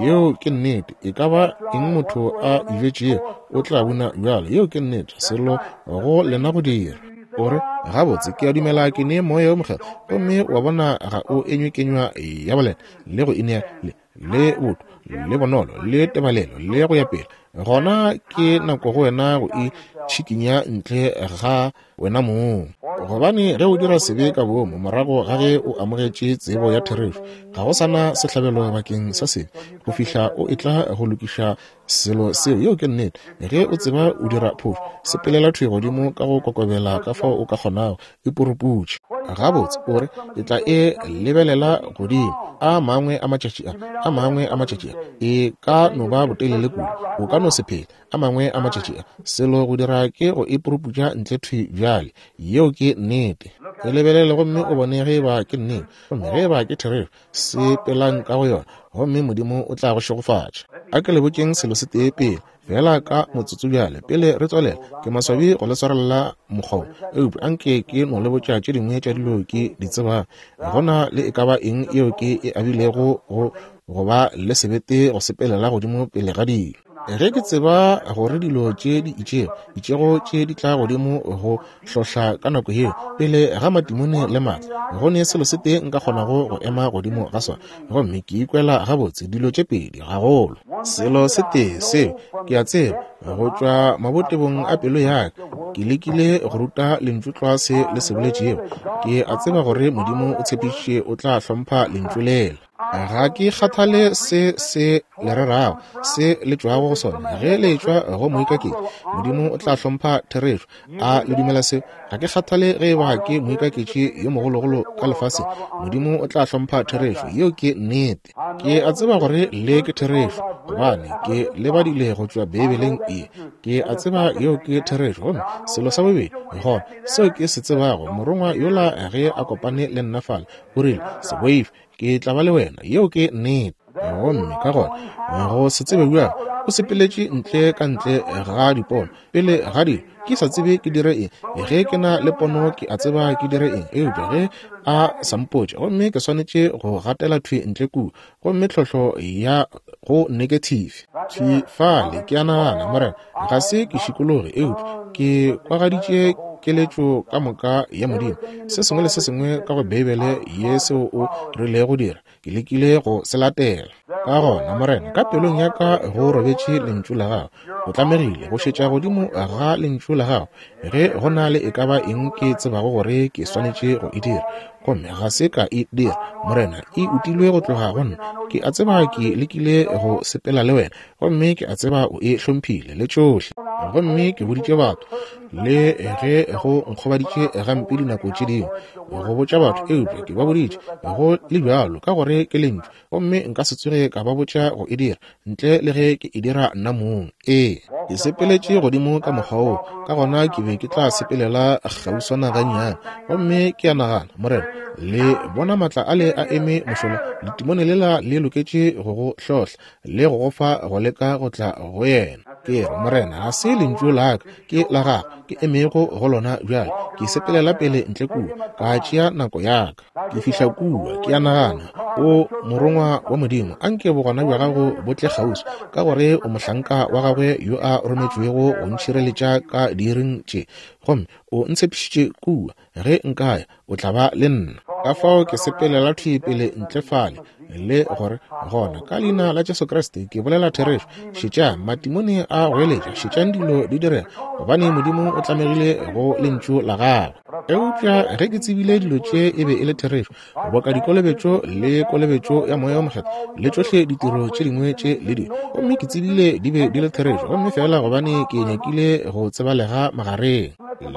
Yeo ke nnete. E ka ba eng motho a e bjetšego, o tla buna bjalo. Yeo ke nnete. Selo go lena go dira. O re, Gabotse, ke a dumela ke ne Moya wo Mokgethwa. Gomme wa bona ga o enywe kenywa ya boleta, le go inea, le, le botho, le bonolo, le tebalelo, le go ya pele. Gona ke nako go wena go itšhikinya ntle ga wena mong. Gobane ge o dira sebe ka boomo morago ga ge o amogetše tsebo ya therešo, ga go sa na sehlabelo bakeng sa sebe go fihla o etla go lokiša selo seo. Yeo ke nnete. Ge o tseba o dira phošo, sepelela thwi godimo ka go kokobela ka fao o ka kgonago, e puruputše. Gabotse, o re, ke tla e lebelela godimo a mangwe a matšatši a, a mangwe a matšatši a. E ka no ba botelele kudu, o ka no se phele. A mangwe a matšatši a, selo go dira ke go e puruputša ntle thwi bjale. Yeo ke nnete. E lebelele gomme o bone ge eba ke nnete. Gomme ge eba ke therešo, sepelang ka go yona, gomme Modimo o tla go šegofatša. A ke le botšeng selo se tee pele, feela ka motsotso bjale, pele re tswalela. Ke maswabi go le swarelela mokgwa wo, eupša anke ke no le botša tše dingwe tša dilo ke di tsebang. Go na le e ka ba eng yeo ke e abilego go, go ba le sebete go sepelela godimo pele ga dilo. Ge ke tseba gore dilo tše di itšego, itšego tše di tla godimo go hlohla ka nako yeo, pele ga matimone le maatla, go ne selo se tee nka kgonago go ema godimo ga sona, gomme ke ikwela gabotse, dilo tše pedi gagolo. Selo se tee seo ke a tseba, go tšwa mabotebong a pelo ya ka, ke lekile go ruta Lentšu tlwa se le se boletšego. Ke a tseba gore Modimo o tshepišitše o tla hlompha Lentšu lela. Ga ke kgathale se se le rerago, se le tšwago go sona. Ge le tšwa go moikaketši, Modimo o tla hlompha therešo. A le dumela seo? Ga ke kgathale ge e ba ke moikaketši yo mogologolo ka lefaseng, Modimo o tla hlompha therešo. Yeo ke nnete. Ke a tseba gore le ke therešo, gobane ke le badile go tšwa Beibeleng ye. Ke a tseba yeo ke therešo. Gomme selo sa bobedi, gona, seo ke se tsebago, Morongwa yola ge a kopane le nna fale, o rile, Se boife, ke tla ba le wena. Yeo ke nnete. Gomme ka gona go se tsebe bjang, o sepeletše ntle ka ntle ga dipono pele ga dilo, ke sa tsebe ke dire eng. Ge ke na le pono ke a tseba ke dire eng, eupša ge a sa mpotše, gomme ke swanetše go gatela thwi ntle kua, gomme tlhohlo ya go negative thwi fale, ke a nagana, Morena, ga se ke šikologe, eupša ke kwagaditše keletšo ka moka ya Modimo, se sengwe le se sengwe ka go Beibele ye seo o rilego go dira, ke lekile go se latela. Ka gona, Morena, ka pelong ya ka go robetše Lentšu la Gago. O tlamegile go šetša godimo ga Lentšu la Gago ge go na le e ka ba eng ke tsebago gore ke swanetše go e dira, gomme ga se ka e dira. Morena, e utilwe go tloga go nna. Ke a tseba ke lekile go sepela le Wena, gomme ke a tseba o e hlomphile le tšohle. Gomme ke boditše batho, le ge go nkgobaditše gampe dinako tše dingwe go botša batho, eupša ke ba boditše go le bjalo, ka gore ke lentšu, gomme nka se tsoge ka ba botša go e dira ntle le ge ke e dira nna mong. Ee, ke sepeletše godimo ka mokgwa woo, ka gona ke be ke tla sepelela kgauswana gannyane. Gomme ke a nagana, Morena, le bona maatla ale a eme mošola, letimone lela le loketše go go hlohla le go go fa go leka go tla go yena. Ke re, Morena, ga se lentšu la ka, ke la Gago, ke emego go lona bjale. Ke sepelela pele ntle kua, ka tšea nako ya ka. Ke fihla kua, ke a nagana, O Morongwa wa Modimo, anke bogona bja Gago bo tle kgauswi, ka gore o mohlanka wa Gagwe yo a rometšwego go ntšhireletša ka diiring tše. Gomme O ntshepišitše kua, ge nka ya, O tla ba le nna. Ka fao ke sepelela thwi pele ntle fale, le gore, Gona, ka Leina la Jesu Kriste, ke bolela therešo. Šetšang matimone a goeletša, šetšang dilo di direga, gobane Modimo o tlamegile go Lentšu la Gagwe. Eupša ge ke tsebile dilo tše e be e le therešo, boka dikolobetšo le kolobetšo ya Moya wo Mokgethwa le tšohle ditiro tše dingwe tše le dilo, gomme ke tsebile di be di le therešo, gomme feela gobane ke nyakile go tsebalega magareng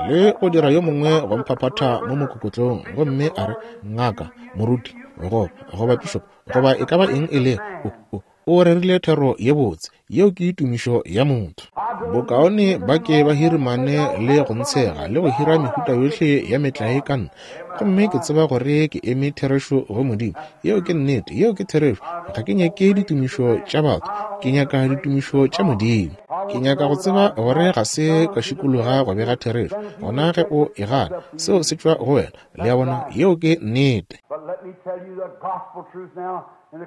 le go dira yo mongwe go mphaphatha mo mokokotlong gomme a re, Ngaka, moruti, goba, goba pišopo, goba e ka ba eng e lego, o, o, O rerile thero ye botse. Yeo ke tumišo ya motho. Bokaone ba ke ba hirimane le go ntshega le go hira mehuta yohle ya metlae ka nna. Gomme ke tseba gore ke eme therešo go Modimo. Yeo ke nnete. Yeo ke therešo. Ga ke nyake ditumišo tša batho. Ke nyaka ditumišo tša Modimo. Ke nyaka go tseba gore ga se ka šikologa go bega therešo. Gona ge o e gana, seo se tšwa go wena. Le a bona? Yeo ke nnete.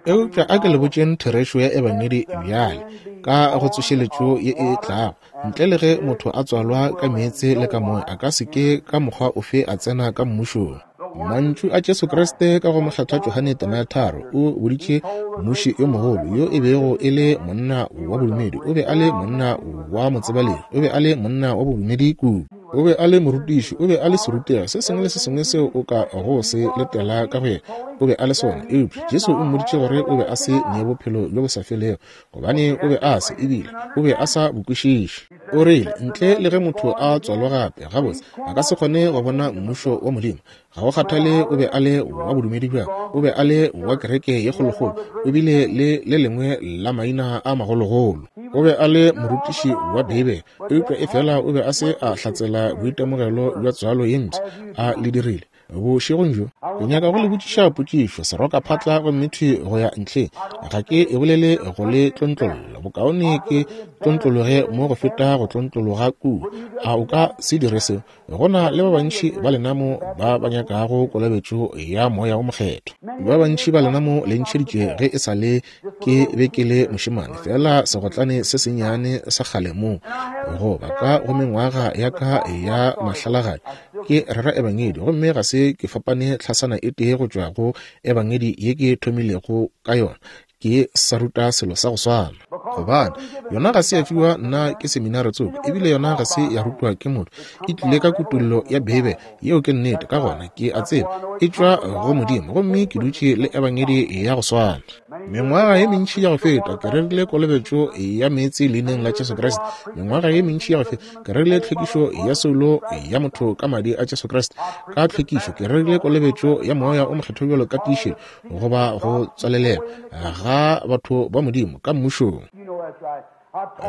Eupša a ke le botšeng therešo ya Ebangedi bjale, ka go tsošeletšo ye e tlago. Ntle le ge motho a tswalwa ka meetse le ka moya, a ka se ke ka mokgwa ofe a tsena ka mmušong. Mantšu a Jesu Kriste ka go Mokgethwa Johane tema ya 3, o boditše mmuši yo mogolo, yo e bego e le monna wa bodumedi, o be a le monna wa motsebalegi, o be a le monna wa bodumedi kudu. O be a le morutiši, o be a le serutegi, se sengwe le se sengwe seo o ka go se letela ka go yena, o be a le sona. Eupša Jesu o mmoditše gore o be a se ne bophelo bjo bo sa felego, gobane o be a se, ebile o be a sa bo kwešiše. O rile, Ntle le ge motho a tswalwa gape, gabotse, a ka se kgone go bona Mmušo wa Modimo. Ga go kgathale o be a le wa bodumedi bjang, o be a le wa kereke ye kgolokgolo, o bile le le lengwe la maina a magologolo, o be a le morutiši wa Beibele, eupša efela o be a se a hlatsela boitemogelo bja tswalo ye mpsha. A le dirile? Bošegong bjo ke nyaka go le botšiša potšišo, serokaphatla gomme thwi go ya ntlheng. Ga ke e bolele go le tlontlolla, bokaone ke tlontlologe mo go feta go tlontlologa kua. A o ka se dire seo? Go na le ba bantši ba lena mo ba ba nyakago kolobetšo ya Moya wo Mokgethwa. Ba bantši ba lena mo le ntšheditše ge e sa le ke be ke le mošemane, feela segotlane se sennyane sa kgale mo, goba ka go mengwaga ya ka ya mahlalagadi, ke rera Ebangedi, gomme ga se ke fapane tlhasana e tee go tšwa go Ebangedi ye ke thomilego ka yona. Ke sa ruta selo sa go swana. Gobane, yona ga se ya fiwa nna ke seminare tsoko, ebile yona ga se ya rutwa ke motho. E tlile ka kutollo ya Beibele. Yeo ke nnete. Ka gona ke a tseba e tšwa go Modimo, gomme ke dutše le Ebangedi ya go swana. Mengwaga ye mentši ya go feta ke rerile kolobetšo ya meetse leineng la Jesu Kriste. Mengwaga ye mentši ya go feta ke rerile tlhwekišo ya soulo ya motho ka madi a Jesu Kriste. Ka tlhwekišo ke rerile kolobetšo ya Moya o Mokgethwa bjalo ka tiišetšo goba go tswalelela ga batho ba Modimo ka mmušong.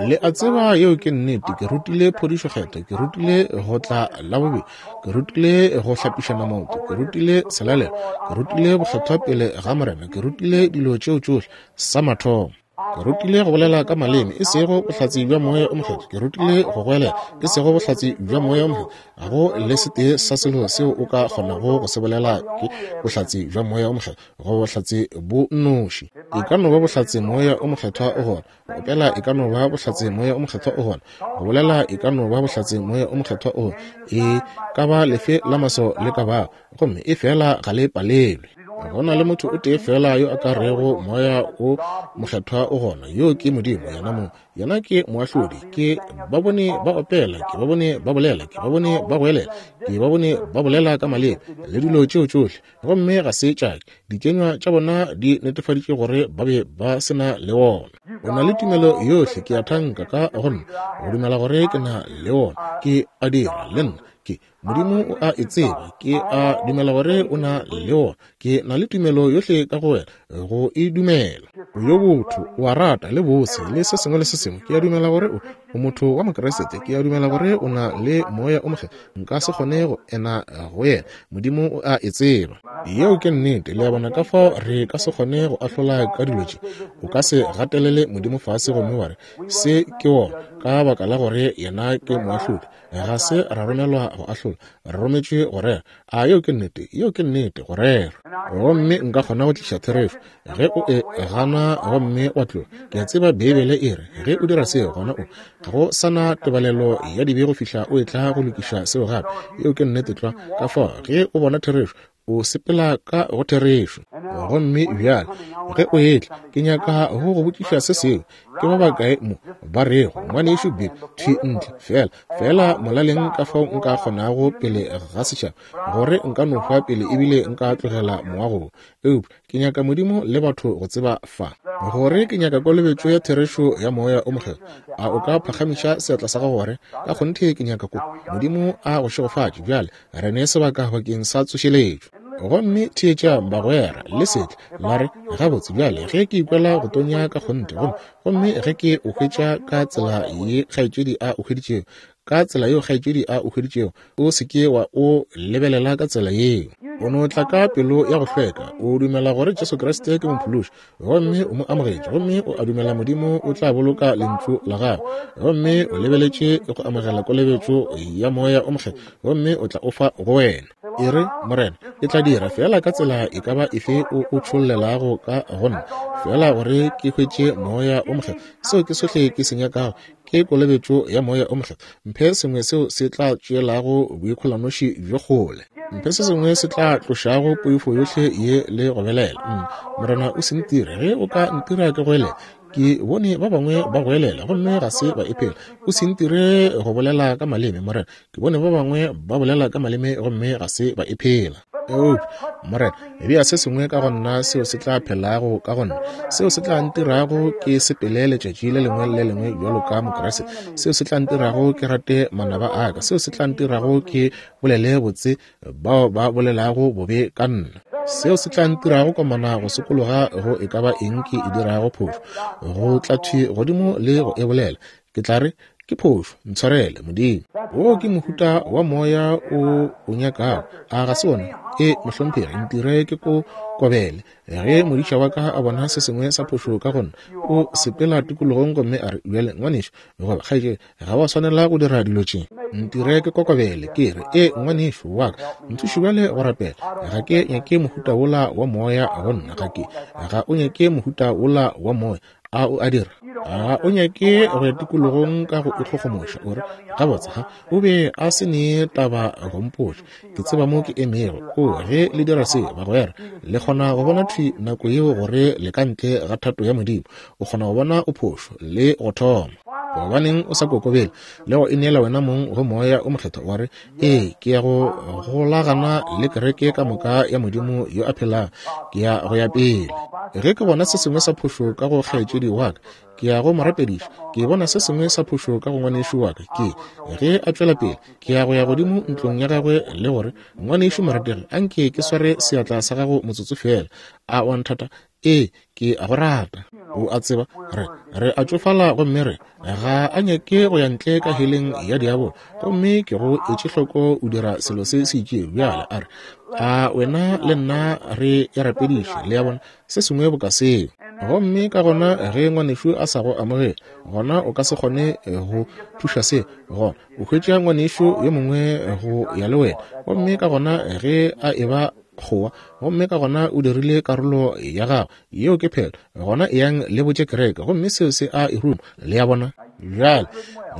Le a tseba yeo ke nnete. Ke rutile phodišo kgetho, ke rutile go tla la bobedi, ke rutile go hlapišana maoto, ke rutile selalelo, ke rutile bokgethwa pele ga Morena, ke rutile dilo tšeo tšohle sa mathomo. Ke rutile go bolela ka maleme, e sego bohlatse bja Moya o Mokgethwa. Ke rutile go goelela, e sego bohlatse bja Moya o Mokgethwa. Ga go le setee sa selo seo o ka kgonago go se bolela ke bohlatse bja Moya o Mokgethwa, go bohlatse bo nnoši. E ka no ba bohlatse Moya o Mokgethwa o gona, go opela e ka no ba bohlatse Moya o Mokgethwa o gona, go bolela e ka no ba bohlatse Moya o Mokgethwa o gona, e ka ba lefe la maso le ka bago, gomme e fela ga le palelwe. Go na le motho o tee fela yo a ka rego Moya o Mokgethwa o gona, yoo ke Modimo yena mong. Yena ke moahlodi. Ke ba bone ba opela, ke ba bone ba bolela, ke ba bone ba goelela, ke ba bone ba bolela ka maleme le dilo tšeo tšohle, gomme ga se tša ke. Dikenywa tša bona di netefaditše gore ba be ba se na le wona. O na le tumelo yohle, ke a thanka, ka go nna, go dumela gore ke na le wona. Ke a dira, le nna. Ke, Modimo o a e tseba. Ke a dumela gore o na le wona. Ke na le tumelo yohle ka go wena go e dumela. O yo botho, o a rata, le bose, le se sengwe le se sengwe. Ke a dumela gore o, o motho wa Mokriste. Ke a dumela gore o na le Moya o Mokgethwa. Nka se kgone go ena go yena. Modimo o a e tseba. Yeo ke nnete. Le a bona? Ka fao re ka se kgone go ahlola ka dilo tše. O ka se gatelele Modimo fase gomme wa re, Se ke wona, ka baka la gore yena ke moahlodi. Ga se ra romelwa go ahlola, re rometšwe go rera. A yeo ke nnete? Yeo ke nnete, go rera. Gomme nka kgona go tliša therešo. Ge o e gana gomme wa tloga, ke a tseba Beibele e re, ge o dira seo, gona o, ga go sa na tebalelo ya dibe go fihla o etla go lokiša seo gape. Yeo ke nnete tlwa. Ka fao, ge o bona therešo, o sepela ka go therešo. Gomme bjale ge o etla, ke nyaka go go botšiša se sengwe. Ke ba bakae mo ba rego, Ngwanešu Bill, thwi ntle, feela, feela molaleng ka fao nka kgonago pele ga setšhaba, gore nka no hwa pele ebile nka tlogela moago wo. Eupša ke nyaka Modimo le batho go tseba fa, gore ke nyaka kolobetšo ya therešo ya Moya o Mokgethwa. A o ka phagamiša seatla sa gago gore, Ka kgonthe ke nyaka ko? Modimo a go šegofatše bjale. Re ne sebaka bakeng sa tsošeletšo. Gomme theetšang, bagwera, le se tle la re, Gabotse, bjale, ge ke ikwela go tonya ka kgonthe, gomme, gomme ge ke o hwetša ka tsela ye kgaetšedi a o hweditšego, ka tsela yeo kgaetšedi a o hweditšego, o se ke wa o lebelela ka tsela yeo. O no tla ka pelo ya go hlweka, o dumela gore Jesu Kriste ke Mophološi, gomme o mo amogetše, gomme o a dumela Modimo o tla boloka Lentšu la Gagwe, gomme o lebeletše go amogela kolobetšo ya Moya o Mokgethwa, gomme o tla o fa go wena. E re, Morena, ke tla dira feela ka tsela e ka ba efe o o tšhollelago ka go nna, feela gore ke hwetše Moya o Mokgethwa. Seo ke sohle ke se nyakago, ke kolobetšo ya Moya o Mokgethwa. Mphe sengwe seo se tla tšeelago boikgolanoši bjo kgole. Mphe se sengwe se tla tlošago poifo yohle ye le go belela. Morena, o se ntire. Ge o ka ntira ke goelele, ke bone ba bangwe ba goelela gomme ga se ba e phela. O se ntire go bolela ka maleme, Morena. Ke bone ba bangwe ba bolela ka maleme gomme ga se ba e phela. Eupša, Morena, bea se sengwe ka go nna seo se tla phelago ka go nna, seo se tla ntirago ke sepele letšatši le lengwe le le lengwe bjalo ka Mokriste, seo se tla ntirago ke rate manaba a ka, seo se tla ntirago ke bolele botse bao ba bolelago bobe ka nna, seo se tla ntirago komana go sokologa go e ka ba eng ke e dirago phošo, go tla thwi godimo le go e bolela. Ke tla re, Ke phošo, ntshwarele, Modimo. Wo ke mohuta wa moya o o nyakago, a ga se wona? E, mohlomphegi, ntire ke ko kobele. Ge modiša wa ka a bona se sengwe sa phošo ka go nna, o sepela tikologong gomme a re, Bjale, ngwanešu, goba kgaetšedi, ga wa swanela go dira dilo tše. Ntire ke kokobele, ke re, E, ngwanešu wa ka, nthuše bjale go rapela. Ga ke nyake mohuta wola wa moya go nna. Ga ke, ga o nyake mohuta wola wa moya. A o a dira? Ga o nyake go ya tikologong ka go ikgogomoša, o re, Gabotse, ga o be a se ne taba go mpotša. Ke tseba mo ke emego. O, ge le dira se, bagwera, le kgona go bona thwi nako yeo gore le ka ntle ga thato ya Modimo. O kgona go bona o phošo, le go thoma. Gobaneng o sa kokobele le go ineela wena mong go Moya o Mokgethwa, wa re, Ee, ke ya go golagana le kereke ka moka ya Modimo yo a phelago. Ke ya go ya pele. Ge ke bona se sengwe sa phošo ka go kgaetšedi wa ka, ke ya go mo rapediša. Ke bona se sengwe sa phošo ka go ngwanešu wa ka, ke ge a tšwela pele, ke ya go ya godimo ntlong ya gagwe le gore, Ngwanešu morategi, anke ke sware seatla sa gago motsotso feela. A wa nthata? Ee, ke a go rata. O a tseba, re, re a tšofala gomme re, ga a nyake go ya ntle ka heleng ya diabolo. Gomme ke go etše hloko o dira selo se se itšego. Bjale a re, a wena le nna re e rapediše, le a bona, se sengwe boka seo. Gomme ka gona ge ngwanešu a sa go amogele, gona o ka se kgone go thuša se. Gona o hwetša ngwanešu yo mongwe go ya le wena. Gomme ka gona ge a eba kgowa, gomme ka gona o dirile karolo ya gagwe, yeo ke phetho. Gona eyang le botše kereke, gomme seo se a e ruma, le a bona. Bjale,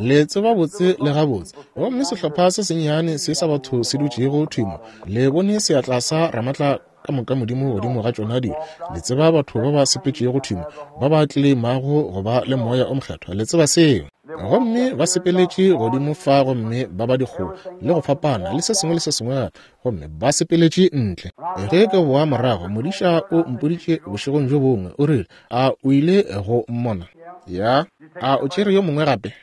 le tseba botse le gabotse. Gomme sehlopha se sennyane se sa batho se dutšego thwi mo, le bone seatla sa Ramatla ka moka Modimo godimo ga tšona dilo. Le tseba batho ba ba sepetšego thwi mo, ba ba tleleimago go ba le Moya o Mokgethwa. Le tseba seo. Gomme ba sepeletše godimo fa gomme ba ba dikgowa le go fapana le se sengwe le se sengwe gape, gomme ba sepeletše ntle. Ge ke boa morago, modiša o mpoditše bošegong bjo bongwe, o rile, A o ile go mmona? Ya. A o tšere yo mongwe gape?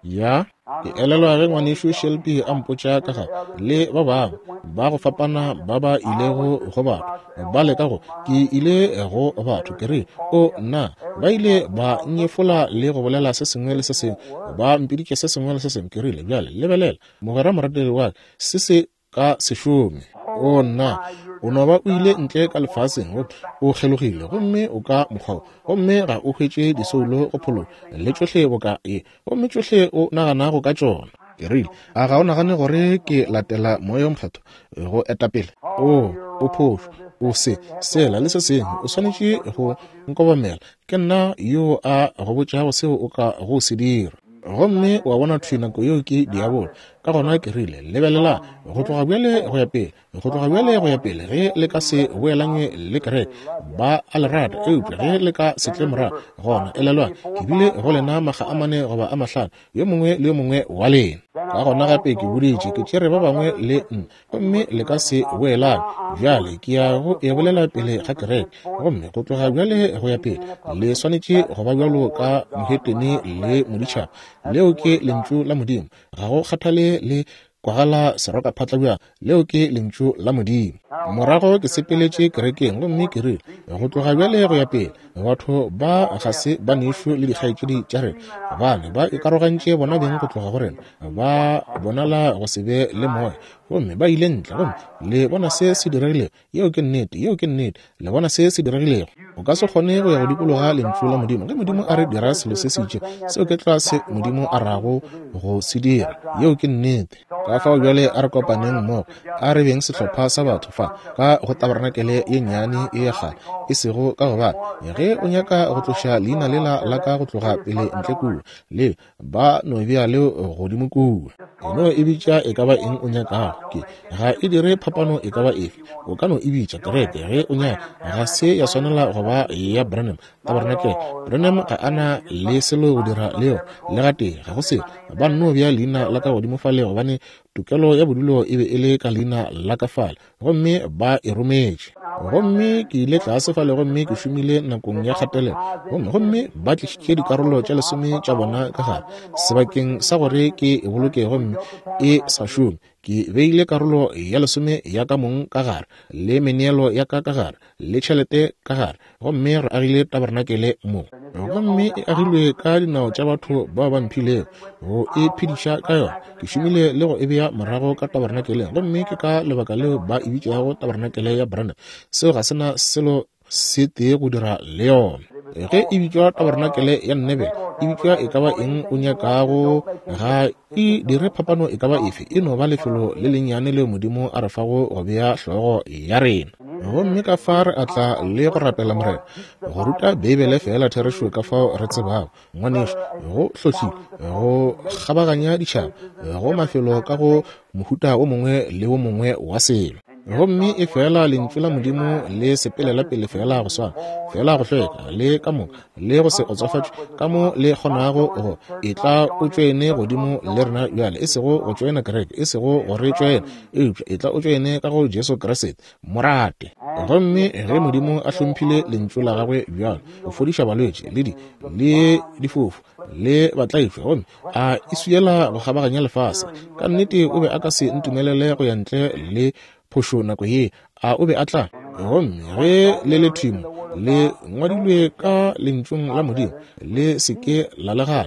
Ya. Ke elelwa ge ngwanešu Shelby a mpotša ka ga le ba bangwe ba go fapana ba ba ilego go batho ba leka go, ke ile go batho, ke rile, O nna, ba ile ba nyefola le go bolela se sengwe le se sengwe, ba mpiditše se sengwe le se sengwe. Ke rile, Bjale lebelela, mogwera morategi wa ka, se se ka se šome. O nna, o no ba o ile ntle ka lefaseng, o kgelogile, gomme o ka mokgwa wo, gomme ga o hwetše disoulo go phološwa, le tšohle boka ye, gomme tšohle o naganago ka tšona. Ke rile, A ga o nagane gore ke latela Moya wo Mokgethwa go etapele? O, o phošo, o se, sela, le se sengwe. O swanetše go nkobamela. Ke nna yo a go botšago seo o ka go se dira. Gomme wa bona thwi nako yeo ke diabolo. Ka gona ke rile, Lebelelang, go tloga bjale go ya pele, go tloga bjale go ya pele, ge le ka se boelanywe le kereke, ba a le rata, eupša ge le ka se tle morago, gona elelwang, ke bile go lena makga a mane goba a mahlano, yo mongwe le yo mongwe wa lena. Ka gona gape ke boditše, ke tšere ba bangwe le nna, gomme le ka se boelane. Bjale ke ya go e bolela pele ga kereke, gomme go tloga bjale go ya pele le swanetše go ba bjalo ka mohetene le moditšhaba. Leo ke Lentšu la Modimo. Ga go kgathale le kwagala serokaphatla bjang, leo ke Lentšu la Modimo. Morago ke sepeletše kerekeng gomme ke rile, Go tloga bjale go ya pele, Batho ba ga se banešu le dikgaetšedi tša rena, gobane ba ikarogantše bona beng go tloga go rena. Ba bonala go se be le moya, gomme ba ile ntle. Gomme le bona se se diregilego. Yeo ke nnete. Yeo ke nnete. Le bona se se diregilego. O ka se kgone go ya go dikologa Lentšu la Modimo. Ge Modimo a re dira selo se se itšego, seo ke tlwa se Modimo a rago go se dira. Yeo ke nnete. Ka fao bjale a re kopaneng mmogo, a re beng sehlopha sa batho fa ka go tabarenakele ye nnyane ye ya kgale, e sego ka gobane ge o nyaka go tloša leina lela la ka go tloga pele ntle kua, le ba no bea leo godimo kua. E no e bitša e ka ba eng o nyakago, ke ga e dire phapano e ka ba efe. O ka no e bitša kereke ge o nyaka, ga se ya swanela go ba ya Branham tabarenakele. Branham ga a na le selo go dira le yona le gatee, ga go selo. Ba nno bea leina la ka godimo fale gobane tokelo ya bodulo e be e le ka leina la ka fale, gomme ba e rometše. Gomme ke ile tlase fale gomme ke šomile nakong ya kgatelelo, gomme, gomme ba tlišitše dikarolo tša lesome tša bona ka gare sebakeng sa gore ke e boloke gomme e sa šome. Ke beile karolo ya lesome ya ka mong ka gare, le meneelo ya ka ka gare, le tšhelete ka gare, gomme re agile tabarenakele mo. Gomme e agilwe ka dinao tša batho bao ba mphilego go e phediša ka yona. Ke šomile le go e bea morago ka tabarenakeleng, gomme ke ka lebaka leo ba e bitšago tabarenakele ya Branham. Seo ga se na selo se tee go dira le yona. Ge e bitšwa tabarenakele ya Nnebele, e bitšwa e ka ba eng o nyakago, ga e dire phapano e ka ba efe, e no ba lefelo le lennyane leo Modimo a re fago go bea hlogo ya rena. Gomme ka fa re a tla le go rapela Morena, go ruta Beibele feela therešo ka fao re tsebago, ngwanešu, go hlohlile, go kgabaganya ditšhaba, go mafelo ka go mohuta wo mongwe le wo mongwe wa selo. Gomme e fela Lentšu la Modimo le sepelela pele feela go swana, feela go hlweka le ka moka, le go se otsofatšwe ka mo le kgonago go etla o tšoene godimo le rena bjale, e sego go tšoena kereke, e sego go re tšoena, eupša etla o tšoene ka go Jesu Kriste, mo rate. Gomme ge Modimo a hlomphile Lentšu la Gagwe bjalo, go fodiša balwetši le di, le difofu le batlaišwa, gomme a e swiela go kgabaganya lefase, ka nnete o be a ka se ntumelele go ya ntle le phošo nako ye, a o be a tla? Gomme ge le le thimo le ngwadilwe ka Lentšung la Modimo, le se ke la le gana,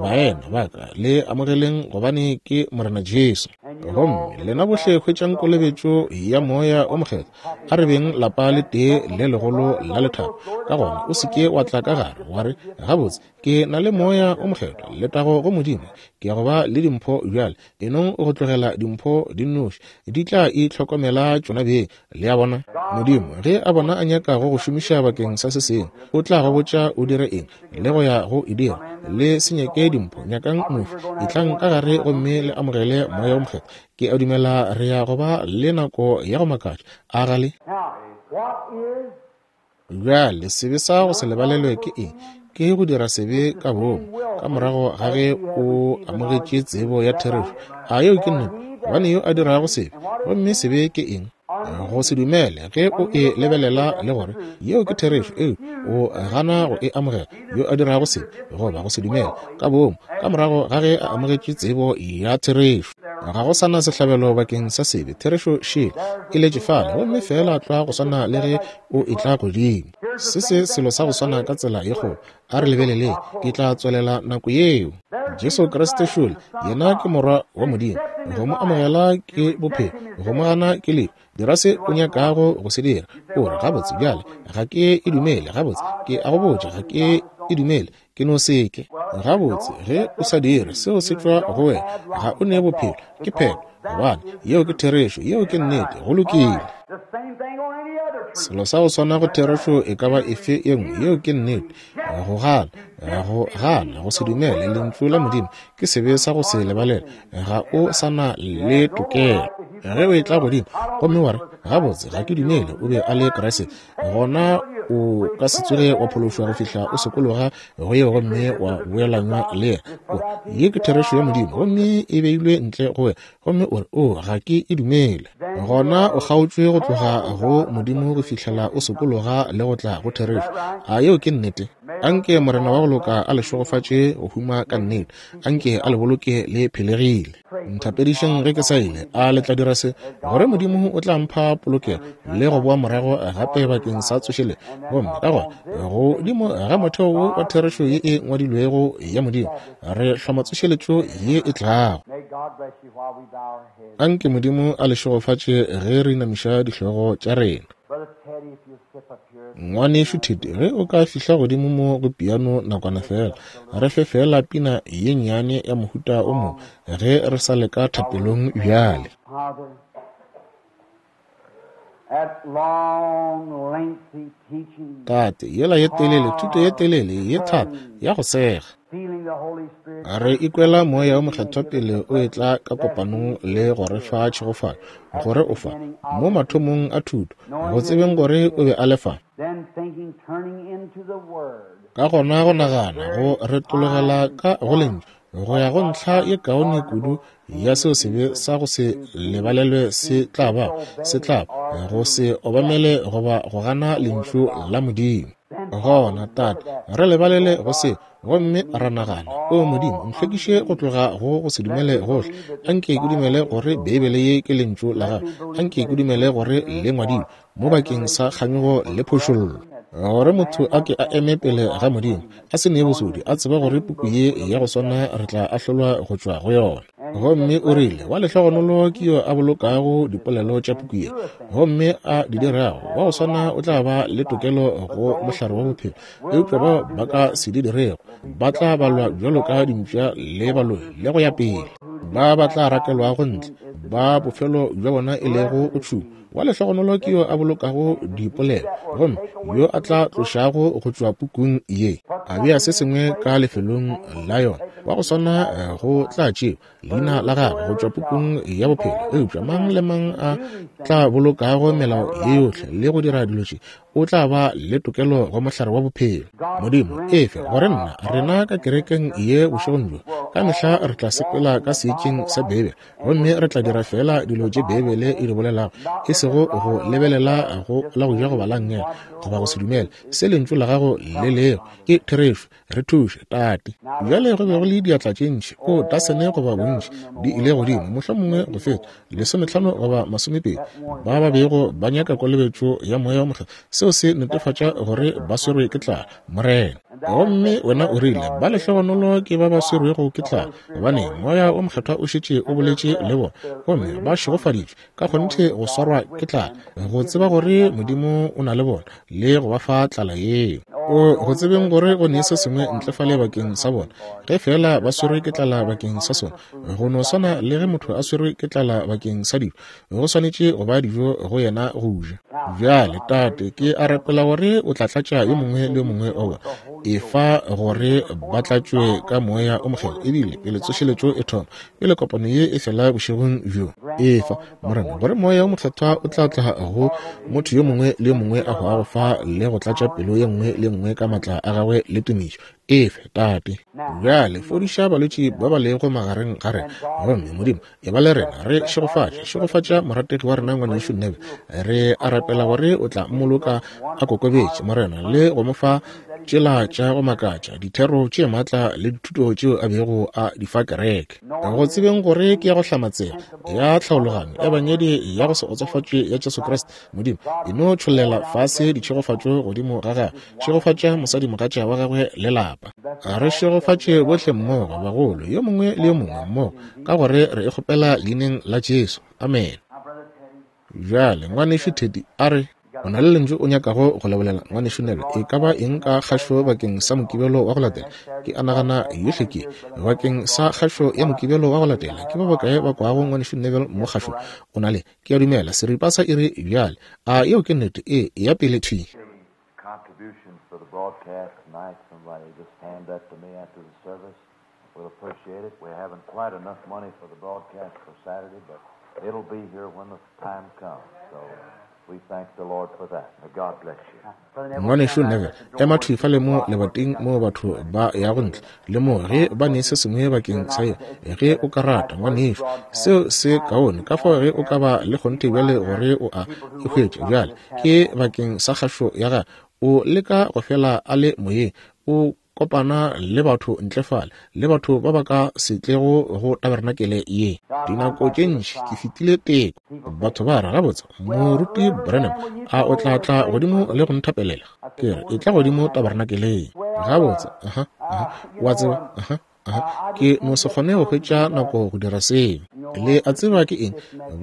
baena ba ka, le amogeleng gobane ke Morena Jesu. Gomme lena bohle hwetšang kolobetšo ya Moya o Mokgethwa, a re beng lapa le tee le legolo la lethabo. Ka gona o se ke wa tla ka gare wa re, Gabotse, ke na le Moya o Mokgethwa, letago go Modimo, ke ya go ba le dimpho bjale. E nong go tlogela dimpho di nnoši, di tla itlhokomela tšona beng. Le a bona? Modimo, ge a bona a nyaka go go šomiša bakeng sa se sengwe, o tla go botša o dire eng le go ya go e dira. Le se nyake dimpho, nyakang mofi. Etlang ka gare gomme le amogele Moya wo Mokgethwa. Ke a dumela re ya go ba le nako ya go makatša. A ga le? Bjale, sebe sa go se lebalelwe ke eng? Ke go dira sebe ka boomo ka morago ga ge o amogetše tsebo ya therešo. A yeo ke nnete? Gobane yo a dirago sebe, gomme sebe ke eng? Go se dumele ge o e lebelela le gore yeo ke therešo, eo o gana go e amogela. Yo a dirago sebe goba go se dumele ka boomo ka morago ga ge a amogetše tsebo ya therešo. Ga go sa na sehlabelo bakeng sa sebe. Therešo še e letše fale, gomme feela tlwa go swana le ge o etla godimo. Se se selo sa go swana ka tsela ye kgolo. A re lebeleleng, ke tla tswelela nako yeo. Jesu Kriste šole, yena ke Morwa wa Modimo. Go mo amogela ke bophelo, go mo gana ke lehu. Dira se o nyakago go se dira. O re, Gabotse, bjale, ga ke e dumele. Gabotse, ke a go botša, ga ke e dumele. Ke no se ke. Gabotse, ge o sa dire, seo se tšwa go wena. Ga o ne bophelo. Ke phetho. Gobane, yeo ke therešo. Yeo ke nnete. Go lokile. Selo sa go swana go therešo e ka ba efe ye nngwe. Yeo ke nnete. Go gana, go gana, go se dumele Lentšu la Modimo ke sebe sa go se lebalele. Ga o sa na le tokelo. Ge o etla godimo gomme wa re, Gabotse, ga ke dumele o be a le Kriste, gona o ka se tsoge wa phološwa go fihla o sokologa go yeo gomme wa boelanywa le yena. O re, Ye ke therešo ya Modimo, gomme e beilwe ntle go wena, gomme o re, O, ga ke e dumele. Gona o kgaotšwe go tloga go Modimo go fihlela o sokologa le go tla go therešo. A yeo ke nnete? Anke Morena wa go loka a le šegofatše go huma ka nnete. Anke a le boloke le phelegile. Nthapedišeng ge ke sa ile. A le tla dira se? Gore Modimo o tla mpha polokego le go boa morago gape bakeng sa tsošeletšo. Gomme ka gona, godimo ga motheo wo wa therešo ye e ngwadilwego ya Modimo, re hloma tsošeletšo ye e tlago. Anke Modimo a le šegofatše ge re inamiša dihlogo tša rena. Ngwanešu Teddy, ge o ka fihla godimo mo go piano nakwana feela, re fe feela pina ye nnyane ya mohuta o mongwe ge re sa leka thapelong bjale. Tate, yela ye telele, thuto ye telele, ye thata, ya go sega. Re ikwela Moya wo Mokgethwa pele o etla ka kopanong le go re fa tšhegofatšo, gore o fa, mo mathomong a thuto, go tsebeng gore o be a le fa. Ka gona go nagana, go retologela ka go Lentšu, go ya go ntlha ye kaone kudu ya seo sebe sa go se lebalelwe se tla ba, se tla ba, go se obamele goba go gana Lentšu la Modimo. Gona, Tate, re lebalele go se, gomme ra nagana, O Modimo, ntlhwekiše go tloga go go se dumele gohle. Anke ke dumele gore Beibele ye ke Lentšu la Gago. Anke ke dumele gore Le ngwadilwe mo bakeng sa kganyogo le phošollo, gore motho a ke a eme pele ga Modimo a se ne bosodi, a tseba gore puku ye ya go swana re tla ahlolwa go tšwa go yona. Gomme o rile, Wa lehlogonolo ke yo a bolokago dipolelo tša puku ye, gomme a di dirago, wa go swana o tla ba le tokelo go mohlare wa bophelo, eupša bao ba ka se di dirego ba tla balwa bjalo ka dimpša le baloi le go ya pele, ba ba tla rakelwago ntle, ba bofelo bja bona e lego go tšhungwa. Wa lehlogonolo ke yo a bolokago dipolelo, gomme yo a tla tlošago go tšwa pukung ye, a bea se sengwe ka lefelong la yona, wa go swana go tla tšewa leina la gagwe go tšwa pukung ya bophelo. Eupša mang le mang a tla bolokago melao ye yohle le go dira dilo tše, o tla ba le tokelo go mohlare wa bophelo. Modimo, efe gore nna, rena ka kerekeng ye bošegong bjo, ka mehla re tla sepela ka seetšeng sa Beibele, gomme re tla dira feela dilo tše Beibele e di bolelago, e sego go lebelela go la go ja goba la nngele, goba go se dumele se Lentšu la Gago le lego. Ke therešo. Re thuše, Tate. Bjale go be go le diatla tše ntši, o tasene goba bontši, di ile godimo, mohlomongwe go feta lesometlhano goba masomepedi, ba ba bego ba nyaka kolobetšo ya Moya wo Mokgethwa. Seo se netefatša gore ba swerwe ke tlala, Morena. Gomme wena o rile, Ba lehlogonolo ke ba ba swerwego ke tlala, gobane Moya wo Mokgethwa o šetše o boletše le bona, gomme ba šegofaditšwe ka kgonthe go swarwa ke tlala, go tseba gore Modimo o na le bona le go ba fa tlala yeo. O go tsebeng gore go ne se sengwe ntle fale bakeng sa bona, ge feela ba swerwe ke tlala bakeng sa sona, go no swana le ge motho a swerwe ke tlala bakeng sa dijo, go swanetše go ba dijo go yena go ja. Bjale, Tate, ke a rapela gore o tla tlatša yo mongwe le yo mongwe wa bona, efa gore ba tlatšwe ka Moya o Mokgethwa, ebile pele tsošeletšo e thoma, pele kopano ye e fela bošegong bjo. Efa, Morena, gore Moya o Mokgethwa o tla tla go motho yo mongwe le yo mongwe a hwago fa le go tlatša pelo ye nngwe le nngwe ka matla a gagwe le tumišo. Efe, Tate. Bjale fodiša balwetši ba ba lego magareng ga rena. Gomme, Modimo, e ba le rena. Re šegofatše. Šegofatša morategi wa rena ngwanešu Neville. Re a rapela gore o tla mmoloka a kokobetše, Morena, le go mo fa tšela tša go makatša, dithero tše matla le dithuto tšeo a bego a di fa kereke. Go tsebeng gore ke ya go hlamatsega, ya tlhaologanyo, Ebangedi ya go se otsofatšwe ya Jesu Kriste, Modimo, e no tšhollela fase ditšhegofatšo godimo ga gagwe. Šegofatša mosadimogatša wa gagwe le lapa. Re šegofatše bohle mmogo, bagolo, yo mongwe le yo mongwe mmogo, ka gore re e kgopela Leineng la Jesu. Amene. Bjale, Ngwanešu Teddy, a re. O na le lentšu o nyakago go le bolela, Ngwanešu Neville, e ka ba eng ka kgašo bakeng sa Mokibelo wa go latela? Ke a nagana yohle ke bakeng sa kgašo ya Mokibelo wa go latela. Ke ba bakae ba kwago Ngwanešu Neville mo kgašong? O na le, ke a dumela, seripa sa iri bjale. A yeo ke nnete? Ee, eya pele thwi. Contributions for the broadcast tonight, somebody just hand that to me after the service. We'll appreciate it. We haven't quite enough money for the broadcast for Saturday, but it'll be here when the time comes. So we thank the Lord for that. May God bless you. Ngwanešu Neville, ema thwi fale mo lebating moo batho ba yago ntle le moo ge ba ne se sengwe bakeng sa yona, ge o ka rata, ngwanešu. Seo se kaone. Ka fao ge o ka ba le kgonthe bjale gore o a e hwetša bjale, ke bakeng sa kgašo ya gagwe. O leka go fela a le moyeng. o kopana le batho ntle fale, le batho ba ba ka se tlego go taberenakele ye. Dinako tše ntši ke fetile teko. Batho ba re, Gabotse, Moruti Branham, a o tla tla godimo le go nthapelela? Ke re, etla godimo taberenakeleng. Gabotse, aha, aha, wa tseba, aha, aha, ke no se kgone go hwetša nako go dira seo. Le a tseba ke eng?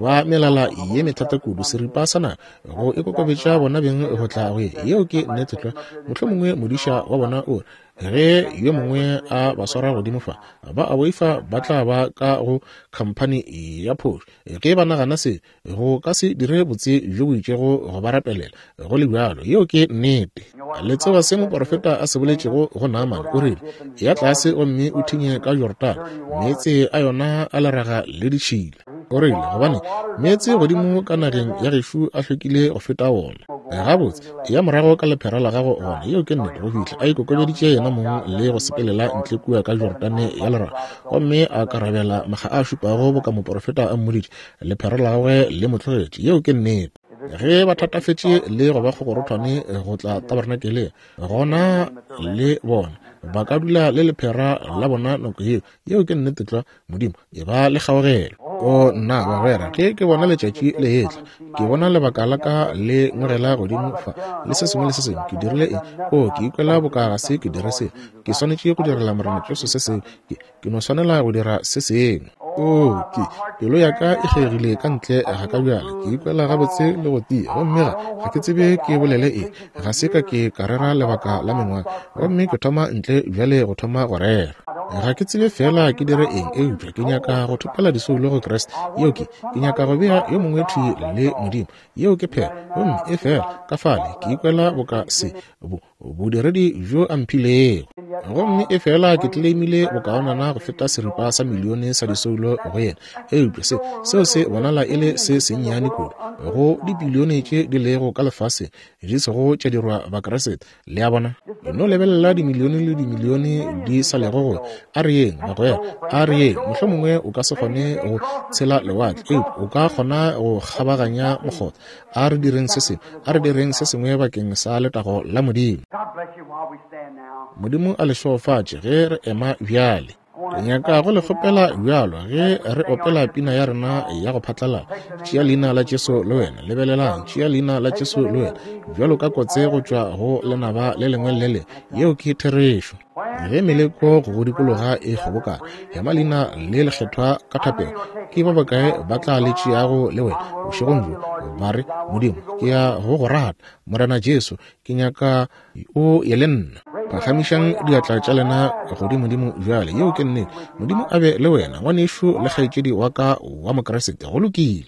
Ba melala ye methata kudu, seripa sa nako, go ikokobetša bona beng go tla go ye. Yeo ke nnete tlwa. Mohlomongwe modiša wa bona o re, ge yo mongwe a ba swara godimo fa, ba a boifa ba tla ba ka go khamphani ya phošo. Ge ba nagana se, go ka se dire botse bjo bo itšego go ba rapelela, go le bjalo. Yeo ke nnete. Le tseba se moporofeta a se boletšego go Naamane? O rile, Eya tlase gomme o thinye ka Jorodane, meetse a yona a leraga le ditšhila. O rile, Gobane meetse godimo ka nageng ya gešo a hlwekile go feta wona. Gabotse, eya morago ka lephera la gago gona. Yeo ke nnete. Go fihla a ikokobeditše yena mong le go sepelela ntle kua ka Jorodane ya leraga, gomme a karabela makga a šupago boka moporofeta a mmoditše, lephera la gagwe le mo tlogetše. Yeo ke nnete. Ge ba thatafetše le go ba kgokgorothwane go tla tabernakeleng, gona le bona ba ka dula le lephera la bona nako yeo. Yeo ke nnete tlwa. Modimo, e ba le kgaogelo. O nna, bagwera, ge ke bona letšatši le etla, ke bona lebaka la ka le ngwegela godimo fa, le se sengwe le se sengwe. Ke dirile eng? O, ke ikwela boka ga se ke dire selo. Ke swanetše go direla Morena Jesu se sengwe. Ke, ke no swanela go dira se sengwe. O, ke, pelo ya ka e kgegile ka ntle ga ka bjale. Ke ikwela gabotse le go tia, gomme ga, ga ke tsebe ke bolele eng. Ga se ka ke ka rera lebaka la mengwaga, gomme ke thoma ntle bjale go thoma go rera. Ga ke tsebe feela ke dire eng, eupša ke nyaka go thopela disoulo go Kriste. Yeo ke, ke nyaka go bea yo mongwe thwi le Modimo. Yeo ke phela. Gomme efela, ka fale, ke ikwela boka se, bo, bodiredi bjo a mphilego. Gomme efela ke tleleimile bokaonana go feta seripa sa milione sa disoulo go yena, eupša se, seo se bonala e le se sennyane kudu go dibilione tše di lego ka lefaseng di sego tša dirwa Bakriste. Le a bona? E no lebelela dimilione le dimilione di sa lego go. A re yeng, bagwera, a re yeng. Mohlomongwe o ka se kgone go tshela lewatle, eupša o ka kgona go kgabaganya mokgotha. A re direng se sengwe, a re direng se sengwe bakeng sa letago la Modimo. Modimo a le šegofatše ge re ema bjale. Ke nyaka go le kgopela bjalo ge re opela pina ya rena ya go phatlalala, Tšea leina la Jesu le wena. Lebelelang, tšea leina la Jesu le wena, bjalo ka kotse go tšwa go lenaba le lengwe le le lengwe. Yeo ke therešo. Ge meleko go go dikologa e kgobokana, ema leina le lekgethwa ka thapelo. Ke ba bakae ba tla le tšeago le wena bošegong bjo, ba re, Modimo, ke ya go go rata. Morena Jesu, ke nyaka o ye le nna. Phagamišang diatla tša lena godimodimo bjale. Yeo ke nnete. Modimo a be le wena, ngwanešu le kgaetšedi wa ka wa Mokriste. Go lokile.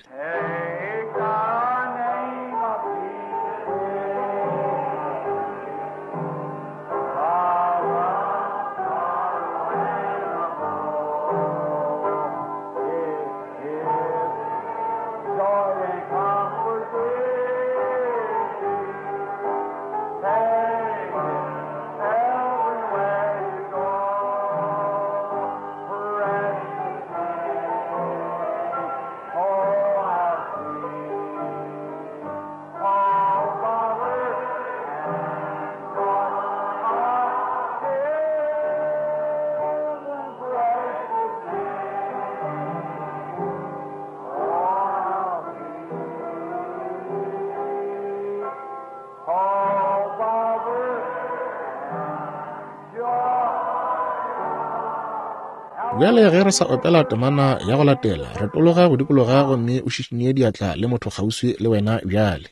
Bjale ge re sa opela temana ya go latela, retologa go dikologa gomme o šišinye diatla le motho kgauswi le wena bjale.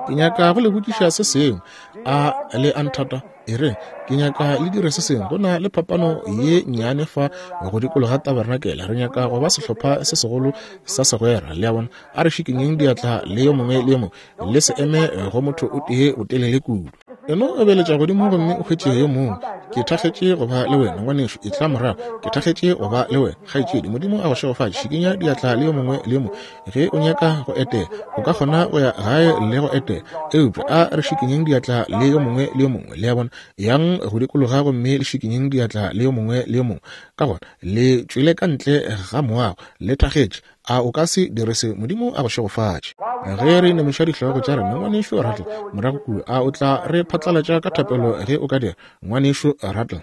Ke nyaka go le botšiša se sengwe. A le a nthata? E re, ke nyaka le dire se sengwe. Go na le phapano ye nnyane fa go dikologa tabarenakele. Re nyaka go ba sehlopha se segolo sa segwera. Le a bona? A re šikinyeng diatla le yo mongwe le yo mongwe. Le se eme go motho o tee botelele kudu. E no obeletša godimo gomme o hwetše yo mongwe. Ke thakgetše go ba le wena, ngwanešu. Etla morago. Ke thakgetše go ba le wena, kgaetšedi. Modimo a go šegofatše. Šikinya diatla le yo mongwe le yo mongwe. Ge o nyaka go etela, o ka kgona go ya gae le go etela. Eupša a re šikinyeng diatla le yo mongwe le yo mongwe. Le a bona? Yang go dikologa gomme le šikinyeng diatla le yo mongwe le yo mongwe. Ka gona le tšwele ka ntle ga moago, le thakgetše. A o ka se dire se? Modimo a go šegofatše. Ge re inamiša dihlogo tša rena, Ngwanešu Rattle, morago kua, a o tla re phatlalatša ka thapelo ge o ka dira, Ngwanešu Rattle?